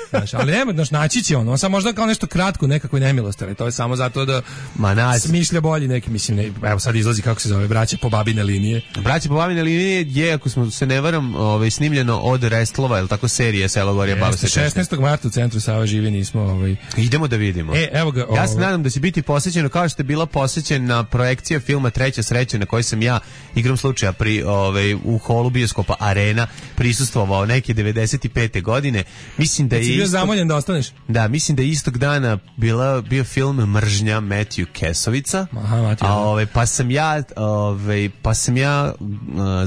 S6: Znaš, ali nema, znaš, naći će on. On sam možda kao nešto kratko, nekakve nemilosti, ali to je samo zato da
S5: Ma,
S6: smišlja bolji neki, mislim, ne, evo sad izlazi kako se zove, braće po babine linije.
S5: Braće po babine linije je, ako smo se ne varam, ovaj, snimljeno od Restlova, ili tako serije Selo Gorija bave se
S6: šesnaestog marta u centru Sava živi, nismo ovaj.
S5: Idemo da vidimo.
S6: E, evo ga,
S5: ja se nadam da će biti posjećeno kao što je bila posjećena projekcija filma Treća sreća na kojoj sam ja igrom slučaja pri ovaj u holu bioskopa Arena prisustvovao neke devedeset pete godine. Mislim da je
S6: bio zamoljen da ostaneš.
S5: Da, mislim da je istog dana bila bio film Mržnja Matthew Kesovica.
S6: Aha, Matthew.
S5: A ovaj pa sam ja ovaj pa sam ja uh,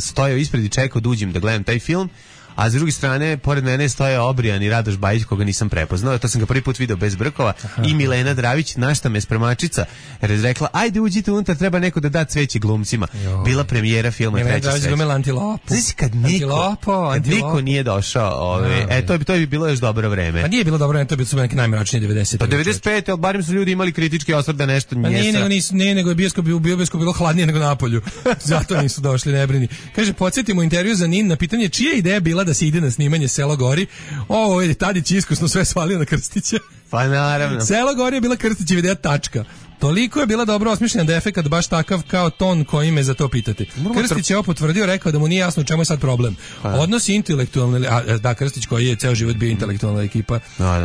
S5: stojao ispred i čekao da uđem da gledam taj film. A s druge strane, pored mene stoje Obrijan i Radoš Bajić, koga nisam prepoznao. To sam ga prvi put video bez brkova. Aha. I Milena Dravić, našta me spremačica, jer je rekla, ajde uđite unutra, treba neko da da cveće glumcima. Joj. Bila premijera filma Treća sreća.
S6: Milena Dravić Antilopu.
S5: Znači, kad niko,
S6: antilopo,
S5: kad
S6: antilopo.
S5: niko nije došao, ove, e, to bi, to bi bilo još dobro vreme.
S6: Pa nije bilo dobro vreme, to bi bilo neki najmračnije devedeset.
S5: Pa devedeset pete, ali barem su ljudi imali kritički osvrt da nešto
S6: pa
S5: nije.
S6: Nije nego, nis, nije nego je bioskop, u bioskop bilo hladnije nego na polju. Zato nisu došli, ne brini. Kaže, podsjetimo intervju za Nin na pitanje čija ideja bila da se ide na snimanje Selo gori. Ovo je Tadić iskusno sve svalio na Krstića.
S5: Pa naravno.
S6: Selo gori je bila Krstićeva ideja, tačka. Toliko je bila dobro osmišljena da je efekat baš takav kao ton koji me za to pitati. Krstić je opotvrdio, rekao da mu nije jasno u čemu je sad problem. Odnosi intelektualne, a da, Krstić koji je ceo život bio intelektualna ekipa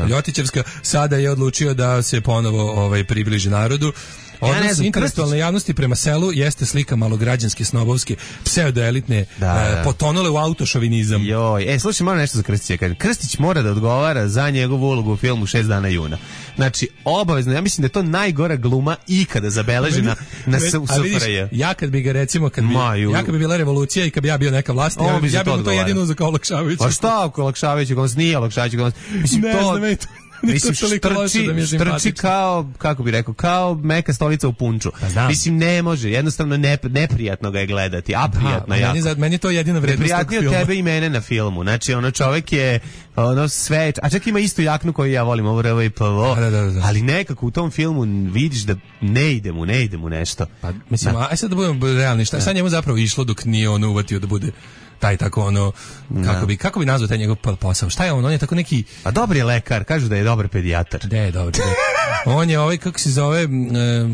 S6: Ljotićevska, sada je odlučio da se ponovo ovaj, približi narodu. Odnos ja intelektualne javnosti prema selu jeste slika malograđanske, snobovske, pseudoelitne, da, da. potonule u autošovinizam.
S5: Joj, e, slušaj, moram nešto za Krstića. Krstić mora da odgovara za njegovu ulogu u filmu Šest dana juna. Znači, obavezno, ja mislim da je to najgora gluma ikada zabeležena na S F R J.
S6: Ja kad bi ga recimo, kad bi, ja kad bi bila revolucija i kad bi ja bio neka vlast, ja, bi ja bi to, to jedino uzeo kao olakšavajući.
S5: Pa šta ako olakšavajući glas, nije olakšavajući glas. Mislim,
S6: ne
S5: to...
S6: znam,
S5: Mislim, štrči, da štrči kao, kako bi rekao, kao meka stolica u punču. Pa mislim, ne može, jednostavno ne, neprijatno ga je gledati, a prijatno jako.
S6: Meni, meni je to jedina vrednost tog filma.
S5: Prijatnije od tebe i mene na filmu. Znači, ono čovjek je ono sve, a čak ima istu jaknu koju ja volim, ovo R V I P V O, da, da, da. Ali nekako u tom filmu vidiš da ne ide mu, ne ide mu nešto.
S6: Pa, mislim, da. Aj sad da budemo realni, šta je sad njemu zapravo išlo dok nije on uvatio da bude taj tako ono kako bi kako bi nazvao taj njegov posao. Šta je on? On je tako neki
S5: a dobar je lekar, kažu da je dobar pedijatar.
S6: Da je dobar. On je ovaj kako se zove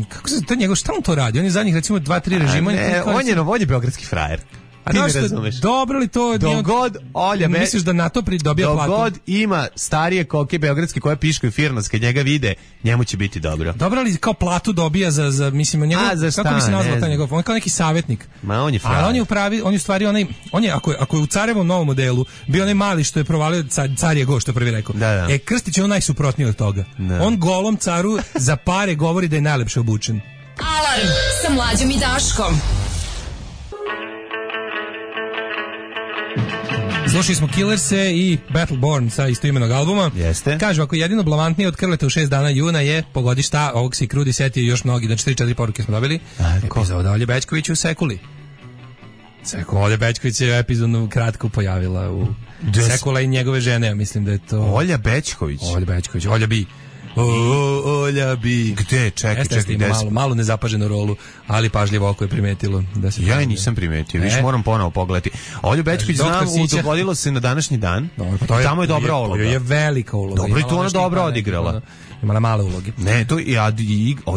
S6: kako se to njegov šta on to radi? On je zadnjih recimo dva tri režima.
S5: Ne, on je novodje beogradski frajer.
S6: A ti ne razumeš. Dobro li to?
S5: Dogod Olja me...
S6: Misliš da na to pridobija platu?
S5: Dogod ima starije koke beogradske koje piškaju firmas, kad njega vide, njemu će biti dobro.
S6: Dobro li kao platu dobija za, za mislim, njegov, a, za šta, kako bi se nazvao taj njegov? On je kao neki savjetnik.
S5: Ma on je frajer.
S6: A on je u pravi, on je u stvari onaj, on je, ako je, ako je u Carevom novom modelu, bio onaj mali što je provalio car, car je go, što je prvi rekao.
S5: Da, da.
S6: E, Krstić je on najsuprotniji od toga. Da. On golom caru za pare govori da je najlepše obučen.
S4: Alarm sa Mlađom i Daškom.
S6: Slušali smo Killerse i Battleborn sa istoimenog albuma.
S5: Jeste.
S6: Kažu, ako jedino blavantnije od Krleta u šest dana juna je, pogodi šta, ovog si Krudi setio i još mnogi, znači tri četiri poruke smo dobili. Epizoda Olje Bećković u Sekuli. Sekula Olja Bećković je epizodno kratko pojavila u Des... Sekula i njegove žene, ja mislim da je to...
S5: Olja Bećković?
S6: Olja Bećković, Olja Bi. O, Olja Bi.
S5: Gde? Čekaj, čekaj.
S6: Malo, malo nezapaženu rolu, ali pažljivo oko je primetilo. Da se
S5: ja i nisam primetio, viš moram ponovo pogledati. Olju Bećković znam, dogodilo se na današnji dan.
S6: Dobro, pa to je,
S5: tamo je dobra uloga.
S6: To je velika uloga.
S5: Dobro, i tu ona dobro odigrala.
S6: Imala male uloge.
S5: Ne, to ja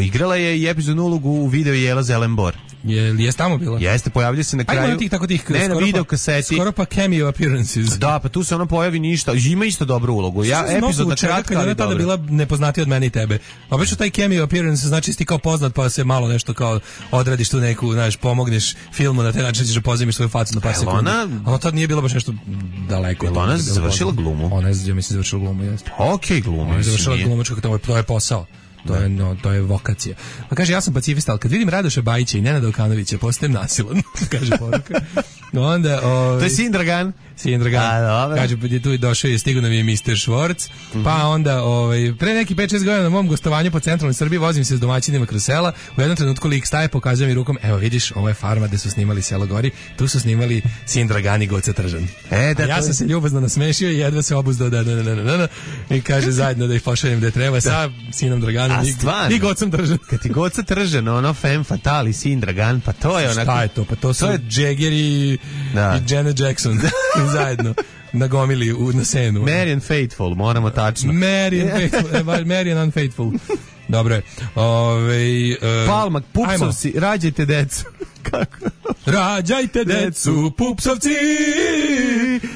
S5: igrala je i epizodnu ulogu u videu Jela Zelenbor.
S6: Je li je tamo bila?
S5: Jeste, pojavlja se na kraju.
S6: Ajmo tih tako tih
S5: ne, na video kaseti.
S6: Skoro pa cameo appearances.
S5: Da, pa tu se ona pojavi ništa. Ima isto dobru ulogu. Ja epizodna kratka, ali
S6: dobra. Bila nepoznatija od mene i tebe. Obično taj cameo appearance znači ti kao poznat pa se malo nešto kao odradiš tu neku, znaš, pomogneš filmu na taj način ćeš pozajmiš svoju facu na par sekundi. Ona,
S5: ona
S6: tad nije bilo baš nešto daleko.
S5: Je ona završila glumu?
S6: Ona je, ja mislim, završila glumu, jeste.
S5: Okej, glumu.
S6: Ona je završila glumačku, to je posao. To je, no, to je vokacija. Pa kaže, ja sam pacifista, ali kad vidim Radoša Bajića i Nenada Okanovića, postajem nasilan, kaže poruka. Onda, ovaj,
S5: to je Sin Dragan.
S6: Sin Dragan. Kaže, pa je tu i došao i stigo nam je mister Švorc. Mm-hmm. Pa onda, ovaj, pre neki pet šest godina na mom gostovanju po centralnoj Srbiji vozim se s domaćinima kroz sela. U jednom trenutku lik staje, pokazuje mi rukom, evo vidiš, ovo je farma gde su snimali Selo Gori, tu su snimali Sin Dragan i Goca Tržan. E, da, ja sam je... se ljubazno nasmešio i jedva se obuzdao da, da, da, da, da, da, i kaže zajedno da ih pošaljem gde treba sa Sinom Draganom i, i Gocom Tržan.
S5: Kad ti Goca Tržan, ono femme fatale, Sin Dragan, pa to je onako...
S6: Šta je to? Pa to su to je... Jagger i, da. i Janet Jackson zajedno. Nagomili u, na scenu.
S5: Marian Faithful, moramo tačno.
S6: Marian Faithful, Marian Unfaithful. Dobro je. Ove, uh,
S5: Palma, pupsovci, rađajte decu. Kako?
S6: Rađajte decu, pupsovci!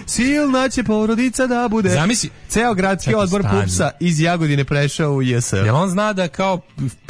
S5: Silna će porodica da bude.
S6: Zamisli.
S5: Ceo gradski odbor stani. Pupsa iz Jagodine prešao u J S.
S6: Jel on zna da kao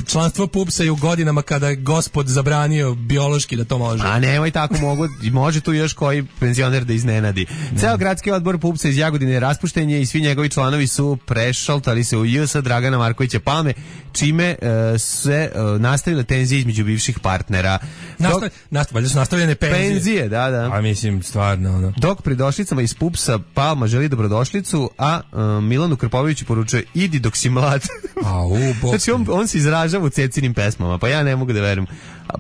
S6: članstvo Pupsa je u godinama kada je gospod zabranio biološki da to može?
S5: A nemoj tako, mogu, može tu još koji penzioner da iznenadi. Ne. Ceo gradski odbor Pupsa iz Jagodine je raspušten je i svi njegovi članovi su prešaltali se u J S Dragana Markovića Palme, čime uh, se uh, nastavile tenzije između bivših partnera.
S6: Nastav, nastav, valjda su nastavljene penzije.
S5: Penzije, da, da.
S6: A mislim, stvarno, ono.
S5: Dok pridošlicama iz Pupsa Palma želi dobrodošlicu, a uh, Milanu Krpoviću poručuje, idi dok si mlad.
S6: A, u,
S5: znači, on, on se izražava u Cecinim pesmama, pa ja ne mogu da verujem.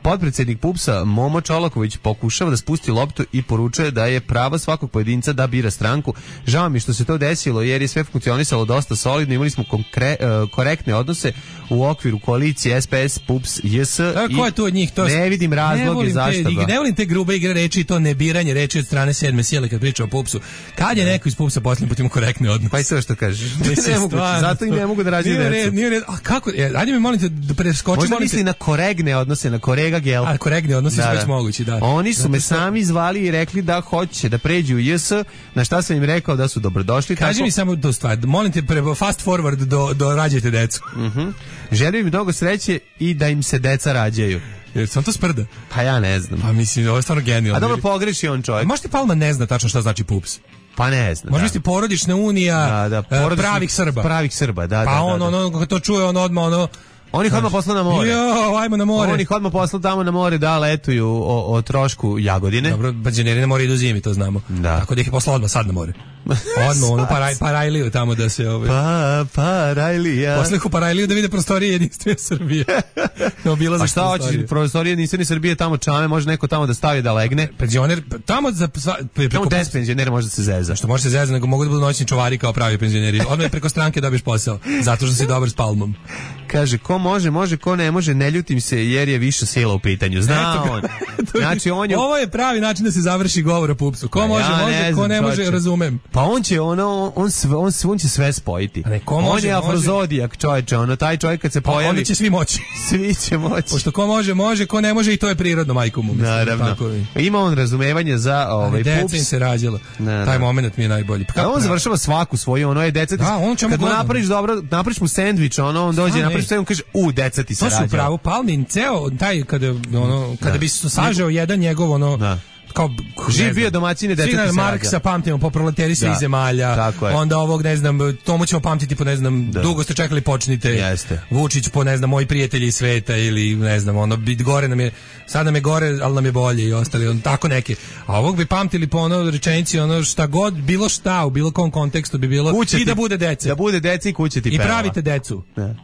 S5: Potpredsjednik Pupsa Momo Čolaković pokušava da spusti loptu i poručuje da je pravo svakog pojedinca da bira stranku. Žao mi što se to desilo jer je sve funkcionisalo dosta solidno, imali smo konkre, uh, korektne odnose u okviru koalicije S P S, Pups, J S.
S6: A, ko je tu od njih? To
S5: ne vidim razloge zašto
S6: te, ne volim te grube igre reči i to nebiranje reči od strane sedme sile kad priča o Pupsu. Kad je neko iz Pupsa posljednji put ima korektne odnose?
S5: Pa i sve što kažeš. Ne mogu, zato i ne mogu da rađu decu.
S6: Nije red, a kako? Ajde mi molim te da preskočimo.
S5: Možda misli na korektne odnose, na korega gel.
S6: A korektni odnosi su već mogući, da.
S5: Oni su
S6: zato
S5: me
S6: što...
S5: sami zvali i rekli da hoće da pređu u J S, na šta sam im rekao da su dobrodošli.
S6: Kaži tako... mi samo tu stvar, molim te pre, fast forward do, do rađajte decu.
S5: Uh-huh. Želim im mnogo sreće i da im se deca rađaju.
S6: Jer sam to sprda?
S5: Pa ja ne znam.
S6: Pa mislim, ovo je stvarno genijalno.
S5: A dobro pogreši on čovjek.
S6: Možda Palma ne zna tačno šta znači Pups?
S5: Pa ne znam.
S6: Možda misli porodična unija da, da, porodični, pravih Srba.
S5: Pravih Srba, da,
S6: pa
S5: da. Pa
S6: on,
S5: da, da.
S6: ono, kako to čuje, on odmah, ono,
S5: Oni ih odmah poslao na more.
S6: Jo, ajmo na more.
S5: Oni ih odmah poslao tamo na more da letuju o, o trošku Jagodine.
S6: Dobro, penzioneri na more idu zimi, to znamo. Da. Tako da ih je poslao odmah sad na more. Odmah, ono, paraj, Parajliju tamo da se... Ove...
S5: Pa, Parajlija.
S6: Posle ih u Parajliju da vide prostorije jedinstvene Srbije. No,
S5: a šta hoćeš, prostorije jedinstvene Srbije, tamo čame, može neko tamo da stavi da legne.
S6: Penzioner, tamo za... Sva, preko,
S5: tamo des penzionera može da se zeza.
S6: Što može se zeza, nego mogu da budu noćni čuvari kao pravi penzioneri. Odmah preko stranke dobiješ posao, zato što si dobar s Palmom.
S5: Kaže, ko može, može, ko ne može, ne ljutim se jer je više sila u pitanju. Zna on. Znači, on je...
S6: Ovo je pravi način da se završi govor o Pupsu. Ko može, ja može, ne ko ne može, razumem.
S5: Pa on će ono, on, sve, on, on će sve spojiti.
S6: Ne, ko
S5: on
S6: može,
S5: je afrozodijak, čovječe, ono, taj čovjek kad se
S6: pa
S5: pojavi...
S6: onda će svi moći.
S5: Svi će moći.
S6: Pošto ko može, može, ko ne može i to je prirodno, majko mu. Mislim,
S5: naravno. Tako. Ima on razumevanje za ovaj Pups.
S6: Deca im se rađalo. Na, Taj moment mi je najbolji.
S5: Pa on završava svaku svoju, ono je deca.
S6: Da, on
S5: kad mu napraviš dobro, napraviš mu sendvič, ono, on dođe, napraviš sve, on kaže, u, deca ti se rađalo.
S6: To su pravo Palmin, ceo taj, kada, ono, kada bi se sažeo jedan njegov, ono, da. Kao
S5: živ bio domaćine deca ti se rađa.
S6: Marksa pamtimo po proleteri svih zemalja. Onda ovog ne znam, tomu ćemo pamtiti po ne znam, da. Dugo ste čekali počnite.
S5: Jeste.
S6: Vučić po ne znam, moji prijatelji iz sveta ili ne znam, ono bit gore nam je, sad nam je gore, al nam je bolje i ostali, on tako neke. A ovog bi pamtili po ono rečenici, ono šta god, bilo šta u bilo kom kontekstu bi bilo kuće i ti, da bude dece.
S5: Da bude dece i kuće ti
S6: I
S5: peva.
S6: pravite decu.
S5: Da.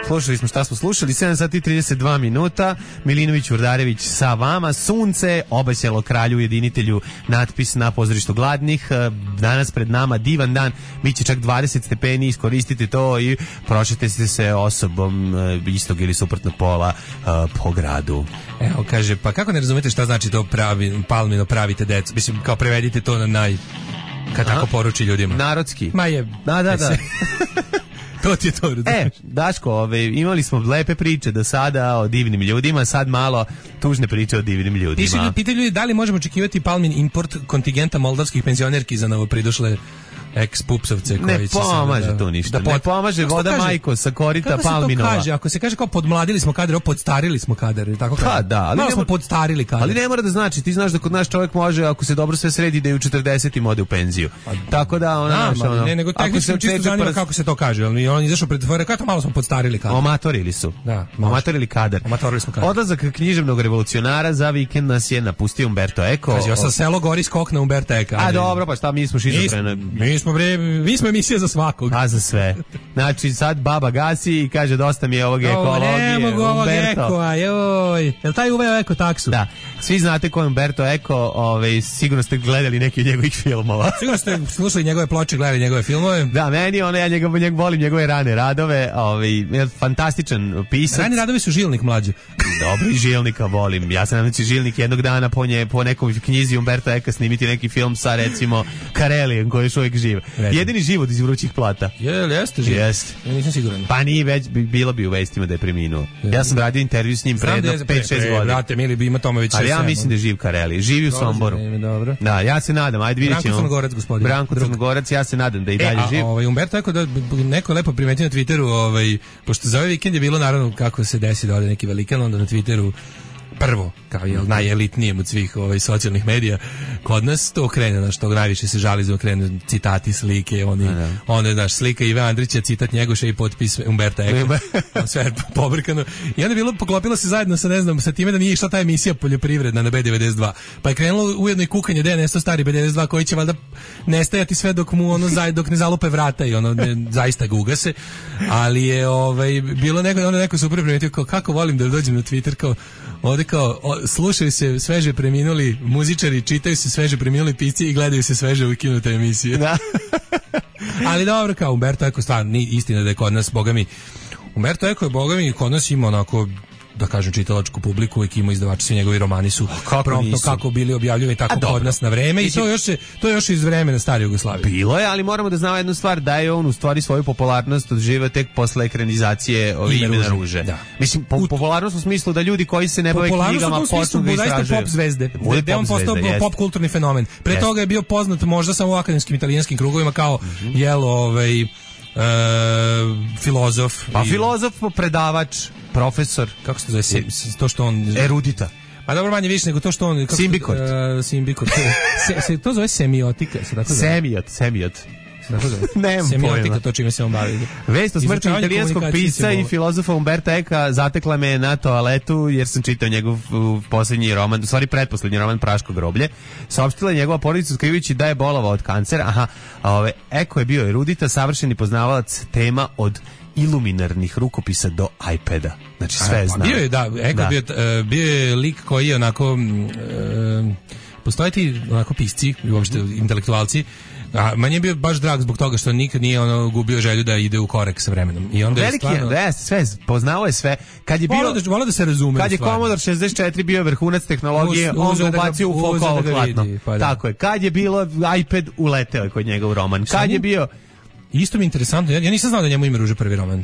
S5: Slušali smo šta smo slušali, sedam sati i trideset dva minuta, Milinović Urdarević sa vama, sunce, obasjalo kralju ujedinitelju, natpis na pozorištu gladnih, danas pred nama divan dan, bit će čak dvadeset stepeni, iskoristite to i prošetite se osobom istog ili suprotnog pola po gradu.
S6: Evo, kaže, pa kako ne razumete šta znači to pravi, Palmino pravite decu, mislim, kao prevedite to na naj, kad tako poruči ljudima.
S5: Narodski.
S6: Ma je,
S5: da, da, da.
S6: To ti je to.
S5: E, Daško, ove, imali smo lepe priče do sada o divnim ljudima, sad malo tužne priče o divnim ljudima.
S6: Pitaju ljudi da li možemo očekivati Palmin import kontingenta moldavskih penzionerki za novo pridošle ex-pupsovce koji
S5: ne
S6: će
S5: pomaže
S6: da,
S5: tu ništa,
S6: da pod...
S5: ne pomaže voda kaže, majko sa korita Palminova.
S6: Kako se to kaže? Ako se kaže kao podmladili smo kadar, podstarili smo kadar, tako kaže.
S5: Pa da, ali
S6: malo smo podstarili kadar.
S5: Ali ne mora da znači, ti znaš da kod nas čovjek može, ako se dobro sve sredi, da je u četrdesetim ode u penziju. Pa, tako da ona
S6: da,
S5: naš, ono,
S6: ne, nego tehnički čisto zanima
S5: prs...
S6: kako se to kaže. On, on izašao pred tvore, kao to malo smo podstarili kadar.
S5: Omatorili su.
S6: Da,
S5: omatorili kadar.
S6: Omatorili smo kadar.
S5: Odlazak književnog revolucionara, za vikend nas je napustio Umberto Eco.
S6: Kaži, ja sam selo gori skok na Umberto Eka.
S5: A dobro, pa šta, mi smo šizofrene.
S6: Mi, mi smo bre, mi smo emisija za svakog.
S5: A za sve. Znači sad baba gasi i kaže dosta mi je ovog ekologije.
S6: Ne mogu ovog
S5: Umberto.
S6: Eko, joj. Jel taj uveo Eko taksu?
S5: Da. Svi znate ko je Umberto Eco, ovaj, sigurno ste gledali neki od njegovih filmova.
S6: Sigurno ste slušali njegove ploče, gledali njegove filmove.
S5: Da, meni ono, ja njega, njega volim njegove rane radove, ovaj, fantastičan pisac.
S6: Rani radovi su Žilnik mlađi.
S5: Dobro, i Žilnika volim. Ja sam nadam će Žilnik jednog dana po, nje, po nekom knjizi Umberto Eka snimiti neki film sa recimo Karelijem koji je još uvijek živ.
S6: Recimo.
S5: Jedini život iz Vrućih plata.
S6: Jel, jeste živ?
S5: Jeste.
S6: Ja nisam siguran.
S5: Pa nije već, bilo bi u vestima da je preminuo. Ja sam radio intervju s njim pre pet šest godina.
S6: Brate, mili bi ima tome već šest
S5: Ali ja
S6: sedam,
S5: mislim da je živ Kareli. Živi u Somboru.
S6: Dobro.
S5: Da, ja se nadam. Ajde vidjet ćemo.
S6: Branko Crnogorac, gospodin.
S5: Branko Crnogorac, ja se nadam da i dalje
S6: e, a,
S5: živ.
S6: Ovaj, Umberto Eko, da, neko lepo primeti na Twitteru, ovaj, pošto za ovaj vikend je bilo naravno kako se desi da ode neki velikan, onda na Twitteru prvo, kao je najelitnijem od svih ovaj, socijalnih medija, kod nas to krene, znaš, to najviše se žali za krenu citati, slike, oni, onda, znaš, slika Ive Andrića, citat Njegoša i potpis Umberto Eko, sve pobrkano. I onda je bilo, poklopilo se zajedno sa, ne znam, sa time da nije išla ta emisija poljoprivredna na B devedeset dva, pa je krenulo ujedno i kukanje da je nestao stari B devedeset dva koji će valjda nestajati sve dok mu ono, dok ne zalupe vrata i ono, ne, zaista ga ugase, ali je ovaj, bilo neko, onda neko super primetio kao kako volim da dođem na Twitter, kao ovde kao, o, slušaju se sveže preminuli muzičari, čitaju se sveže preminuli pisci i gledaju se sveže ukinute emisije. Da. Ali dobro, kao Umberto Eko, stvarno, ni istina da je kod nas, boga mi, Umberto Eko je, boga mi, kod nas ima onako, da kažem, čitalačku publiku, uvijek ima izdavači, svi njegovi romani su kako promptno nisu? Kako bili objavljivani tako kod nas na vreme i to još, se, to još iz vremena stare Jugoslavije. Bilo
S5: je, ali moramo da znamo jednu stvar, da je on u stvari svoju popularnost odživio tek posle ekranizacije ove Ime na ruže. Da. Mislim, po, u, popularnost u smislu da ljudi koji se ne bave knjigama počnu da istražuju.
S6: Pop zvezde, da je on postao pop kulturni fenomen. Pre jest. Toga je bio poznat možda samo u akademskim italijanskim krugovima kao, mm-hmm. jel, ovaj, uh, filozof.
S5: Pa i, filozof, predavač, profesor,
S6: kako se to zove, se, to što on
S5: erudita.
S6: Pa dobro, manje više nego to što on kako,
S5: Simbikort.
S6: Uh, simbikort. se, se to zove semiotika, se tako zove.
S5: Semiot, semiot.
S6: Nemam semiotika, to čime se on bavi.
S5: Vest o smrti italijanskog pisca i filozofa Umberto Eka zatekla me na toaletu jer sam čitao njegov posljednji roman, u stvari pretposlednji roman Praško groblje. Saopštila je njegova porodica otkrivajući da je bolovao od kancera. Aha, a ove, Eko je bio erudita, savršeni poznavalac tema od iluminarnih rukopisa do iPada. Znači sve zna.
S6: Bio je, da, Eko da. Bio, uh, bio je lik koji je onako uh, postoje ti onako pisci i uopšte intelektualci. A manje je bio baš drag zbog toga što nikad nije ono gubio želju da ide u korak sa vremenom. I onda
S5: veliki
S6: je stvarno
S5: je, sve poznao je sve. Kad je bio
S6: da, volao da se razume.
S5: Kad je Commodore šezdeset četiri bio vrhunac tehnologije, Uz, on ga ubacio u fokovo klatno. Pa da. Tako je. Kad je bilo iPad, uleteo je kod njega u roman. Kad je bio
S6: isto mi je interesantno, ja, ja nisam znao da njemu Ime ruže prvi roman.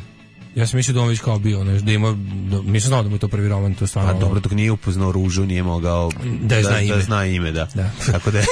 S6: Ja sam mislio da on već kao bio, ne, da ima, da, nisam znao da mu je to prvi roman, to stvarno.
S5: A dobro, dok nije upoznao ružu, nije mogao
S6: da, da,
S5: zna,
S6: ime.
S5: da zna ime, da.
S6: Da.
S5: Tako da je.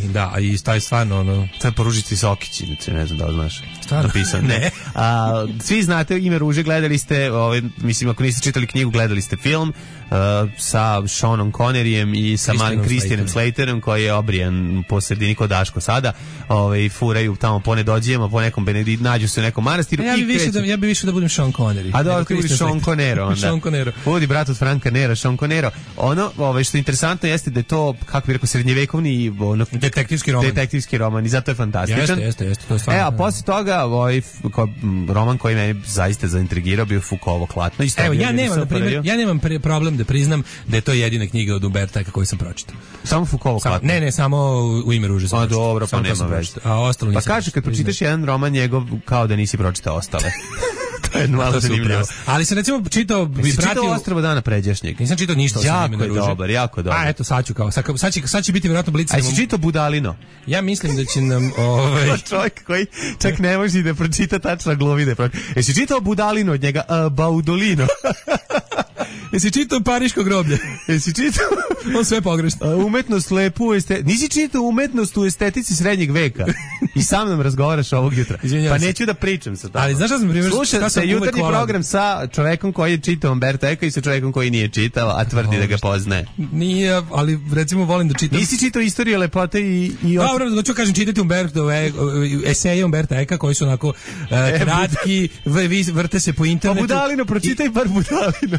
S6: Da, i taj stvarno, ono...
S5: To je po Ružici Sokići, ne znam da li znaš.
S6: Stvarno?
S5: Napisan.
S6: Ne.
S5: A, svi znate Ime ruže, gledali ste, ovaj, mislim, ako niste čitali knjigu, gledali ste film uh, sa Seanom Conneryjem i sa malim Christianom Slaterom, koji je obrijan po sredini kod Daško sada, ovaj, furaju tamo po nedođijama, po nekom Benedikt, nađu se u nekom manastiru.
S6: Ja bi više da, ja bi više da budem Sean Connery.
S5: A dobro, ti budi Sean Conero onda.
S6: Sean Conero.
S5: Budi brat od Franka Nera, Sean Conero. Ono, ovaj, što je interesantno jeste da je to, kako bi rekao, srednjevekovni ono,
S6: detektivski roman.
S5: Detektivski roman i zato je fantastičan.
S6: Jeste, jeste, jeste, to je stvarno.
S5: E, a posle toga, ovaj, ko, roman koji me zaista zaintrigirao bio Foucault'ovo klatno. Isto
S6: evo, ja nemam, na primjer, ja nemam pre problem da priznam da je to jedina knjiga od Umberta Eka koju sam pročitao.
S5: Samo Foucault'ovo klatno?
S6: Ne, ne, samo U Ime ruže sam
S5: pročitao. A dobro, pa nema veze.
S6: A ostalo nisam.
S5: Pa kaže, kad pročitaš jedan roman njegov, kao da nisi pročitao ostale. To je malo zanimljivo.
S6: Ali sam recimo čitao bi pratio
S5: čitao Ostrvo dana pređašnjeg.
S6: Nisam čitao ništa osim Ime na ruže.
S5: Jako je dobar, jako dobar.
S6: A eto sad ću kao sad, sad, će, sad će biti vjerojatno blic.
S5: A jesi čitao Budalino?
S6: Ja mislim da će nam ovaj
S5: čovjek koji čak ne može da pročita tačno glovi da pročita. Jesi čitao Budalino od njega uh, Baudolino?
S6: Jesi čitao Pariško groblje?
S5: Jesi čitao?
S6: On sve pogrešno.
S5: Uh, umetnost lepu este... Nisi čitao umetnost u estetici srednjeg veka? I sam nam razgovaraš ovog jutra.
S6: Izvinjavam
S5: pa
S6: se.
S5: neću da pričam sa tobom.
S6: Ali znaš šta sam primjer?
S5: Slušaj se jutarnji program sa čovekom koji je čitao Umberto Eka i sa čovekom koji nije čitao, a tvrdi oh, da ga poznaje.
S6: Nije, ali recimo volim da čitam.
S5: Nisi čitao Istoriju lepote i... i od...
S6: Dobro, da ću kažem čitati Umberto, eseje Umberto Eka koji su onako uh, kratki, vrte se po internetu.
S5: Pa Budalino, pročitaj bar Budalino.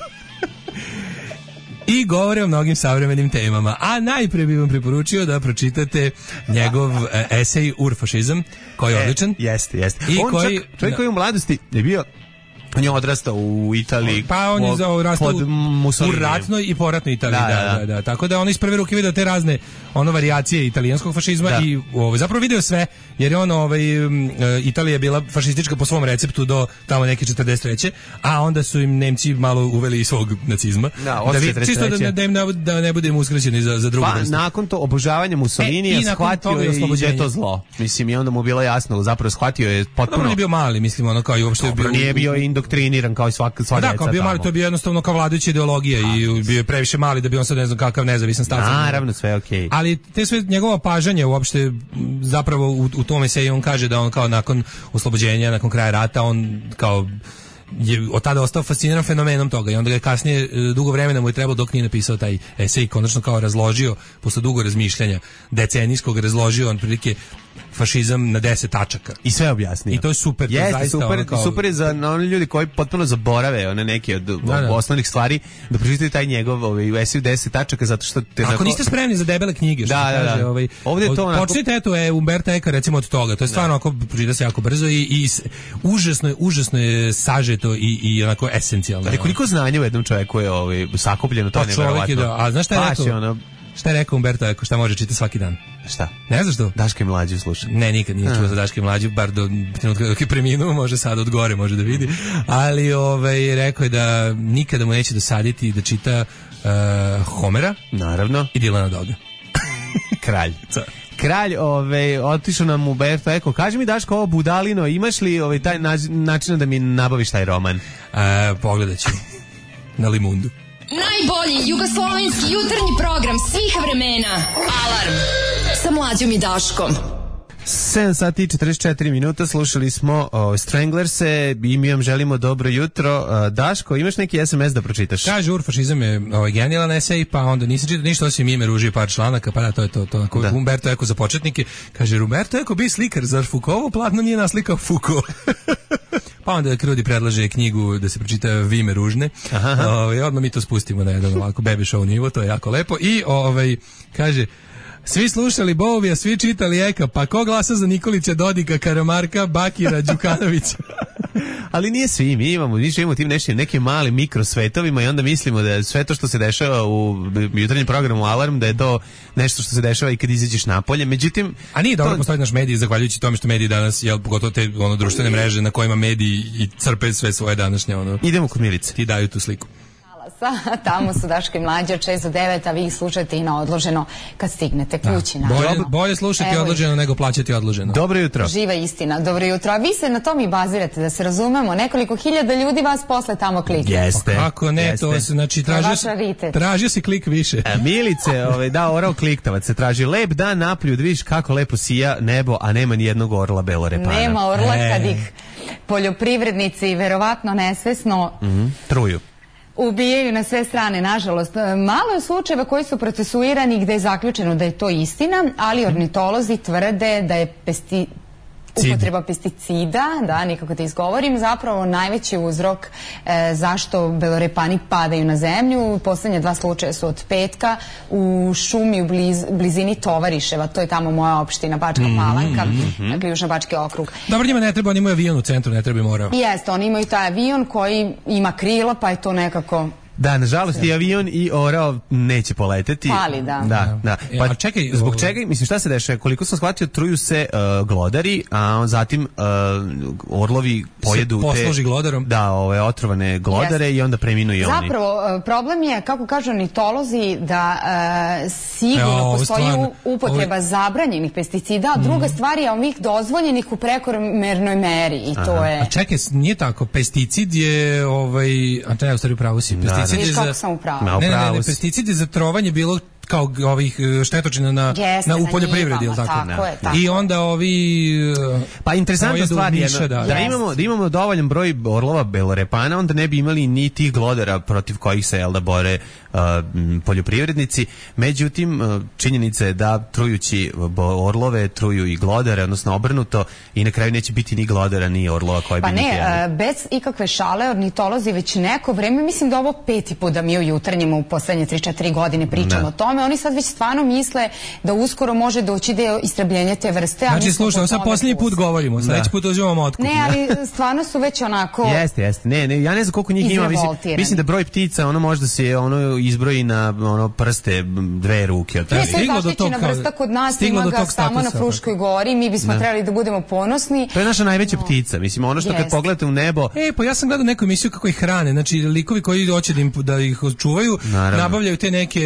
S6: i govore o mnogim savremenim temama. A najpre bih vam preporučio da pročitate njegov e, esej Urfašizam, koji je odličan.
S5: E, jeste, jeste.
S6: I
S5: on
S6: koji,
S5: čak, čovjek koji u mladosti je bio, on je odrastao u Italiji.
S6: Pa on je odrastao u ratnoj i poratnoj Italiji, da da, da, da, da. Tako da on iz prve ruke video te razne ono varijacije italijanskog fašizma da. I ovaj, zapravo video sve, jer je on, ovaj, Italija je bila fašistička po svom receptu do tamo neke četrdeset treće a onda su im Nemci malo uveli i svog nacizma. Da, da vid, čisto da, da, im ne, da ne budemo uskraćeni za, za drugu
S5: pa,
S6: vrstu.
S5: Nakon to obožavanja Mussolinija e, shvatio je i je to zlo. Mislim, i onda mu bilo jasno, zapravo shvatio je potpuno...
S6: Dobro, on je bio mali, mislim, ono kao i uopšte...
S5: Dobro, bio, nije bio indoktriniran kao i svaka sva
S6: da,
S5: djeca
S6: kao bio mali, to je bio jednostavno kao vladajuća ideologija a, i bio je previše mali da bi on sad ne znam kakav nezavisan stav.
S5: Naravno, sve okej. Okay.
S6: Ali te sve njegova pažanje uopšte zapravo u, u tome se i on kaže da on kao nakon oslobođenja, nakon kraja rata, on kao je od tada ostao fasciniran fenomenom toga i onda ga je kasnije dugo vremena mu je trebalo dok nije napisao taj esej, konačno kao razložio posle dugo razmišljanja decenijskog, razložio on prilike fašizam na deset tačaka.
S5: I sve objasnio.
S6: I to je super.
S5: Jeste,
S6: to je
S5: super,
S6: ono kao...
S5: super je za oni ljudi koji potpuno zaborave one neke od da, da. osnovnih stvari, da pročitaju taj njegov ovaj, esej deset tačaka, zato što... Te
S6: Ako
S5: onako...
S6: niste spremni za debele knjige, što
S5: da,
S6: kaže,
S5: da, da.
S6: Ovaj,
S5: ovdje je to onako...
S6: Počnite, eto, je Umberto Eco, recimo od toga. To je stvarno, ako pročita se jako brzo i, i užasno je, užasno je sažeto i, i onako esencijalno.
S5: Ali koliko znanja u jednom čovjeku je ovaj, sakupljeno, to je nevjerovatno.
S6: Da. A znaš šta je rekao?
S5: Ono...
S6: Šta je rekao Umberto Eco, šta može čitati svaki dan?
S5: Šta?
S6: Ne znaš što?
S5: Daška i Mlađu sluša.
S6: Ne, nikad nije čuo za Daška i Mlađu, bar do trenutka dok je preminuo, može sad od gore, može da vidi. Ali ovaj, rekao je da nikada mu neće dosaditi da čita uh, Homera.
S5: Naravno.
S6: I Dilana Doga.
S5: Kralj. Kralj, ovaj, otišao nam Umberto Eco. Kaži mi, Daško, ovo budalino, imaš li ovaj, taj način da mi nabaviš taj roman?
S6: Uh, pogledat ću. Na Limundu.
S4: Najbolji jugoslovenski jutarnji program svih vremena. Alarm sa Mlađom i Daškom.
S5: sedam sati i četrdeset četiri minuta, slušali smo o, Stranglerse i mi vam želimo dobro jutro. O, Daško, imaš neki es em es da pročitaš?
S6: Kaže, Urfašizam je ovaj, genijalan esej, pa onda nisam čitao ništa osim ime, ruži par članaka, pa da, to je to. to da. Umberto Eco za početnike. Kaže, Umberto Eco bi slikar, zar Foucault platno nije naslikao Foucault? Pa onda Krudi predlaže knjigu da se pročita Vime ružne. Ovaj, odmah mi to spustimo na jedan ovako baby show nivo, to je jako lepo. I ovaj, kaže... Svi slušali Bovija, svi čitali Eka, pa ko glasa za Nikolića, Dodika, Karamarka, Bakira, Đukanovića?
S5: Ali nije svi, mi imamo, mi živimo tim nekim, nekim malim mikrosvetovima i onda mislimo da sve to što se dešava u jutarnjem programu Alarm, da je to nešto što se dešava i kad izađeš napolje. Međutim,
S6: a nije dobro
S5: to...
S6: postoji naš medij, zahvaljujući tome što mediji danas, jel, pogotovo te ono, društvene mreže na kojima mediji i crpe sve svoje današnje. Ono,
S5: idemo kod Milice.
S6: Ti daju tu sliku.
S7: Tamo su Daško i Mlađe od šest do devet, a vi ih slušate i na odloženo kad stignete kući.
S6: Da. Bolje, bolje slušati Evo odloženo nego plaćati odloženo.
S5: Dobro jutro.
S7: Živa istina, dobro jutro. A vi se na tom i bazirate, da se razumemo. Nekoliko hiljada ljudi vas posle tamo klikne.
S5: Jeste.
S6: Kako ne,
S5: jeste.
S6: to se, znači, tražio, tražio si klik više.
S5: A Milice, ovaj, da, orao kliktavac se traži. Lep dan napolju, da vidiš kako lepo sija nebo, a nema ni jednog orla belorepana.
S7: Nema orla e. kad ih poljoprivrednici verovatno nesvesno
S5: mm-hmm. truju.
S7: Ubijaju na sve strane, nažalost. Malo je slučajeva koji su procesuirani gde je zaključeno da je to istina, ali ornitolozi tvrde da je pesti... upotreba pesticida, da, nikako te izgovorim, zapravo najveći uzrok e, zašto belorepani padaju na zemlju. Poslednje dva slučaja su od petka u šumi u bliz, blizini Tovariševa, to je tamo moja opština Bačka Palanka, mm-hmm. dakle Južnobački okrug.
S6: Dobro, njima ne treba, oni imaju avion u centru, ne treba im orao.
S7: Jeste, oni imaju taj avion koji ima krila, pa je to nekako...
S5: Da, nažalost i avion i orao neće poleteti.
S7: Pali, da.
S5: Da, da. Pa
S6: ja, čekaj,
S5: zbog čega, mislim, šta se dešava? Koliko sam shvatio, truju se uh, glodari, a zatim uh, orlovi pojedu
S6: se posluži
S5: te,
S6: glodarom.
S5: Da, ove otrovane glodare yes. i onda preminu i oni.
S7: Zapravo, problem je, kako kažu ornitolozi, da uh, sigurno ja, postoji stvarno, upotreba ovo... zabranjenih pesticida, a druga mm. stvar je ovih dozvoljenih u prekomernoj meri i Aha. to je...
S6: A čekaj, nije tako, pesticid je, ovaj, a to je u stvari upravo si, pesticid
S7: Viš kako sam u pravu.
S6: Ne, ne, ne, pesticid je za trovanje bilo kao ovih štetočina na,
S7: Jeste,
S6: na u
S7: na
S6: poljoprivredi,
S7: njivama,
S6: tako?
S7: tako je, tako
S6: I onda ovi
S5: pa interesantna stvar je
S6: da,
S5: da, da imamo da imamo dovoljan broj orlova belorepana, onda ne bi imali ni tih glodara protiv kojih se jel da bore uh, poljoprivrednici. Međutim, uh, činjenica je da trujući orlove truju i glodare, odnosno obrnuto, i na kraju neće biti ni glodara ni orlova koji
S7: pa
S5: bi
S7: ne, uh, bez ikakve šale, ornitolozi već neko vreme, mislim da ovo peti put da mi u jutarnjima u poslednje tri četiri godine pričamo ne. o tome, oni sad već stvarno misle da uskoro može doći do istrebljenja te vrste.
S6: Znači, slušaj, sad posljednji put govorimo, sledeći put uzimamo otkup.
S7: Ne, ali stvarno su već onako...
S5: Jeste, jeste. Ne, ne, ja ne znam koliko njih ima, mislim, mislim da broj ptica, ono možda se ono izbroji na ono prste dve ruke.
S7: Ne, to je zaštićena vrsta kod nas, ima ga samo na Fruškoj gori, mi bismo trebali da budemo ponosni.
S5: To je naša najveća ptica, mislim, ono što kad pogledate u nebo...
S6: E, pa ja sam gledao neku emisiju kako ih hrane, znači likovi koji hoće da, im, da ih čuvaju, nabavljaju te neke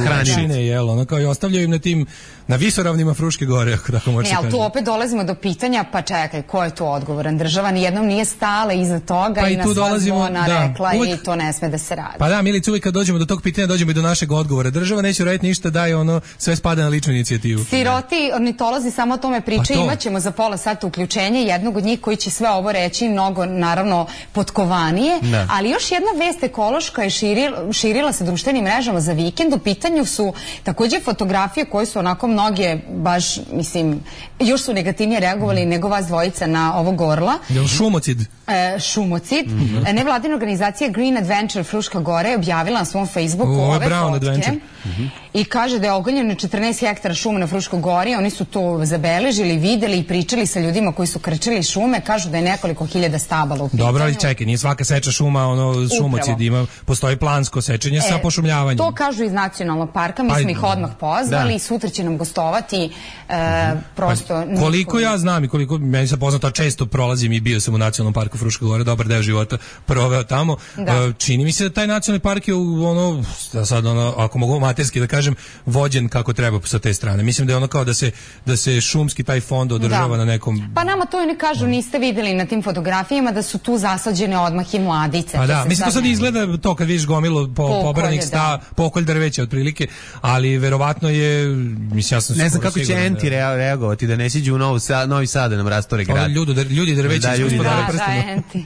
S6: hranine, jel, ono, kao i ostavljaju im na tim, na visoravnima Fruške gore, ako tako može se kaže.
S7: Ne, ali tu opet dolazimo do pitanja, pa čekaj, ko je tu odgovoran? Država nijednom nije stala iza toga pa i, i na sva zvona da, rekla uvijek, i to ne sme da se radi.
S6: Pa da, Milica, uvijek kad dođemo do tog pitanja, dođemo i do našeg odgovora. Država neće raditi ništa, daje ono, sve spada na ličnu inicijativu.
S7: Siroti ornitolozi samo o tome pričaju, pa imaćemo za pola sata uključenje jednog od njih koji će sve ovo reći, mnogo, naravno, potkovanije, ne. Ali još jedna vest ekološka je širila, širila se društvenim mrežama za vikend. U pitanju su takođe fotografije koje su onako mnoge, baš, mislim, još su negativnije reagovali mm. nego vas dvojica na ovog orla.
S6: Jel šumocid?
S7: E, šumocid. Mm -hmm. Nevladina organizacija Green Adventure Fruška Gora je objavila na svom Facebooku
S6: o,
S7: ove
S6: Brown
S7: fotke.
S6: Adventure. Mm -hmm.
S7: I kaže da je ogoljeno četrnaest hektara šuma na Fruškoj Gori. Oni su to zabeležili, videli i pričali sa ljudima koji su krčili šume. Kažu da je nekoliko hiljada stabala u pitanju.
S6: Dobro, ali čekaj, nije svaka seča šuma, ono, šumocid ima, postoji plansko sečenje e, sa pošumljavanjem.
S7: To kažu iz nacionalnog parka, mi smo ih odmah pozvali da. I sutra će nam gostovati e, mm-hmm. prosto...
S6: Pa, koliko ja znam i koliko meni se poznato, često prolazim i bio sam u nacionalnom parku Fruška Gora, dobar deo života proveo tamo. Da. Čini mi se da taj nacionalni park je ono, sad ono, ako mogu materski da kažem, vođen kako treba sa te strane. Mislim da je ono kao da se, da se šumski taj fond održava da. Na nekom...
S7: Pa nama to i ne kažu, niste videli na tim fotografijama da su tu zasađene odmah i mladice.
S6: Pa da, mislim to sad izgleda to kad vidiš gomilu po, pobranih sta, pokolj drveća otprilike, ali verovatno je, mislim ja sam
S5: ne znam kako će enti da, reagovati da ne siđu u Novu Sad, Novi Sad da nam rastore grad.
S6: Ljudi, ljudi drveća
S5: da, ljudi da, da,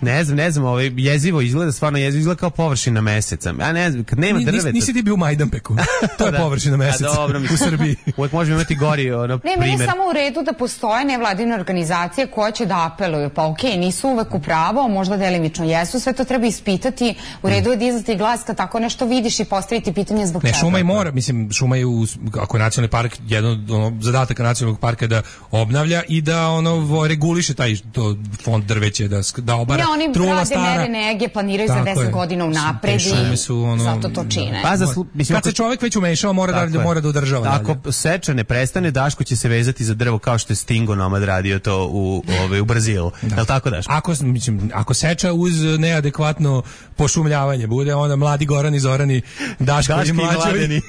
S5: ne znam, ne znam, ovaj jezivo izgleda, stvarno jezivo izgleda kao površina meseca. Ja ne znam, kad nema drveta.
S6: Nisi ti bio u Majdanpeku. To je da. Površina meseca.
S5: Dobro, u Srbiji. Uvijek možemo imati gori ono
S7: primer. Ne, meni je samo u redu da postoje nevladine organizacije koje će da apeluju. Pa okej, okay, nisu uvek u pravo, možda delimično jesu, sve to treba ispitati. U redu je dizati glas kad tako nešto vidiš i postaviti pitanje zbog
S6: ne,
S7: čega.
S6: Ne, šuma i mora, mislim, šuma je u, ako je nacionalni park, jedan od ono, zadataka nacionalnog parka je da obnavlja i da ono reguliše taj to fond drveće, da, da obara
S7: ja, oni
S6: trula stara.
S7: Mere nege, planiraju za deset godina unapred i su, ono, zato to čine.
S5: Pa za slu, mislim,
S6: kad se čovjek već umešao, mora da, mora da održava.
S5: Ako seča ne prestane, Daško će se vezati za drvo kao što je Stingo Nomad radio to u, ove, u Brazilu. Da. Jel' tako, Daško?
S6: Ako, mislim, ako seča uz neadekvatno pošumljavanje bude, onda mladi Gorani, Zorani, Daško i mlađovi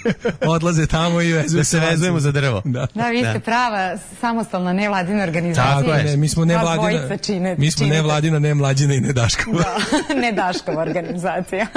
S6: odlaze tamo i vezuju
S5: da se vezujemo za drvo.
S7: Da, da vi ste da. Prava samostalna nevladina organizacija.
S6: Tako je, ne, mi smo nevladina, čine, mi smo nevladina, ne mlađina i ne Daškova.
S7: Da, ne Daškova organizacija.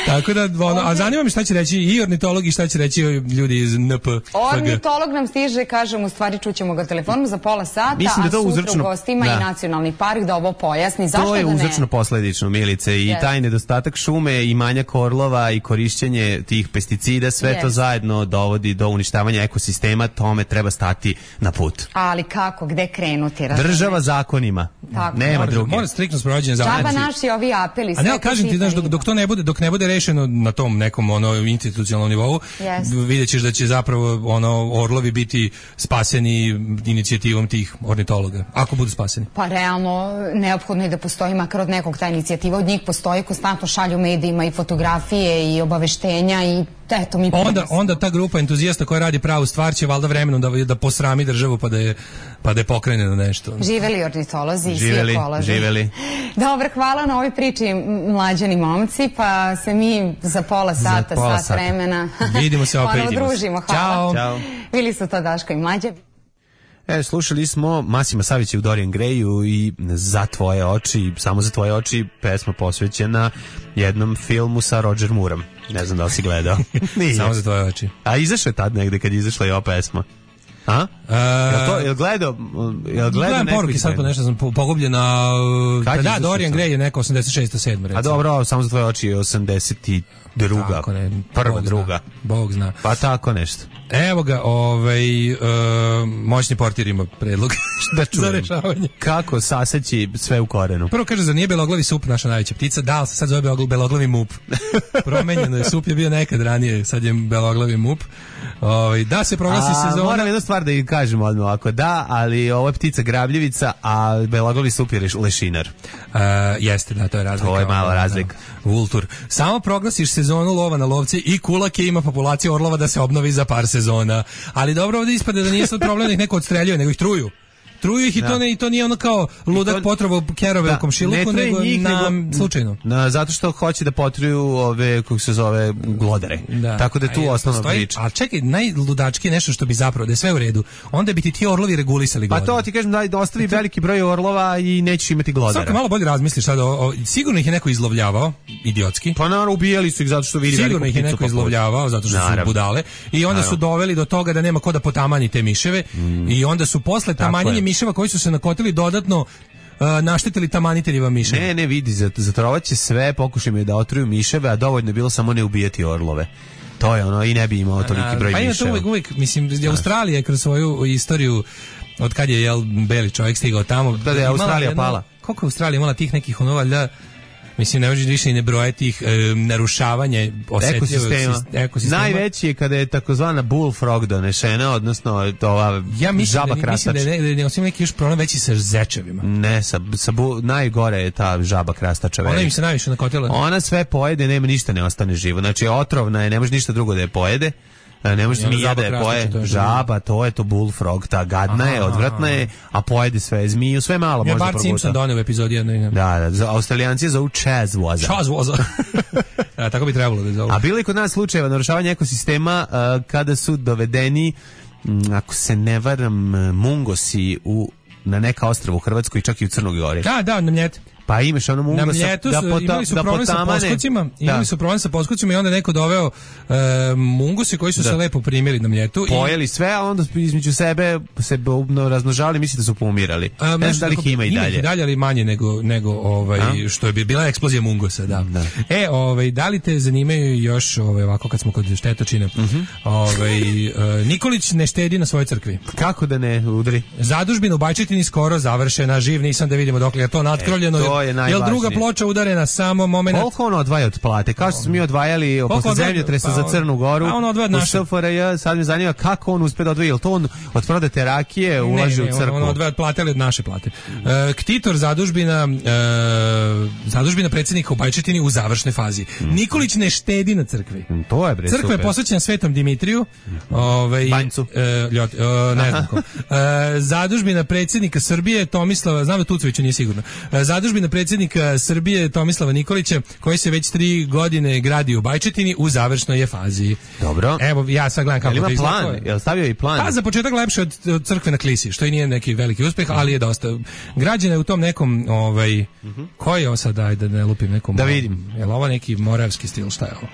S6: Tako da, ono, a zanima me šta će reći i ornitolog i šta će reći ljudi iz N P.
S7: Ornitolog nam stiže, kažem, u stvari čućemo ga telefonom za pola sata,
S5: mislim da to
S7: a sutra
S5: uzročno,
S7: u gostima da. I nacionalni park da ovo pojasni. Zašto
S5: to je
S7: da ne?
S5: Uzročno posledično, Milice, i yes. taj nedostatak šume i manjak orlova i korišćenje tih pesticida, sve yes. to zajedno dovodi do uništavanja ekosistema, tome treba stati na put.
S7: Ali kako, gde krenuti?
S5: Razumeć? Država zakonima. Tako. Nema mora, druge.
S6: Mora striktno sprovođenje zakona.
S7: Džaba naši ovi apeli.
S6: A ne, kažem ti, znaš, dok, dok to ne bude, dok ne bude rešeno na tom nekom ono institucionalnom nivou, yes. vidjet ćeš da će zapravo ono orlovi biti spaseni inicijativom tih ornitologa, ako budu spaseni.
S7: Pa realno neophodno je da postoji makar od nekog ta inicijativa, od njih postoji, konstantno šalju medijima i fotografije i obaveštenja i eto mi
S6: onda, onda ta grupa entuzijasta koja radi pravu stvar će valjda vremenom da, da posrami državu pa da je, pa da je pokrene na nešto.
S7: Živeli ornitolozi i
S5: živeli,
S7: svi ekolozi.
S5: Živeli.
S7: Dobro, hvala na ovoj priči mlađani momci, pa se mi za pola sata, za pola sat sata. vremena
S6: vidimo se opet.
S7: Ponovo družimo. Hvala.
S6: Ćao. Ćao.
S7: Bili su to Daško i Mlađa.
S5: E, slušali smo Masima Savića u Dorian Grayu i Za tvoje oči, samo za tvoje oči, pesma posvećena jednom filmu sa Roger Moorom. Ne znam da li si gledao. Nije.
S6: Samo za tvoje oči.
S5: A izašao je tad negde kad je izašla i ova pesma? A?
S6: E,
S5: jel to, jel gledao, jel gledao
S6: neko poruke, sad po nešto sam pogubljen na... Pa da, Dorian Gray je neko osamdeset šest sedam recimo.
S5: A dobro, samo za tvoje oči je osamdeset druga.
S6: Tako ne,
S5: prva,
S6: Bog
S5: druga.
S6: Zna, Bog zna.
S5: Pa tako nešto.
S6: Evo ga, ovaj, uh, moćni portir ima predlog
S5: da čujem.
S6: Za rešavanje.
S5: Kako saseći sve u korenu?
S6: Prvo kaže, zar nije beloglavi sup naša najveća ptica? Da, ali se sad zove beloglavi mup. Promenjeno je, sup je bio nekad ranije, sad je beloglavi mup. Ovaj, da se proglasi
S5: a,
S6: sezona...
S5: Moram jednu stvar da im kažem odmah ovako, da, ali ovo je ptica grabljivica, a beloglavi sup je lešinar.
S6: Uh, jeste, da, to je razlika.
S5: To je mala razlika.
S6: Vultur. Samo proglasiš sezonu lova na lovce i kulake ima populacija orlova da se obnovi za par sezona. Ali dobro, ovdje ispada da nije sad problem da ih neko odstreljuje, nego ih truju. Truju ih i, to ne, i to nije ono kao ludak to, potrovao kerove da, u komšiluku, nego njih, na, nego, slučajno.
S5: Na, zato što hoće da potruju ove, kako se zove, glodare. Da. Tako da je tu a osnovna stoji, priča.
S6: A čekaj, najludački je nešto što bi zapravo, da je sve u redu, onda bi ti ti orlovi regulisali glodare.
S5: Pa to ti kažem da ostavi veliki broj orlova i nećeš imati glodara.
S6: Svako malo bolje razmisliš sad, o, o, sigurno ih je neko izlovljavao, idiotski.
S5: Pa naravno, ubijali su ih zato što vidi
S6: sigurno
S5: veliku
S6: ih je neko izlovljavao, zato što naravno. Su budale. I onda naravno. Su doveli do toga da nema ko da potamani te miševe mm. i onda su posle tamanjenja miševa koji su se nakotili dodatno uh, naštetili tamaniteljeva miševa.
S5: Ne, ne, vidi, zatrovaće sve, pokušajmo da otruju miševe, a dovoljno je bilo samo ne ubijati orlove. To je ono, i ne bi imao toliki broj
S6: pa
S5: miševa.
S6: Pa ima to uvijek, uvijek, mislim, Australija kroz svoju istoriju, od kad je, jel, beli čovjek stigao tamo.
S5: Da, da je Australija jedno, pala.
S6: Koliko je Australija imala tih nekih ono, valjda, mislim, ne možeš više i ne brojati ih e, narušavanje osetljivog ekosistema.
S5: Najveći je kada je takozvana bullfrog donešena, odnosno ova
S6: ja mislim
S5: žaba
S6: da,
S5: krastač.
S6: Mislim da je ne, ne, osim neki još problem veći sa zečevima.
S5: Ne, sa, sa bu, najgore je ta žaba krastača.
S6: Ona im se najviše nakotila.
S5: Ona sve pojede, nema ništa ne ostane živo. Znači, otrovna je, ne može ništa drugo da je pojede. Ne može zmija da je poje, to je žaba, to je to bullfrog, ta gadna aha, je, odvratna je, a pojede sve zmiju, sve malo možda proguta.
S6: Ja Bart Simpson donio u epizodi jedno.
S5: Da, da, Australijanci je zovu Chazwoza.
S6: Chazwoza. Ja, tako bi trebalo da zovu.
S5: A bilo je kod nas slučajeva narušavanja ekosistema uh, kada su dovedeni, um, ako se ne varam, mungosi u, na neka ostrava u Hrvatskoj, čak i u Crnoj Gori.
S6: Da, da, na Mljet.
S5: Pa imaš ono mungosa
S6: na Mljetu
S5: da, pota,
S6: imali su
S5: da
S6: problem
S5: potamane.
S6: Sa poskucima, imali da. su problem sa poskucima i onda neko doveo e, mungosi koji su da. se lepo primili na Mljetu.
S5: Pojeli i... sve, a onda između sebe se razmnožavali, misli da su poumirali. A, ne znam da li ih ima i dalje. Ima
S6: dalje, ali manje nego, nego ovaj, a? što je bi bila eksplozija mungosa. Da. Da. E, ovaj, da li te zanimaju još, ovaj, ovako kad smo kod štetočine, uh-huh. ovaj, uh, Nikolić ne štedi na svojoj crkvi.
S5: Kako da ne udri?
S6: Zadužbina u Bajčetini skoro završena, živ nisam da vidimo dokle je to natkrovljeno.
S5: E, to je najvažnije.
S6: Ploča udarena samo moment.
S5: Koliko on odvaja od plate? Kao što smo mi odvajali posle zemljotresa pa za Crnu Goru,
S6: pa on odvaja
S5: u S F R J, sad me zanima kako on uspe da odvaja, jel to on od prodate rakije ulaže u crkvu?
S6: Ne, on odvaja od plate, ali od naše plate. Uh, Ktitor zadužbina, uh, zadužbina predsjednika u Bajčetini u završnoj fazi. Mm. Nikolić ne štedi na crkvi.
S5: Mm, to je bre,
S6: crkva
S5: super.
S6: Je posvećena Svetom Dimitriju, ovaj,
S5: Banjcu.
S6: Uh, ljot, uh, ne znam ko. Uh, zadužbina predsjednika Srbije Tomislava, znam da Tucovića nije sigurno. Uh, zadužbina predsjednika Srbije Tomislava Nikolića, koji se već tri godine gradi u Bajčetini, u završnoj je fazi.
S5: Dobro.
S6: Evo, ja sad gledam kako
S5: to
S6: izgleda.
S5: Jel ima plan? Jel stavio i plan?
S6: Pa za početak lepše od, od crkve na Klisi, što i nije neki veliki uspeh, ali je dosta. Građena je u tom nekom, ovaj, uh-huh. koji je ovo sad, ajde da ne lupim nekom.
S5: Da vidim.
S6: Je li ovo neki moravski stil, šta je ovo?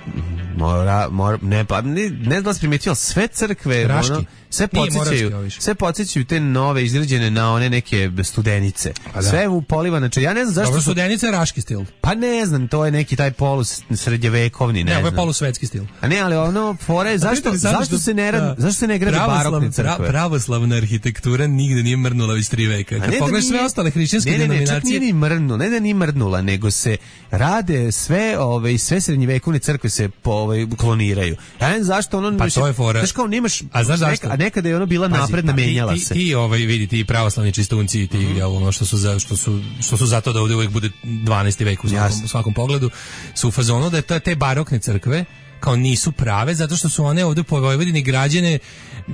S5: Mora, mora, ne, pa ne, ne znam da si primetio, sve crkve, ono, sve podsjećaju, sve podsjećaju te nove izgrađene na one neke studenice. Pa da. Sve u polivane, ja ne znam zašto.
S6: Dobro, studenice je raški stil.
S5: Pa ne znam, to je neki taj polus srednjevekovni, ne, ne znam. Ne, ovo
S6: je polusvetski stil.
S5: A ne, ali ono, fore, zašto, zašto se ne radi, zašto se ne gradi barokne crkve?
S6: Pra, pravoslavna arhitektura nigde nije mrnula već tri veka. Kad pogledaš sve ostale hrišćanske denominacije. Ne, ne, čak nije ni mrnula,
S5: ne da nije mrnula, nego se rade sve, ove, sve srednjevekovne crkve se po, ove, kloniraju. Ja ne znam zašto ono...
S6: Pa to je fora.
S5: Znaš kao nemaš...
S6: A znaš zašto?
S5: A nekada je ono bila Pazi, napredna, menjala
S6: ti,
S5: se.
S6: Ti, ovaj, vidi, ti pravoslavni čistunci, ti, mm-hmm. jel, ono što su, za, što, su, što su zato da ovdje uvijek bude dvanaesti vek u svakom, u svakom pogledu, su u fazonu da te, te barokne crkve kao nisu prave, zato što su one ovdje po Vojvodini građene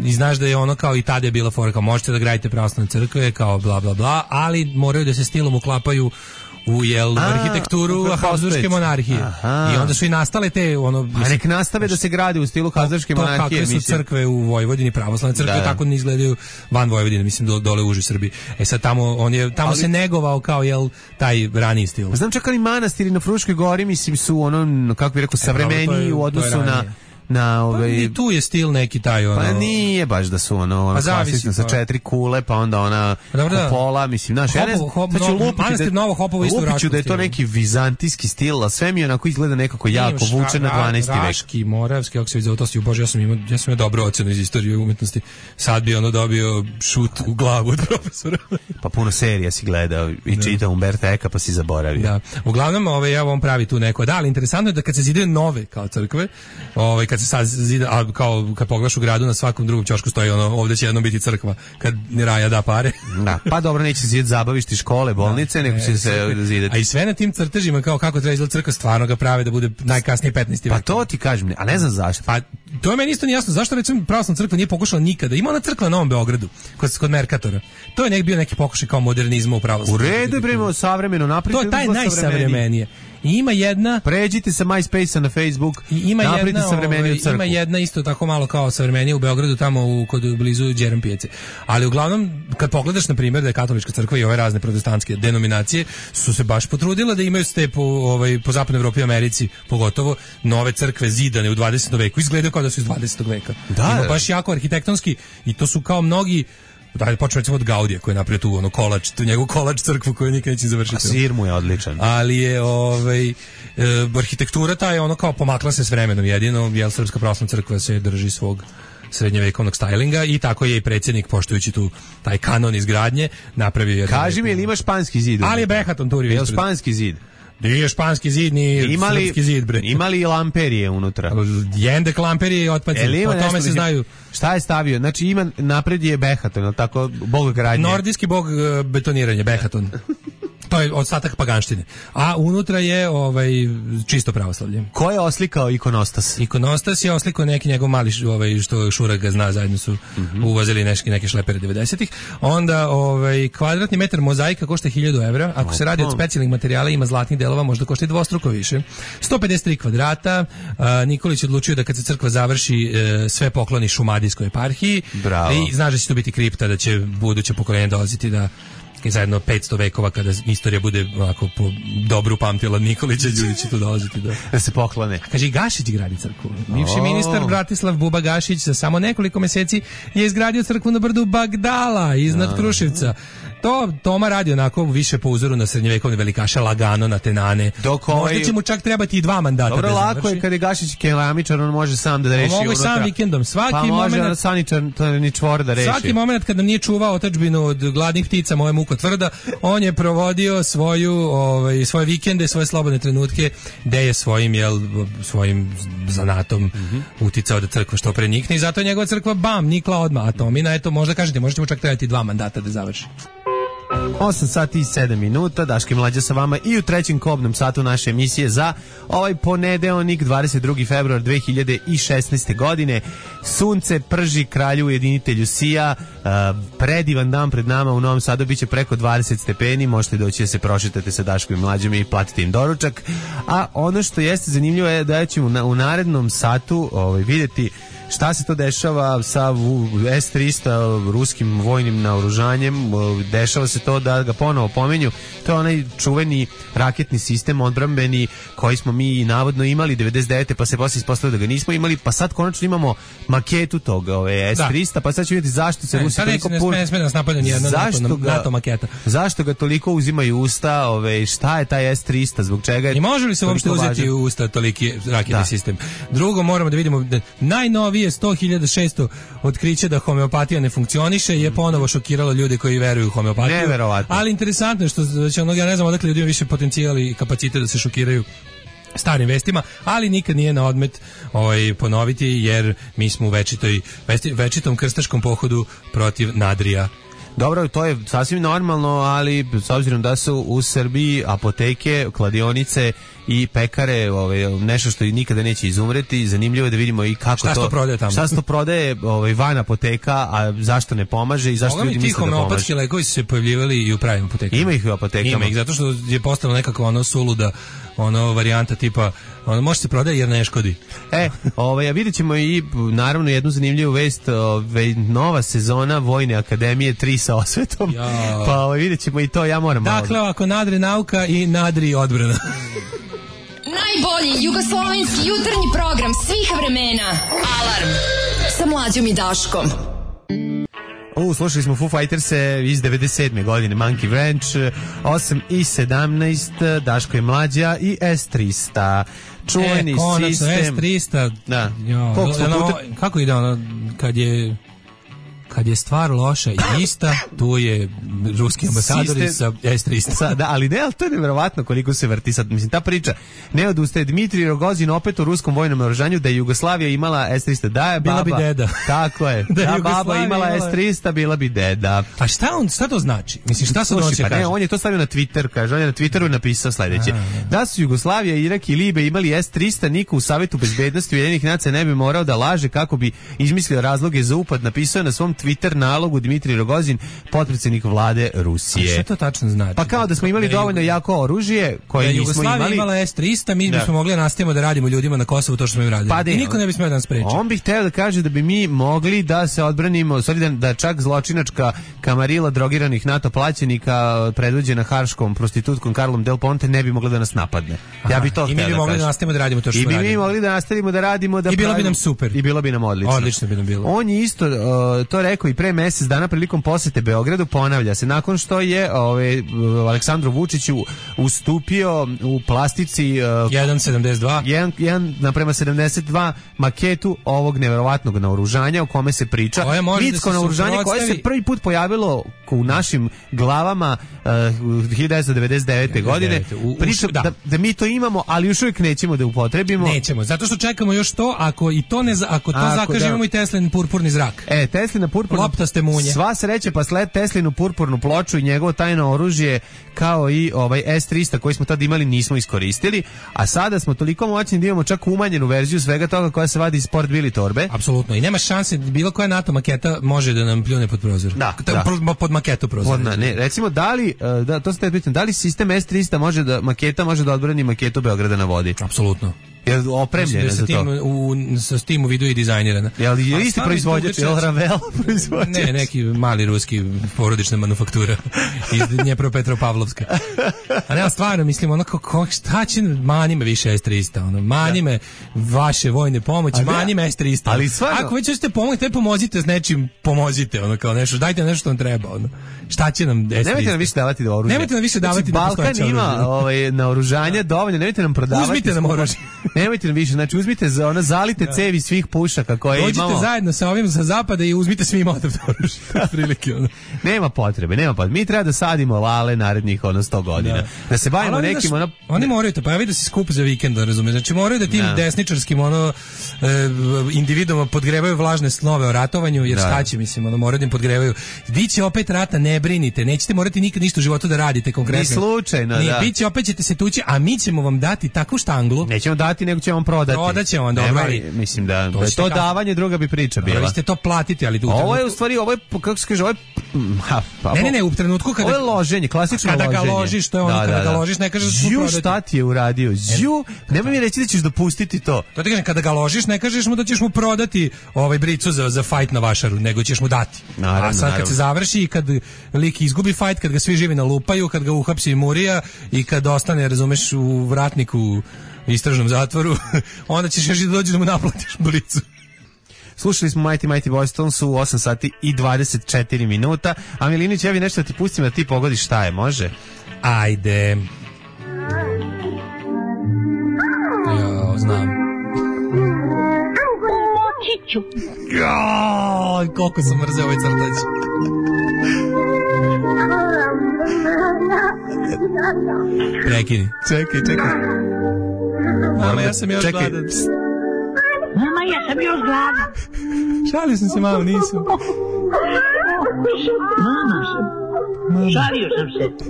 S6: i znaš da je ono kao i tada je bila fora, kao možete da gradite pravoslavne crkve, kao bla bla bla, ali moraju da se stilom uklapaju u jel, a, arhitekturu Habsburške monarhije. Aha. I onda su i nastale te ono mislim,
S5: a nek nastave da se gradi u stilu Habsburške monarhije.
S6: To kakve su mislim. crkve u Vojvodini, pravoslavne crkve, da. tako ne izgledaju van Vojvodine, mislim do, dole u užoj Srbiji. E sad tamo on je tamo ali, se negovao kao jel taj raniji stil.
S5: Znam čak ali manastiri na Fruškoj gori mislim su ono kako bih rekao savremeniji e, u odnosu na na ovaj
S6: pa i tu je stil neki taj ono
S5: pa nije baš da su ono, ono pa klasično sa četiri kule pa onda ona kupola mislim znaš ja ne znam znači
S6: manastir Novo Hopovo isto
S5: vraću da je to neki vizantijski stil a sve mi onako izgleda nekako jako vuče na dvanaesti vek
S6: Raški Moravski kako se zove to si bože ja sam imao ja sam imao dobru ocenu iz istorije umetnosti sad bi ono dobio šut u glavu od profesora
S5: pa puno serija si gledao i da. čitao Umberta Eka pa si zaboravio
S6: da uglavnom ovaj ja vam pravi tu neko da ali interesantno je da kad se zidaju nove kao crkve ovaj kad se sad zida, a kao kad pogledaš u gradu na svakom drugom ćošku stoji ono ovdje će jednom biti crkva kad Raja da pare.
S5: Da, pa dobro neće se zidati zabavišti škole, bolnice, da, nego će se zidati.
S6: A i sve na tim crtežima kao kako treba izgledati crkva stvarno ga prave da bude najkasnije petnaesti vek.
S5: Pa to ti kažem, a ne znam zašto.
S6: Pa to je meni isto nejasno zašto recimo pravoslavna crkva nije pokušala nikada. Ima ona crkva na Novom Beogradu kod kod Merkatora. To je nek bio neki pokušaj kao modernizma u pravoslavlju.
S5: U redu je prema savremeno naprijed.
S6: To je taj najsavremenije. I ima jedna
S5: pređite sa MySpace-a na Facebook
S6: i ima jedna ovaj, ima jedna isto tako malo kao savremenije u Beogradu tamo u kod blizu Đeram pijace. Ali uglavnom kad pogledaš na primjer da je katolička crkva i ove razne protestantske denominacije su se baš potrudile da imaju ste po ovaj po zapadnoj Evropi i Americi pogotovo nove crkve zidane u dvadesetom veku izgledaju kao da su iz dvadesetog veka. Da, ima baš jako arhitektonski i to su kao mnogi da počne recimo od Gaudija koji je napravio tu ono kolač, tu njegov kolač crkvu koju nikad neće završiti. A
S5: sir mu je odličan.
S6: Ali je ovaj e, arhitektura ta je ono kao pomakla se s vremenom jedino, jel Srpska pravoslavna crkva se drži svog srednjevekovnog stylinga i tako je i predsjednik poštujući tu taj kanon izgradnje napravio je.
S5: Kaži mi, jel ima španski zid?
S6: Ali je Behaton turio.
S5: Jel španski zid?
S6: Nije španski zid, ni imali, srpski zid, bre.
S5: Imali lamperije unutra.
S6: Jendek lamperije i otpaci. Po tome se znaju.
S5: Šta je stavio? Znači ima napred je Behaton, je li tako? Bog gradnje.
S6: Nordijski bog betoniranja, Behaton. To je ostatak paganštine. A unutra je ovaj čisto pravoslavlje.
S5: Ko je oslikao ikonostas?
S6: Ikonostas je oslikao neki njegov mali ovaj što Šurak ga zna, zajedno su mm-hmm. uvozili neke neke šlepere devedesetih. Onda ovaj kvadratni metar mozaika košta hiljadu evra. Ako se radi od specijalnih materijala ima zlatnih delova, možda košta i dvostruko više. sto pedeset tri kvadrata. A, Nikolić odlučio da kad se crkva završi e, sve pokloni Šumadijskoj eparhiji.
S5: Bravo.
S6: I znaš da će to biti kripta, da će buduće pokoljenje dolaziti da i zajedno petsto vekova kada istorija bude ovako po dobru pamtila Nikolića, ljudi će tu dolaziti da,
S5: da se poklone.
S6: Kaže i Gašić gradi crkvu. Bivši oh. ministar Bratislav Buba Gašić za samo nekoliko meseci je izgradio crkvu na brdu Bagdala iznad oh. Kruševca. To Toma radi onako više po uzoru na srednjevekovne velikaše, lagano na tenane. Dok ovaj... Možda će mu čak trebati i dva mandata.
S5: Dobro, lako je kad je Gašić keramičar, on može sam da reši unutra.
S6: Mogu sam vikendom. Svaki
S5: pa može
S6: moment,
S5: saničarni čvor da reši.
S6: Svaki moment kad nam nije čuvao otadžbinu od gladnih ptica, moje muko tvrda, on je provodio svoju, ovaj, svoje vikende, svoje slobodne trenutke, gde je svojim, jel, svojim zanatom mm-hmm. uticao da crkva što pre nikne i zato je njegova crkva bam, nikla odmah. A Tomina, eto, možda kažete, možete mu čak trebati dva mandata da završi.
S5: osam sati i sedam minuta, Daško i Mlađa sa vama i u trećem kobnom satu naše emisije za ovaj ponedeljnik dvadeset drugi februar dve hiljade šesnaeste. godine. Sunce prži, kralju ujedinitelju sija, uh, predivan dan pred nama u Novom Sadu, biće preko dvadeset stepeni, možete doći da se prošetate sa Daškom i Mlađom i platite im doručak. A ono što jeste zanimljivo je da ćemo na, u narednom satu ovaj, vidjeti šta se to dešava sa S trista ruskim vojnim naoružanjem. Dešava se to da ga ponovo pomenju. To je onaj čuveni raketni sistem odbrambeni koji smo mi navodno imali devedeset devete pa se posle ispostavilo da ga nismo imali, pa sad konačno imamo maketu toga, ove S trista, pa sad ćemo vidjeti zašto se
S6: ne,
S5: Rusi toliko
S6: pun... ne sme nas napadne ni jedna NATO, ga, NATO maketa.
S5: Zašto ga toliko uzimaju usta, ove, šta je taj S trista, zbog čega je...
S6: I može li se uopšte uzeti u usta toliki raketni da. sistem? Drugo, moramo da vidimo da najnoviji je sto hiljada šesto otkriće da homeopatija ne funkcioniše je ponovo šokiralo ljude koji veruju u homeopatiju.
S5: Neverovatno.
S6: Ali interesantno je što znači, ono, ja ne znam odakle ljudi više potencijal i kapacitet da se šokiraju starim vestima, ali nikad nije na odmet ovaj, ponoviti jer mi smo u večitoj, večitom krstaškom pohodu protiv Nadrija.
S5: Dobro, to je sasvim normalno, ali s obzirom da su u Srbiji apoteke, kladionice i pekare, ovaj, nešto što nikada neće izumreti. Zanimljivo je da vidimo i kako
S6: šta
S5: to...
S6: Šta prodaje tamo?
S5: Šta se to prodaje ovaj, van apoteka, a zašto ne pomaže i zašto
S6: Moga
S5: ljudi misle da pomaže.
S6: homeopatski lekovi su se pojavljivali i u pravim apotekama.
S5: Ima ih u apotekama.
S6: Ima ih, zato što je postalo nekako ono suluda, ono varijanta tipa, ono može se prodaje jer ne škodi.
S5: E, ovaj, a vidjet ćemo i naravno jednu zanimljivu vest, ovaj, nova sezona Vojne akademije tri sa osvetom. Ja. Pa ovaj, vidjet ćemo i to, ja moram malo.
S6: Dakle, ako nadri nauka i nadri odbrana.
S4: Najbolji jugoslovenski jutarnji program svih vremena. Alarm sa Mlađom i Daškom.
S5: U, slušali smo Foo Fighters-e iz devedeset sedme godine, Monkey Wrench, osam i sedamnaest, Daško je Mlađa i S trista. Čuveni
S6: e, konačno,
S5: sistem.
S6: S trista.
S5: Da.
S6: Jo, puta... Kako ide ono, kad je... Kad je stvar loša i ista, tu je ruski ambasador sa S trista.
S5: Sa, da, ali ne, ali to je nevjerovatno koliko se vrti sad. Mislim, ta priča ne odustaje. Dmitrij Rogozin opet u ruskom vojnom naoružanju da je Jugoslavija imala S trista. Da je baba.
S6: Bila bi deda.
S5: Tako je. Da, da baba imala, imala S trista, bila bi deda.
S6: A šta on, šta to znači? Mislim, šta sad on će
S5: pa
S6: kaže?
S5: Ne, on je to stavio na Twitter, kaže. On je na Twitteru napisao sledeće. A, da su Jugoslavija, Irak i Libija imali S trista, niko u Savetu bezbednosti Ujedinjenih nacija ne bi morao da laže kako bi izmislio razloge za upad. Napisao na svom Twitter nalogu Dmitrij Rogozin, potpredsjednik vlade Rusije.
S6: A šta to tačno znači?
S5: Pa kao da smo imali dovoljno jako oružje koje nismo imali. Da
S6: Jugoslavija imala S trista, mi bismo mogli da nastavimo da radimo ljudima na Kosovu to što smo im radili. Pa de, I niko ne bi smeo da nas spreči.
S5: On bi hteo da kaže da bi mi mogli da se odbranimo, sorry, da, da čak zločinačka kamarila drogiranih NATO plaćenika predvođena Harškom prostitutkom Karlom Del Ponte ne bi mogla da nas napadne.
S6: Aha,
S5: ja bi to
S6: i mi bi
S5: da
S6: mogli
S5: kaže.
S6: da nastavimo da radimo to što smo radili.
S5: I bi mi mogli da nastavimo da radimo da
S6: I bilo bi nam super.
S5: I bilo bi nam odlično.
S6: Odlično bi nam bilo.
S5: On je isto uh, to rekao i pre mesec dana prilikom posete Beogradu, ponavlja se nakon što je ovaj Aleksandru Vučiću ustupio u plastici uh,
S6: jedan sedamdeset dva
S5: jedan naprema sedamdeset dva maketu ovog neverovatnog naoružanja o kome se priča. Mitsko da naoružanje koje se prvi put pojavilo u našim glavama uh, hiljadu devetsto devedeset devete godine. Priča da. Da, da mi to imamo, ali još uvijek nećemo da upotrebimo.
S6: Nećemo, zato što čekamo još to, ako i to ne ako to zakažemo da. I Teslin purpurni zrak.
S5: E, Teslina purpurna
S6: loptaste munje.
S5: Sva sreća pa sled Teslinu purpurnu ploču i njegovo tajno oružje kao i ovaj S trista koji smo tad imali nismo iskoristili, a sada smo toliko moćni da imamo čak umanjenu verziju svega toga koja se vadi iz Sport Bili torbe.
S6: Apsolutno, i nema šanse bilo koja NATO maketa može da nam pljune pod prozor.
S5: Da, da.
S6: Pod, pod maketu prozor.
S5: Pod, ne, recimo da li da to ste pitanje, da li sistem S trista može da maketa može da odbrani maketu Beograda na vodi?
S6: Apsolutno.
S5: Je opremljena za to.
S6: U, sa tim u vidu i dizajnirana.
S5: Je li je isti proizvođač, je li Ravel proizvođač?
S6: Ne, neki mali ruski porodična manufaktura iz Dnjepropetropavlovska. A ne, stvarno, mislim, ono, kako, šta će, mani me više S trista, ono, mani me vaše vojne pomoći, mani me S trista.
S5: Ali stvarno...
S6: Ako već ćete pomoći, te pomozite s nečim, pomozite, ono, kao nešto, dajte nešto što vam treba, ono. Šta će nam S trista?
S5: Nemojte nam više davati do oružja.
S6: Nemojte nam više davati
S5: znači,
S6: do
S5: Balkan ima ovaj, naoružanje dovoljno, nemojte nam prodavati.
S6: Uzmite nam oružje.
S5: Nemojte nam više, znači uzmite za ona zalite ja. cevi svih pušaka koje
S6: dođite
S5: imamo.
S6: Dođite zajedno sa ovim sa zapada i uzmite svi motor oružje. Prilike ono.
S5: Nema potrebe, nema potrebe. Mi treba da sadimo lale narednih ono sto godina. Da, da se bavimo
S6: oni
S5: nekim
S6: da,
S5: ono
S6: oni moraju to, pa ja vidim da se skup za vikend, razumeš. Znači moraju da tim da. desničarskim ono e, individuma podgrevaju vlažne snove o ratovanju, jer šta će, mislim, ono moraju da im podgrevaju. Biće opet rata, ne brinite, nećete morati nikad ništa u životu da radite konkretno.
S5: Ni slučajno,
S6: Ni,
S5: da.
S6: Biće opet ćete se tući, a mi ćemo vam dati takvu štanglu.
S5: Nećemo dati, nego ćemo vam prodati.
S6: Prodat ćemo vam, dobro.
S5: Mislim da to, da to davanje druga bi priča bila.
S6: Vi ste to platiti, ali
S5: ovo je u stvari, ovo je, kako se kaže, ovo je... Ha, pa,
S6: ne, ne, ne, u trenutku kada...
S5: Ovo je loženje, klasično
S6: kada
S5: loženje.
S6: Kada ga ložiš, to je ono, da, kada da, da. ga ložiš, ne kažeš da
S5: Žju, šta ti je uradio? Žju, nemoj mi reći da ćeš dopustiti to.
S6: To ti kažem, kada ga ložiš, ne kažeš mu da ćeš mu prodati ovaj bricu za, za fight na vašaru, nego ćeš mu dati.
S5: Naravno,
S6: a sad
S5: naravno.
S6: Kad se završi i kad lik izgubi fight, kad ga svi živi nalupaju, kad ga uhapsi Murija i kad ostane, razumeš, u vratniku istražnom zatvoru, onda ćeš još i dođi da mu naplatiš blicu.
S5: Slušali smo Mighty Mighty Boys Tones u osam sati i dvadeset četiri minuta. A Milinić, ja bi nešto da ti pustim da ti pogodiš šta je, može?
S6: Ajde. Jo, znam.
S9: Močiću.
S6: Jo, koliko sam mrzeo ovaj crtač. Prekini.
S5: Čekaj, čekaj.
S6: Mama, ja sam još
S5: čekaj.
S6: gladan.
S9: Mama, ja sam još gladan.
S6: Šalio sam se, mama, nisam.
S9: Mama, Šalio sam se.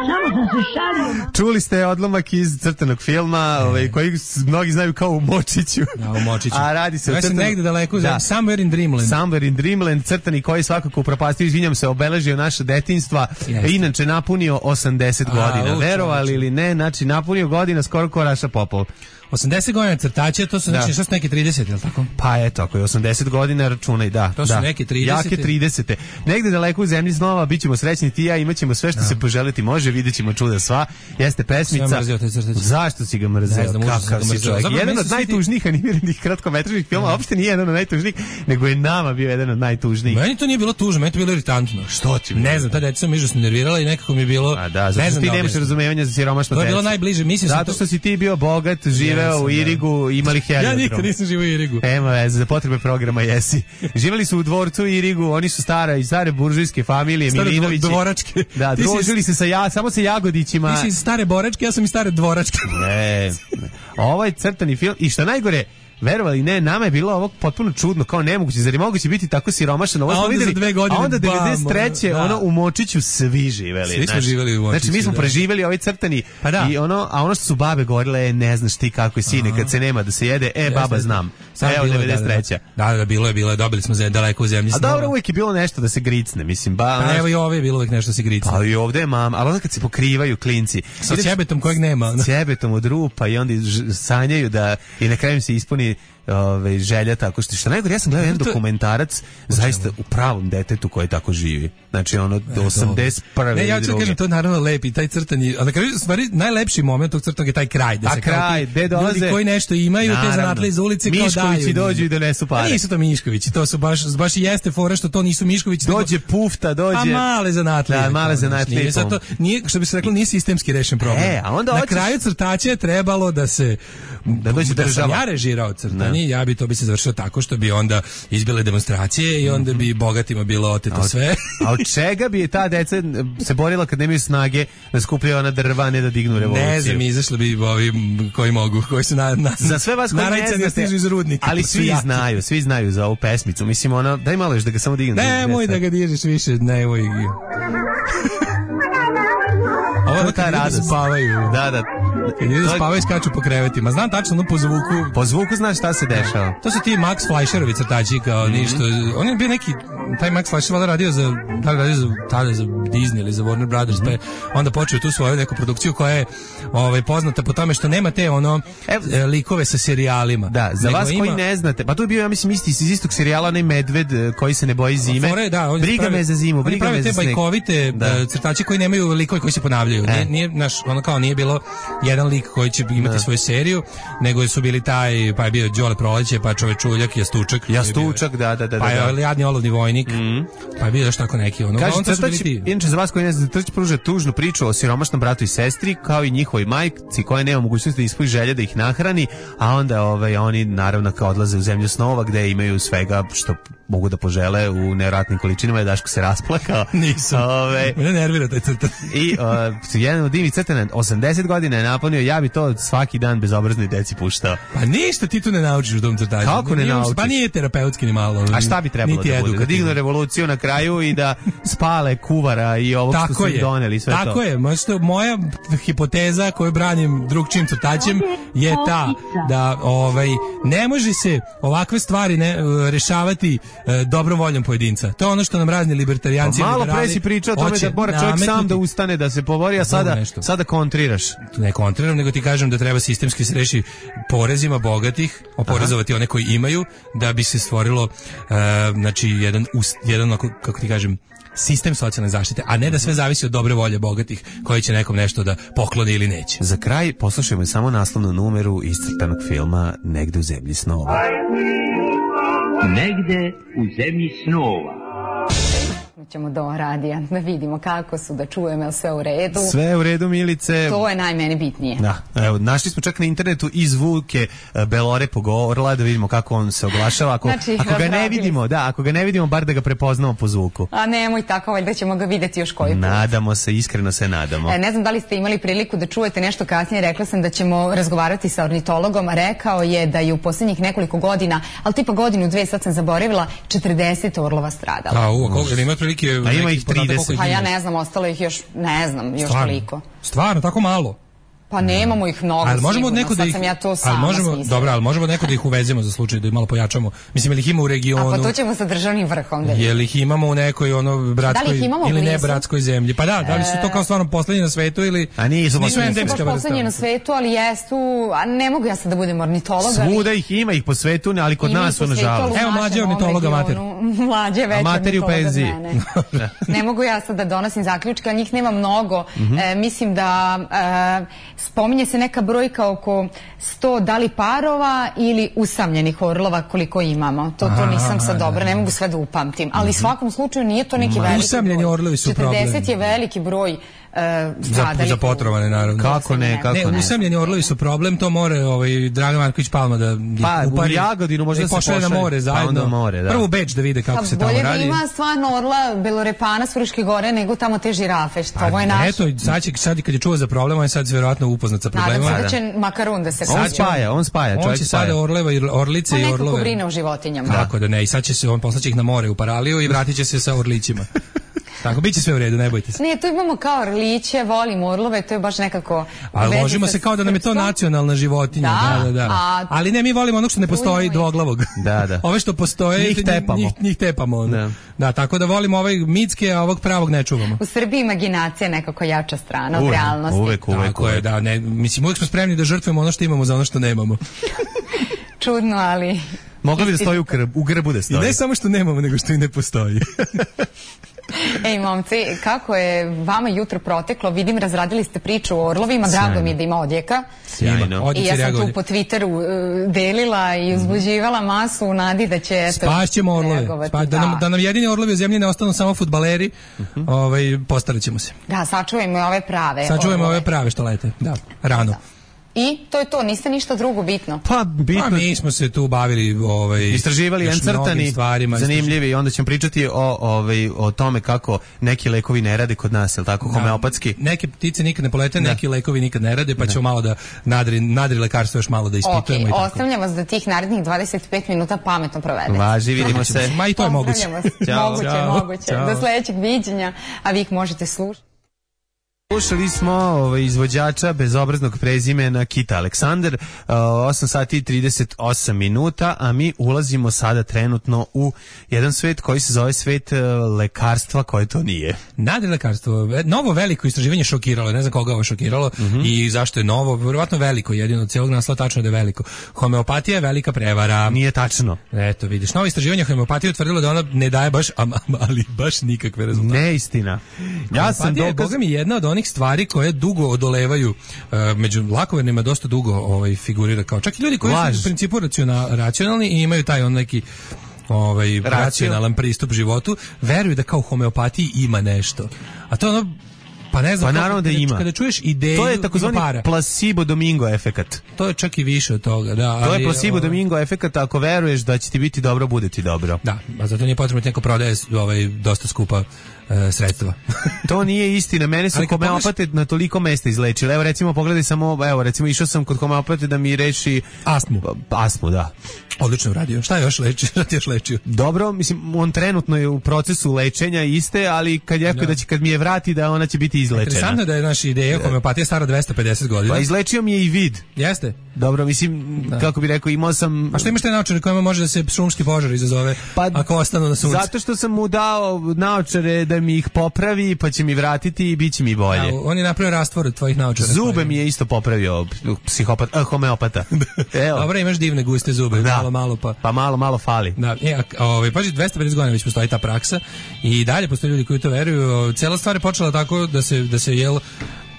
S9: Samo sam se šalio.
S5: Čuli ste odlomak iz crtanog filma, ovaj, koji mnogi znaju kao u Močiću.
S6: Da, u Močiću.
S5: A radi se o crtanom...
S6: negde daleko, da. Somewhere in Dreamland.
S5: Somewhere in Dreamland, crtani koji svakako upropastio, izvinjam se, obeležio naše detinjstva. Jeste. Inače napunio osamdeset godina. Verovali ili ne, znači napunio godina skoro ko Raša Popov.
S6: osamdeset godina crtače, to su znači što su neke trideset, je li tako?
S5: Pa eto, ako je osamdeset godina, računaj, da.
S6: To su
S5: da.
S6: neke tridesete.
S5: Jake tridesete. Negde daleko u zemlji snova, bit ćemo srećni ti i ja, imat ćemo sve što da. se poželiti može, vidjet ćemo čuda sva. Jeste pesmica.
S6: Sam mrzio taj crtač.
S5: Zašto si ga mrzio?
S6: Ne znam,
S5: kakav si čovjek. Jedan od najtužnijih animiranih kratkometražnih filmova, uopšte nije jedan od najtužnijih, nego je nama bio jedan od najtužnijih.
S6: Meni to nije bilo tužno, meni to bilo iritantno.
S5: Što ti?
S6: Ne znam, ta deca sam užasno nervirala i nekako mi je bilo.
S5: A da, zato što ti nemaš razumevanja za siromašno
S6: decu. To je bilo najbliže, mislim
S5: zato što si ti bio bogat, živeo u Irigu, imali heliodrom.
S6: Ja nikad nisam živio u Irigu.
S5: Nema veze, za potrebe programa jesi. Živeli su u dvorcu u Irigu, oni su stara i stare buržujske familije,
S6: stare
S5: Milinovići.
S6: Dvoračke.
S5: Da, družili se sa ja, samo sa Jagodićima.
S6: Ti si iz stare boračke, ja sam iz stare dvoračke.
S5: Ne, ne. Ovo je crtani film i što najgore, verovali ne, nama je bilo ovo potpuno čudno, kao nemoguće, zar je moguće biti tako siromašan? Ovo smo videli,
S6: dve godine,
S5: a onda devedeset treće
S6: da.
S5: ono u Močiću svi živeli.
S6: Svi smo živeli u Močiću.
S5: Znači mi smo
S6: da.
S5: preživeli ovaj crtani
S6: pa da.
S5: i ono, a ono što su babe govorile je ne znaš ti kako je sine kad se nema da se jede, e baba znam. Evo devedeset treća.
S6: Da, da, bilo je, bilo je, dobili smo za daleko u zemlji.
S5: A dobro, uvijek je bilo nešto da se gricne, mislim. Ba,
S6: pa evo i ovdje je bilo uvijek nešto da se gricne.
S5: Pa i ovdje je mama, ali onda kad se pokrivaju klinci.
S6: Sa ćebetom kojeg nema.
S5: S ćebetom od rupa i onda sanjaju da i na kraju im se ispuni ove, želja tako što što najgore, ja sam gledao jedan dokumentarac zaista u pravom detetu koji tako živi. Znači ono do osamdeset prve.
S6: Ne, ja ću kažem, to je naravno lepi, taj crtani, a na kraju stvari najlepši moment tog crtanog je taj kraj, da se
S5: a kraj,
S6: ti, ljudi koji nešto imaju, naravno, te zanatle iz ulice kao daju.
S5: Miškovići dođu i donesu pare.
S6: A nisu to Miškovići, to su baš, baš i jeste fora što to nisu Miškovići.
S5: Dođe nego, pufta, dođe.
S6: A male zanatle.
S5: Da, male zanatle.
S6: Nije, zato, nije, što bi se reklo, nije sistemski rešen problem.
S5: E, a onda
S6: na
S5: hoćeš...
S6: kraju crtače je trebalo da se
S5: da dođe
S6: da
S5: država.
S6: sam ja režirao crtanje, ja bi to bi se završilo tako što bi onda izbile demonstracije i onda bi bogatima bilo oteto
S5: a,
S6: sve.
S5: A od čega bi ta deca se borila kad nemaju snage da skupljaju ona drva, ne da dignu revoluciju?
S6: Ne znam, izašli bi ovi koji mogu, koji su na, na
S5: za sve vas koji ne znate,
S6: stižu iz rudnika.
S5: Ali svi
S6: jaki.
S5: znaju, svi znaju za ovu pesmicu. Mislim, ona, daj malo još da ga samo dignu.
S6: Ne, moj da ga dižeš više, ne, moj. Ovo je ta radost. Spavaju.
S5: Da, da.
S6: Kad ljudi spavaju, skaču po krevetima. Znam tačno, ono po zvuku.
S5: Po zvuku znaš šta se dešava.
S6: To su ti Max Fleischerovi crtači, kao mm-hmm. ništa. On je bio neki, taj Max Fleischer valjda radio za, da li radio za, tada za Disney ili za Warner Brothers, mm-hmm. pa onda počeo tu svoju neku produkciju koja je ovaj, poznata po tome što nema te ono e, likove sa serijalima.
S5: Da, za vas ima... koji ne znate, pa to je bio, ja mislim, isti iz istog serijala, onaj medved koji se ne boji zime.
S6: Fore, da,
S5: briga pravi, me za zimu, briga me za sneg.
S6: Te bajkovite da. crtači koji nemaju likove koji se ponavljaju. E. Nije, nije, naš, ono kao nije bilo jedan lik koji će imati da. svoju seriju, nego su bili taj, pa je bio Đole Proleće, pa Čovečuljak, Jastučak.
S5: Jastučak, bio, da, da, da.
S6: Pa je
S5: da.
S6: Jadni olovni vojnik, mm. pa je bio još tako neki. Ono,
S5: kaže, crtač, inače za vas koji ne znate, Crtač pruža tužnu priču o siromašnom bratu i sestri, kao i njihovoj majci koja nema mogućnosti da ispuni želje da ih nahrani, a onda ovaj, oni naravno kao odlaze u zemlju snova gde imaju svega što mogu da požele u nevjerojatnim količinama. Je Daško se rasplakao.
S6: Nisam.
S5: Ove,
S6: Mene nervira taj crtan.
S5: I uh, jedan od divnih crtana osamdeset godina je napunio, ja bi to svaki dan bezobraznoj deci puštao.
S6: Pa ništa ti tu ne naučiš u tom crtažu.
S5: Kako ne
S6: nije,
S5: naučiš?
S6: Pa nije terapeutski ni malo.
S5: A šta bi trebalo da bude? Da dignu revoluciju na kraju i da spale kuvara i ovog
S6: tako
S5: što su im doneli sve
S6: tako
S5: to.
S6: Tako je. Možda, moja hipoteza koju branim drugčijim crtačem je ta da ovaj, ne može se ovakve stvari ne, rešavati e, dobrom voljom pojedinca. To je ono što nam razni libertarijanci
S5: pa malo pre si pričao o tome da mora čovjek sam da ustane, da se pobori, a sada, sada kontriraš.
S6: Ne kontriram, nego ti kažem da treba sistemski se reši porezima bogatih, oporezovati one koji imaju, da bi se stvorilo uh, znači jedan, jedan kako ti kažem, sistem socijalne zaštite, a ne da sve zavisi od dobre volje bogatih koji će nekom nešto da pokloni ili neće.
S5: Za kraj poslušajmo samo naslovnu numeru iz crtanog filma Negde u zemlji snova.
S9: Negde u zemlji snova.
S7: Ćemo do radija da vidimo kako su, da čujemo je sve u redu.
S5: Sve u redu, Milice.
S7: To je najmeni bitnije.
S5: Da, evo, našli smo čak na internetu i zvuke Belore Pogorla, da vidimo kako on se oglašava. Ako,
S7: znači,
S5: ako ga ne vidimo, da, ako ga ne vidimo, bar da ga prepoznamo po zvuku.
S7: A nemoj tako, valjda ćemo ga videti još koji put.
S5: Nadamo se, iskreno se nadamo.
S7: E, ne znam da li ste imali priliku da čujete nešto kasnije, rekla sam da ćemo razgovarati sa ornitologom, rekao je da je u posljednjih nekoliko godina, ali tipa godinu, dve, sad sam zaboravila, četrdeset orlova stradala.
S6: A, u, koliko, ima prilike koliki je...
S5: A ima ih trideset.
S7: Pa ja ne znam, ostalo ih još, ne znam, još
S6: Stvarno?
S7: toliko.
S6: Stvarno, tako malo?
S7: Pa nemamo ih mnogo,
S6: ali možemo
S7: sigurno,
S6: neko da
S7: sad
S6: ih,
S7: sam ja to sama
S6: ali možemo,
S7: smislila.
S6: dobro, ali možemo neko da ih uvezemo za slučaj da ih malo pojačamo. Mislim, ili ih ima u regionu.
S7: A pa to ćemo sa državnim vrhom da
S6: je li ih imamo u nekoj ono bratskoj ili ne bratskoj zemlji? Pa da, da li su to kao stvarno poslednji na svetu ili...
S5: A nisu,
S6: nisu endemska vrsta.
S7: Poslednji na svetu, ali jesu, a ne mogu ja sad da budem ornitolog.
S5: Svuda ih ima ih po svetu, ali kod nas su nažalost.
S6: Evo mlađe ornitologa mater.
S7: Mlađe već
S5: materi u penziji.
S7: Ne mogu ja sad da donosim zaključke, ali njih nema mnogo. Mislim da spominje se neka brojka oko sto da li parova ili usamljenih orlova koliko imamo. To, to nisam sad dobro, ne mogu sve da upamtim. Ali u svakom slučaju nije to neki veliki
S6: usamljeni
S7: broj.
S6: Orlovi su problem.
S7: četrdeset je veliki broj
S6: za, za potrovane naravno.
S5: Kako ne, kako
S6: ne.
S5: ne.
S6: Usamljeni orlovi su problem, to more ovaj Dragan Marković Palma da
S5: pa,
S6: upari.
S5: U Jagodinu možda se
S6: pošalje na more zajedno.
S5: Pa more, da.
S6: Prvo Beč da vide kako pa, se tamo radi.
S7: Bolje da ima stvarno orla belorepana s Fruške gore nego tamo te žirafe, što ovo je naše.
S6: Eto, sad, će, sad kad je čuo za problem, on je sad verovatno upoznat sa problemom.
S7: Nadam se da će makarun da se...
S5: On spaja, on spaja, čovjek
S6: on će sada orleva i orlice i orlove.
S7: On nekako brine o životinjama.
S6: Tako da ne, i sad će se, on poslaće ih na more u Paraliju i vratit će se sa orlićima. Tako, bit će sve u redu, ne bojte se.
S7: Ne, tu imamo kao orliće, volim orlove, to je baš nekako...
S6: Ali ložimo se kao da nam je to nacionalna životinja. Da, da, da.
S7: A,
S6: ali ne, mi volimo onog što ne postoji dvoglavog.
S5: Da, da.
S6: Ove što postoje,
S5: njih tepamo.
S6: Njih, njih tepamo. Da. Da, tako da volimo ovaj mitske, a ovog pravog ne čuvamo.
S7: U Srbiji imaginacija je nekako jača strana od realnosti.
S5: Uvek, uvek.
S6: Tako je, da. Ne, mislim, uvek smo spremni da žrtvujemo ono što imamo za ono što nemamo.
S7: Čudno, ali...
S5: Mogla bi da stoji u, grb, u grbu da stoji.
S6: I ne samo što nemamo, nego što i ne postoji.
S7: Ej, momci, kako je vama jutro proteklo? Vidim, razradili ste priču o orlovima, drago mi je da ima odjeka.
S5: Sjajno.
S7: I ja sam tu po Twitteru uh, delila i uzbuđivala masu u nadi da će...
S6: Spašćemo orlove. Spa, da, nam, da nam jedini orlovi u zemlji ne ostanu samo fudbaleri, uh-huh. ovaj, postarat ćemo se.
S7: Da, sačuvajmo ove prave.
S6: Sačuvajmo ove prave što lete, da, rano. Da.
S7: I to je to, niste ništa drugo bitno.
S5: Pa bitno.
S6: Pa mi smo se tu bavili ovaj
S5: istraživali encrtani stvarima, zanimljivi i onda ćemo pričati o ovaj o tome kako neki lekovi ne rade kod nas, el tako, homeopatski.
S6: Da, neke ptice nikad ne polete, da. Neki lekovi nikad ne rade, pa ćemo malo da nadri nadri lekarstvo još malo da ispitujemo.
S7: Okay, i tako. Ostavljam vas da tih narednih dvadeset pet minuta pametno provedete.
S5: Važi, vidimo se.
S6: Ma i to je moguće.
S7: Ćao. Moguće, Ćao. moguće. Ćao. Do sledećeg viđenja, a vi ih možete slušati.
S5: Slušali smo ovaj, izvođača bezobraznog prezimena Kita Aleksandar, uh, osam sati i trideset osam minuta, a mi ulazimo sada trenutno u jedan svet koji se zove svet uh, lekarstva koje to nije.
S6: Nadri lekarstvo, novo veliko istraživanje šokiralo, ne znam koga ovo šokiralo mm-hmm. i zašto je novo, vjerovatno veliko, jedino od cijelog naslova tačno da je veliko. Homeopatija je velika prevara.
S5: Nije tačno.
S6: Eto, vidiš, novo istraživanje homeopatije utvrdilo da ona ne daje baš, ali baš nikakve rezultate.
S5: Neistina. Ja sam dokaz...
S6: Boga mi jedna od onih stvari koje dugo odolevaju uh, među lakovernima dosta dugo ovaj figurira kao čak i ljudi koji Laž. su u principu racional, racionalni i imaju taj on neki ovaj Racio. racionalan pristup životu, veruju da kao u homeopatiji ima nešto. A to ono pa ne znam,
S5: pa naravno da ima.
S6: Kada čuješ ideju,
S5: to je takozvani placebo domingo efekat.
S6: To je čak i više od toga, da.
S5: To
S6: ali,
S5: je placebo
S6: ovaj,
S5: domingo efekat, ako veruješ da će ti biti dobro, bude ti dobro.
S6: Da, a zato nije potrebno neko prodaje ovaj dosta skupa e, sredstva.
S5: To nije istina, mene su homeopate pogledaš... na toliko mesta izlečili. Evo recimo pogledaj samo, evo recimo išao sam kod homeopate da mi reši
S6: astmu.
S5: Astmu, da.
S6: Odlično uradio. Šta je još leči? Šta ti još lečio?
S5: Dobro, mislim, on trenutno je u procesu lečenja iste, ali kad je da. da će kad mi je vrati da ona će biti izlečena.
S6: Interesantno je da je naša ideja homeopatija stara dvesta pedeset godina.
S5: Pa izlečio mi je i vid.
S6: Jeste.
S5: Dobro, mislim, da. kako bi rekao, imao sam...
S6: A što imaš te naočare kojima može da se šumski požar izazove pa, ako ostanu na suncu?
S5: Zato što sam mu dao naočare da mi ih popravi, pa će mi vratiti i bit će mi bolje.
S6: Da, on je napravio rastvor od tvojih naočara.
S5: Zube
S6: tvojih.
S5: mi je isto popravio psihopat, eh, homeopata.
S6: Evo. Dobro, imaš divne guste zube, da. malo, malo pa...
S5: Pa malo, malo fali.
S6: Da, e, ovaj, paži, dvesta pedeset godina već postoji ta praksa i dalje postoje ljudi koji to veruju. Cela stvar je počela tako da se, da se jel...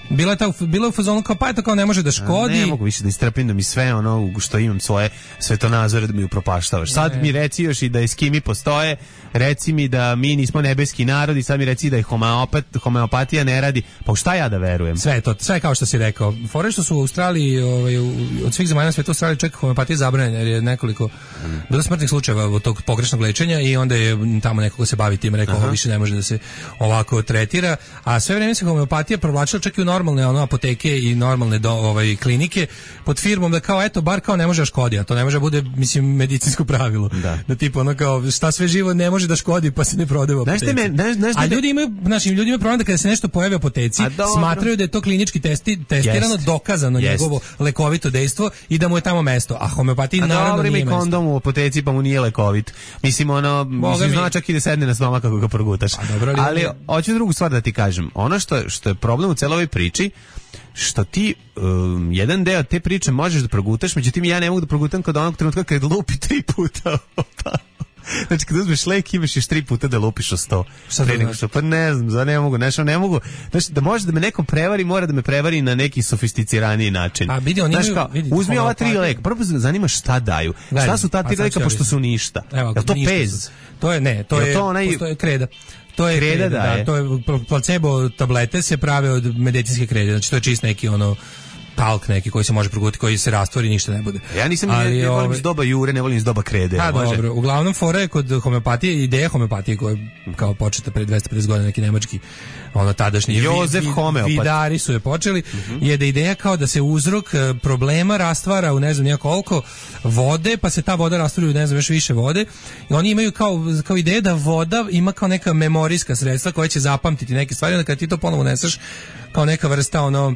S6: Bila je ta, bila u fazonu kao pa je to kao ne može da škodi.
S5: A ne mogu više da istrpim da mi sve ono što imam svoje svetonazore da mi upropaštavaš. Sad ne. mi reci još i da eskimi postoje, reci mi da mi nismo nebeski narod i sad mi reci da je homeopat, homeopatija ne radi. Pa šta ja da verujem?
S6: Sve to, sve kao što si rekao. Fore što su u Australiji, ovaj, od svih zemalja na svetu Australiji čak homeopatija zabranjena jer je nekoliko mm. bilo smrtnih slučajeva od tog pogrešnog lečenja i onda je tamo neko ko se bavi tim rekao ovo više ne može da se ovako tretira. A sve vreme se homeopatija provlačila čak i u normalne ono apoteke i normalne do, ovaj klinike pod firmom da kao eto bar kao ne može da škodi, a to ne može da bude mislim medicinsko pravilo. Da, da tipa ono kao šta sve živo ne može da škodi pa se ne prodaje u apoteci. Me, znaš, znaš, a ljudi imaju, našim ljudima imaju problem da kada se nešto pojavi u apoteci, smatraju da je to klinički testi, testirano, jest, dokazano jest, njegovo lekovito dejstvo i da mu je tamo mesto. A homeopatija naravno dobro, nije mesto. A dobro, ima i kondom u apoteci pa mu nije lekovit. Mislim, ono, mislim, zna čak i da sedne na stomak kako ga progutaš. Dobro, ali, ali hoću drugu stvar da ti kažem. Ono što, što je problem u celoj ovoj priči, što ti um, jedan deo te priče možeš da progutaš, međutim ja ne mogu da progutam kod onog trenutka kad lupi tri puta. Znači kad uzmeš lek imaš još tri puta da lupiš o sto. Šta to znači? Pa ne znam, za ne mogu, nešto ne mogu. Znači da može da me nekom prevari, mora da me prevari na neki sofisticiraniji način. A vidi, oni znači, kao, vidi, uzmi ova tri leka, prvo zanima šta daju. Gledaj, šta su ta tri leka pošto su ništa? Evo, je to pez? To je ne, to je, to onaj... je kreda. To je kreda, kreda da, da, to je placebo tablete se prave od medicinske krede. Znači to je čist neki ono talk neki koji se može progutati, koji se rastvori, ništa ne bude. Ja nisam, ali, ne, ne volim iz doba jure, ne volim iz doba krede. A, može? Dobro, uglavnom fora je kod homeopatije, ideja homeopatije koja je kao početa pre dvesta pedeset godina, neki nemački ono tadašnji Jozef vi, Homeopat. Vidari su je počeli, uh-huh. je da ideja kao da se uzrok problema rastvara u ne znam nijako koliko vode, pa se ta voda rastvara u ne znam još više vode i oni imaju kao, kao ideja da voda ima kao neka memorijska sredstva koja će zapamtiti neke stvari, onda kad ti to ponovo uneseš kao neka vrsta ono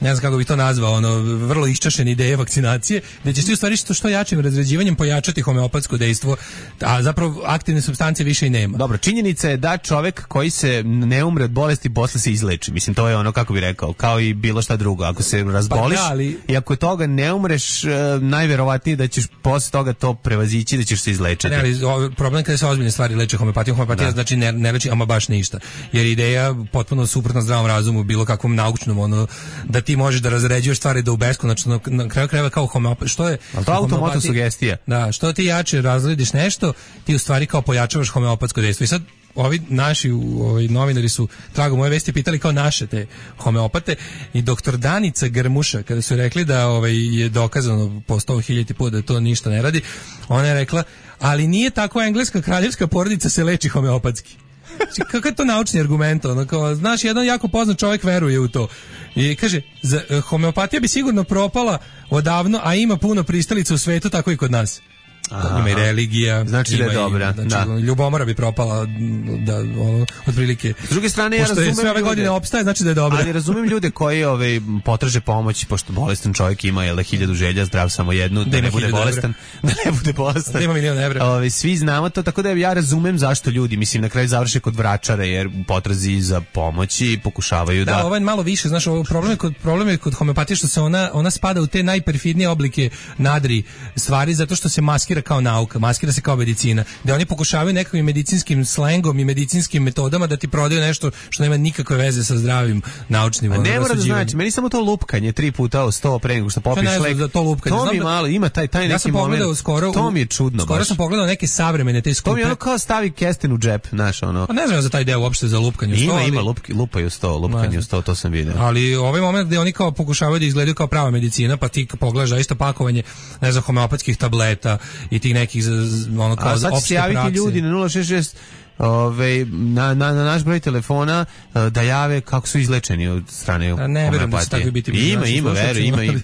S6: ne znam kako bi to nazvao, ono, vrlo iščašene ideje vakcinacije, da ćeš ti u stvari što, što jačim razređivanjem pojačati homeopatsko dejstvo, a zapravo aktivne supstance više i nema. Dobro, činjenica je da čovek koji se ne umre od bolesti posle se izleči. Mislim, to je ono, kako bi rekao, kao i bilo šta drugo. Ako se razboliš pa da, ali... i ako toga ne umreš, najverovatnije da ćeš posle toga to prevazići, da ćeš se izlečiti. Ne, ali problem kada se ozbiljne stvari leče homeopatijom, homeopatija da. Znači ne, ne leči ama baš ništa. Jer ideja potpuno suprotna zdravom razumu, bilo kakvom naučnom, ono, da ti možeš da razređuješ stvari da u beskonačno na kraju krajeva kao homeopat, što je al to automatna sugestija. Da, što ti jače razrediš nešto, ti u stvari kao pojačavaš homeopatsko dejstvo. I sad ovi naši ovi novinari su tragom moje vesti pitali kao naše te homeopate i doktor Danica Grmuša kada su rekli da ovaj je dokazano po sto hiljada puta da to ništa ne radi, ona je rekla, ali nije tako engleska kraljevska porodica se leči homeopatski. Kakav je to naučni argument? Ono, kao, znaš, jedan jako poznat čovjek veruje u to. I kaže, za, homeopatija bi sigurno propala odavno, a ima puno pristalica u svetu, tako i kod nas. Aha. Ima i religija. Znači da je dobra. Znači, da. Ljubomora bi propala da, ono, otprilike. S druge strane, ja razumem sve ove godine opstaje, znači da je dobra. Ali razumem ljude koji ove, potraže pomoć, pošto bolestan čovjek ima jel, hiljadu želja, zdrav samo jednu, da, da ne bude bolestan. Da ne bude bolestan. Da ima milion evra. Ove, svi znamo to, tako da ja razumem zašto ljudi, mislim, na kraju završe kod vračara, jer u potrazi za pomoći pokušavaju da... Da, ovo je malo više, znaš, ovo problem je kod, problem je kod homeopatije što se ona, ona spada u te najperfidnije oblike nadri stvari, zato što se maskira kao nauka, maskira se kao medicina, da oni pokušavaju nekakvim medicinskim slengom i medicinskim metodama da ti prodaju nešto što nema nikakve veze sa zdravim naučnim. A ne mora da znači, meni samo to lupkanje tri puta o sto pre nego što popiš lek. Za to lupkanje. To mi da, malo ima taj taj neki ja sam moment. Skoro, to mi je čudno. Skoro baš. Sam pogledao neke savremene te skupe. To mi je ono kao stavi kesten u džep, znaš, ono. A ne znam za taj deo uopšte za lupkanje u sto. Ima, ali... ima lupki, lupaju sto, lupkanje u sto, to sam vidio. Ali ovaj moment gde oni kao pokušavaju da izgledaju kao prava medicina, pa ti pogledaš zaista pakovanje, ne znam, homeopatskih tableta i tih nekih ono kao opšte prakse. A sad se javiti ljudi na nula šest šest Ove, na, na, na naš broj telefona da jave kako su izlečeni od strane homeopatije. Ne verujem da će tako biti. Ima, ima, veru, ima, ima.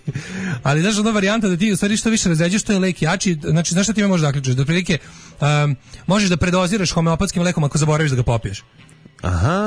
S6: Ali znaš, ona varijanta da ti u stvari što više razređuješ, to je lek jači, znači znaš šta ti možeš zaključiti? Da prilike um, možeš da predoziraš homeopatskim lekom ako zaboraviš da ga popiješ. Aha,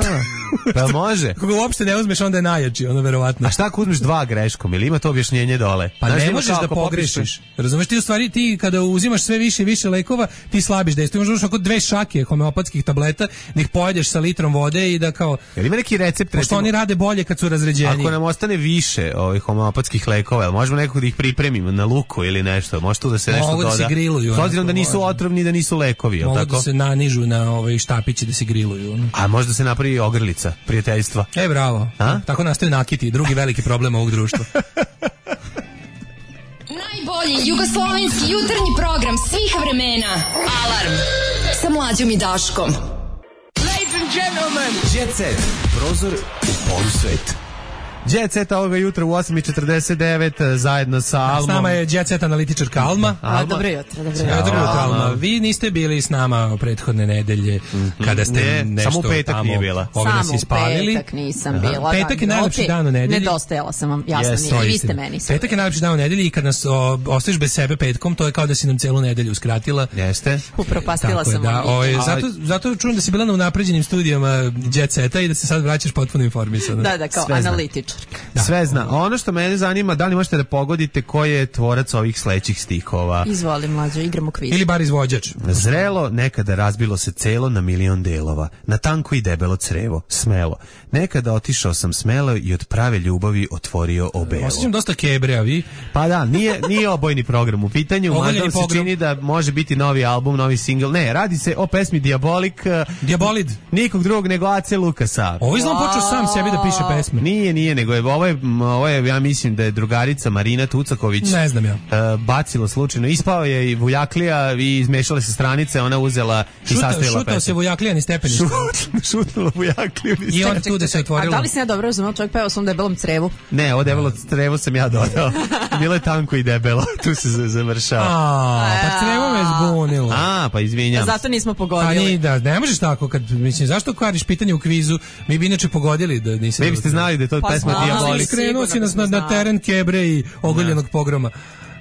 S6: pa može. Kako uopšte ne uzmeš, onda je najjači, ono verovatno. A šta ako uzmeš dva greškom, ili ima to objašnjenje dole? Pa znaš, ne možeš da pogrešiš. Razumeš, ti u stvari, ti kada uzimaš sve više i više lekova, ti slabiš dejstvo. Imaš možeš oko dve šake homeopatskih tableta, da ih pojedeš sa litrom vode i da kao... Jel ima neki recept? Pošto oni rade bolje kad su razređeni. Ako nam ostane više ovih homeopatskih lekova, jel možemo nekako da ih pripremimo na luku ili nešto? Može tu da se nešto doda? Mogu da se griluju. S obzirom da nisu otrovni, da nisu lekovi, jel tako? Mogu da se nanižu na ovaj štapići da se griluju. A možda se napravi ogrlica prijateljstva. E, bravo. A? Tako nastaju nakiti, drugi veliki problem ovog društva.
S4: Najbolji jugoslovenski jutarnji program svih vremena. Alarm sa Mlađom i Daškom.
S8: Ladies and gentlemen, Jet Set, prozor u polusvet.
S5: Jet Set ovoga jutra u osam i četrdeset devet zajedno sa Almom.
S6: S nama je Jet Set analitičarka Alma.
S7: A, dobro jutro, dobro jutro.
S6: Dobro jutro, Alma. Vi niste bili s nama prethodne nedelje mm-hmm. kada ste ne, nešto
S5: samo petak
S6: tamo
S5: nije bila.
S7: Samo petak nisam bila.
S6: Petak je najlepši dan u nedelji.
S7: Nedostajala sam vam, jasno, yes, nije. Vi ste meni.
S6: Petak je najlepši dan u nedelji i kad nas o, ostaviš bez sebe petkom, to je kao da si nam celu nedelju uskratila.
S5: Jeste.
S7: Upropastila sam
S6: da,
S7: vam.
S6: Ovaj, zato, zato čujem da si bila na unapređenim studijama Jet Seta i da se sad vraćaš potpuno informisana.
S7: Da, da, kao
S5: Sve
S7: analitičar.
S5: Da. Sve zna. Ono što mene zanima, da li možete da pogodite ko je tvorac ovih sledećih stihova?
S7: Izvoli, mlađo, igramo kviz.
S6: Ili bar izvođač.
S5: Zrelo, nekada razbilo se celo na milion delova, na tanko i debelo crevo, smelo. Nekada otišao sam smelo i od prave ljubavi otvorio obelo.
S6: Osjećam dosta kebre, a vi?
S5: Pa da, nije, nije obojni program u pitanju, mada se čini da može biti novi album, novi single. Ne, radi se o pesmi Diabolik.
S6: Diabolid.
S5: Nikog drugog nego Ace Lukasa.
S6: Ovo izgleda počeo sam sebi da piše pesme.
S5: Nije, nije, nego je ovo je, ovo je, ja mislim da je drugarica Marina Tucaković.
S6: Ne znam ja.
S5: Uh, bacilo slučajno. Ispao je i Vujaklija i izmešale se stranice, ona uzela i sastavila pesmu.
S6: Šutao se Vujaklija ni stepenište.
S5: Šutnulo Vujakliju ni
S6: I onda tu da se otvorilo.
S7: A da li si ja dobro razumela, čovjek pevao sam debelom crevu?
S5: Ne, ovo debelo crevo sam ja dodao. Bilo je tanko i debelo, tu se završava.
S6: A, pa crevo me zbunilo.
S5: A, pa izvinjam.
S7: Zato nismo pogodili.
S6: Pa ni da, ne možeš tako, kad, mislim, zašto kvariš pitanje u kvizu, mi bi inače pogodili da nisi...
S5: Ne biste znali da je to
S7: pa
S5: pesma Diabolik.
S6: Krenuo si nas na, na teren kebre i ogoljenog pogroma.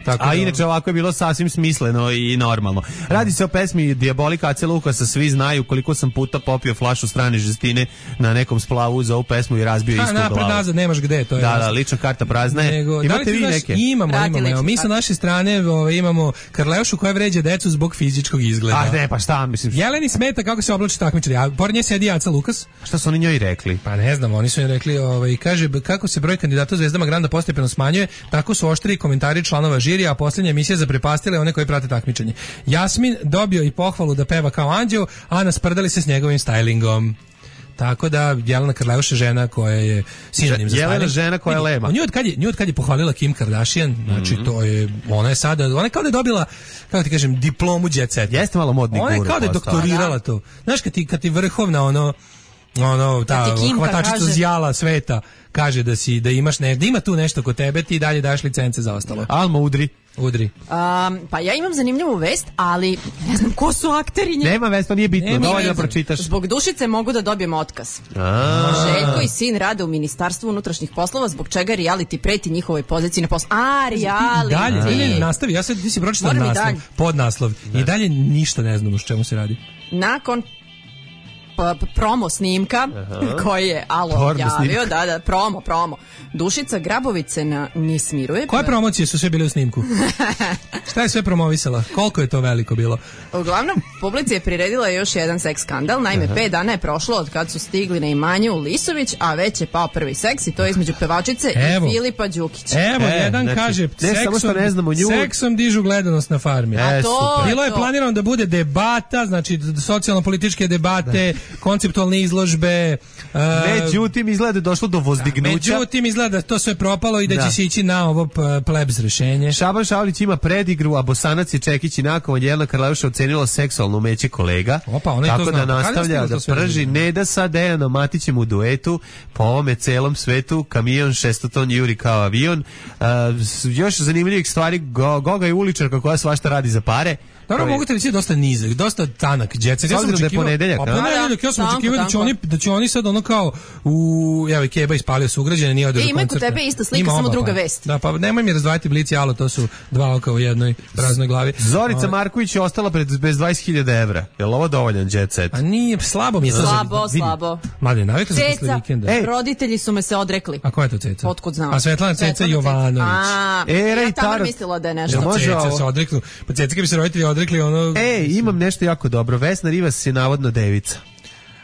S6: Tako
S5: a
S6: da,
S5: inače ovako je bilo sasvim smisleno i normalno. Radi se o pesmi Diabolika Ace Lukasa, svi znaju koliko sam puta popio flašu strane žestine na nekom splavu za ovu pesmu i razbio istu glavu.
S6: Napred nazad nemaš gde, to je.
S5: Da,
S6: jasno.
S5: da, lična karta prazna je.
S6: Nego,
S5: imate
S6: da
S5: vi
S6: znaš,
S5: neke?
S6: Imamo,
S7: Radi
S6: imamo. Evo, mi sa naše strane ovaj, imamo Karleušu koja vređa decu zbog fizičkog izgleda.
S5: A ne, pa šta, mislim.
S6: Jeleni smeta kako se oblači takmičari, a pored nje sedi Aca Lukas.
S5: Šta su oni njoj rekli?
S6: Pa ne znam, oni su im rekli, ovaj, kaže, kako se broj kandidata Zvezdama Granda postepeno smanjuje, tako su oštri komentari članova žirija, a posljednja emisija zaprepastile one koji prate takmičenje. Jasmin dobio i pohvalu da peva kao anđeo, a nasprdali se s njegovim stylingom. Tako da Jelena Karleuša žena koja je sinonim za
S5: Jelena
S6: styling.
S5: žena koja je lema.
S6: Nju od kad je, nju od kad je pohvalila Kim Kardashian, znači mm-hmm. to je, ona je sada, ona je kao da je dobila, kako ti kažem, diplomu Jet Seta.
S5: Jeste malo modni guru.
S6: Ona je kao da je doktorirala to. Znaš, kad ti, kad ti vrhovna ono, ono, ta hvatačica zjala sveta kaže da si, da imaš ne, da ima tu nešto kod tebe, ti dalje daš licence za ostalo.
S5: Alma udri.
S6: Udri.
S7: Um, pa ja imam zanimljivu vest, ali ne znam ko su akteri nje.
S5: Nema vest, to nije bitno, dovoljno da pročitaš.
S7: Zbog Dušice mogu da dobijem otkaz.
S5: A.
S7: Željko i sin rade u Ministarstvu unutrašnjih poslova, zbog čega reality preti njihovoj poziciji na poslu. A, reality.
S6: Dalje, ne, ne, nastavi, ja sad ti si pročitao naslov, podnaslov. I dalje ništa ne znam o čemu se radi.
S7: Nakon promo snimka koji je Alo Porno javio, snimka. da, da, promo, promo. Dušica Grabović se na, ne smiruje.
S6: Koje promocije su sve bile u snimku? Šta je sve promovisala? Koliko je to veliko bilo?
S7: Uglavnom, publici je priredila još jedan seks skandal. Naime, Aha. pet dana je prošlo od kad su stigli na imanju u Lisović, a već je pao prvi seks i to je između pevačice
S6: Evo.
S7: i Filipa Đukića.
S6: Evo,
S5: e,
S6: jedan
S5: znači,
S6: kaže,
S5: ne seksom, ne znamo nju.
S6: seksom dižu gledanost na farmi.
S5: E,
S7: a to,
S6: bilo je
S7: to.
S6: planirano da bude debata, znači socijalno-političke debate, konceptualne izložbe. Uh,
S5: Međutim, izgleda je došlo do vozdignuća.
S6: Međutim, izgleda da to sve propalo i da, da. će se ići na ovo plebs rešenje.
S5: Šaban Šaulić ima predigru, a Bosanac je Čekić i nakon Jelena Karleuša ocenila seksualno umeće kolega.
S6: Opa, ona
S5: tako
S6: to
S5: da
S6: zna.
S5: nastavlja da prži Neda sa Dejanom Matićem u duetu po ovome celom svetu. Kamion šestoton juri kao avion. Uh, još zanimljivih stvari, Go, Goga je uličarka koja svašta radi za pare.
S6: Dobro, mogu te reći dosta nizak, dosta tanak Jet Set.
S5: Ja sam očekivao, da je ponedeljak,
S6: a ponedeljak, ja sam očekivao da će oni da će oni sad ono kao u evo Keba ispalio sugrađane, nije održao koncert.
S7: E, ima kod tebe ista slika, samo druga vest.
S6: Da, pa nemoj mi razdvajati Blic i Alo, to su dva oka u jednoj praznoj glavi.
S5: Zorica Marković je ostala pred bez dvadeset hiljada evra. Je li ovo dovoljan Jet Set?
S6: A nije, slabo mi je to.
S7: Slabo, slabo.
S6: Mladen, navikao sam posle vikenda.
S7: Ej, roditelji su me se odrekli.
S6: A ko je to Ceca?
S7: Otkud znam?
S6: A Svetlana Ceca Jovanović.
S7: A,
S5: Era
S7: ja tamo mislila da je nešto.
S6: Ceca se odrekli. Pa Ceca kad bi se roditelji odrekli, ono...
S5: Ej, imam nešto jako dobro. Vesna Rivas je navodno devica.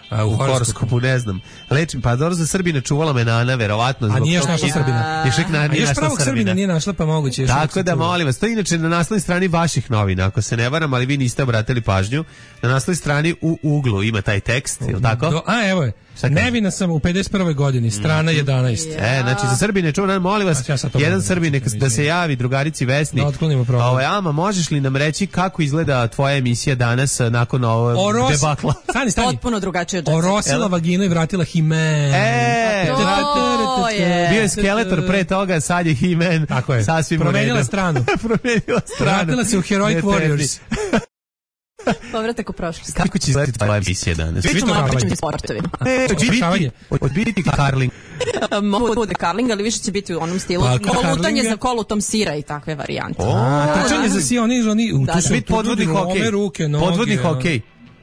S6: A, u,
S5: u horoskopu, ne znam. Lečim, pa dobro za Srbina čuvala me Nana, verovatno.
S6: A nije još našla Srbina.
S5: Još uvijek na,
S6: a još pravog Srbina nije našla, pa moguće. Još
S5: tako da, molim vas, to je inače na naslovnoj strani vaših novina, ako se ne varam, ali vi niste obratili pažnju. Na naslovnoj strani u uglu ima taj tekst, je li tako?
S6: Do, a, evo je. Nevina sam u pedeset prvoj godini, strana jedanaest.
S5: E, znači za Srbine čuvam, molim vas, ja jedan Srbin neka da se javi drugarici Vesni.
S6: Da otklonimo problem.
S5: Ovo, Ama, možeš li nam reći kako izgleda tvoja emisija danas nakon ovog
S6: Oros...
S5: debakla?
S6: Stani, stani.
S7: Potpuno drugačije od
S6: Orosila vaginu i vratila himen.
S5: E,
S7: to,
S10: To je.
S5: Bio je Skeletor pre toga, sad je He-Man.
S6: Tako je.
S5: Sasvim
S6: promenila stranu.
S5: Promenila stranu.
S6: Vratila se u Heroic Warriors.
S10: Povratak u prošlost.
S5: Kako će izgledati tvoja emisija danas?
S10: Pričamo malo pričamo sportovima.
S5: Od biti karling.
S10: Mogu bude karling, ali više će biti u onom stilu. Kolutanje za kolutom sira i takve varijante.
S6: Trčanje za si, oni, oni,
S5: tu su podvodni hokej. Podvodni hokej.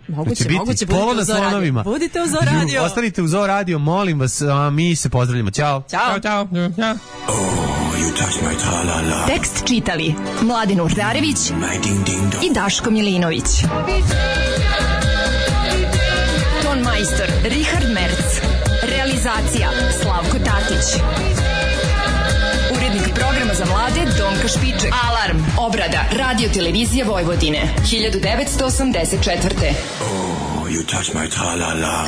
S10: Moguće, moguće, budite u Zoo Radio. Budite u Zoo Radio.
S5: Ostanite u Zoo Radio, molim vas, a mi se pozdravljamo. Ćao.
S10: Ćao.
S6: Ćao. Ćao.
S4: Tekst čitali Mladin Urdarević i Daško Milinović. Ton majstor Richard Merc. Realizacija Slavko Tatić. Urednik programa za mlade Donka Špiček. Alarm. Obrada Radio Televizije Vojvodine. hiljadu devetsto osamdeset četvrte.
S11: Oh, you touch my tra-la-la.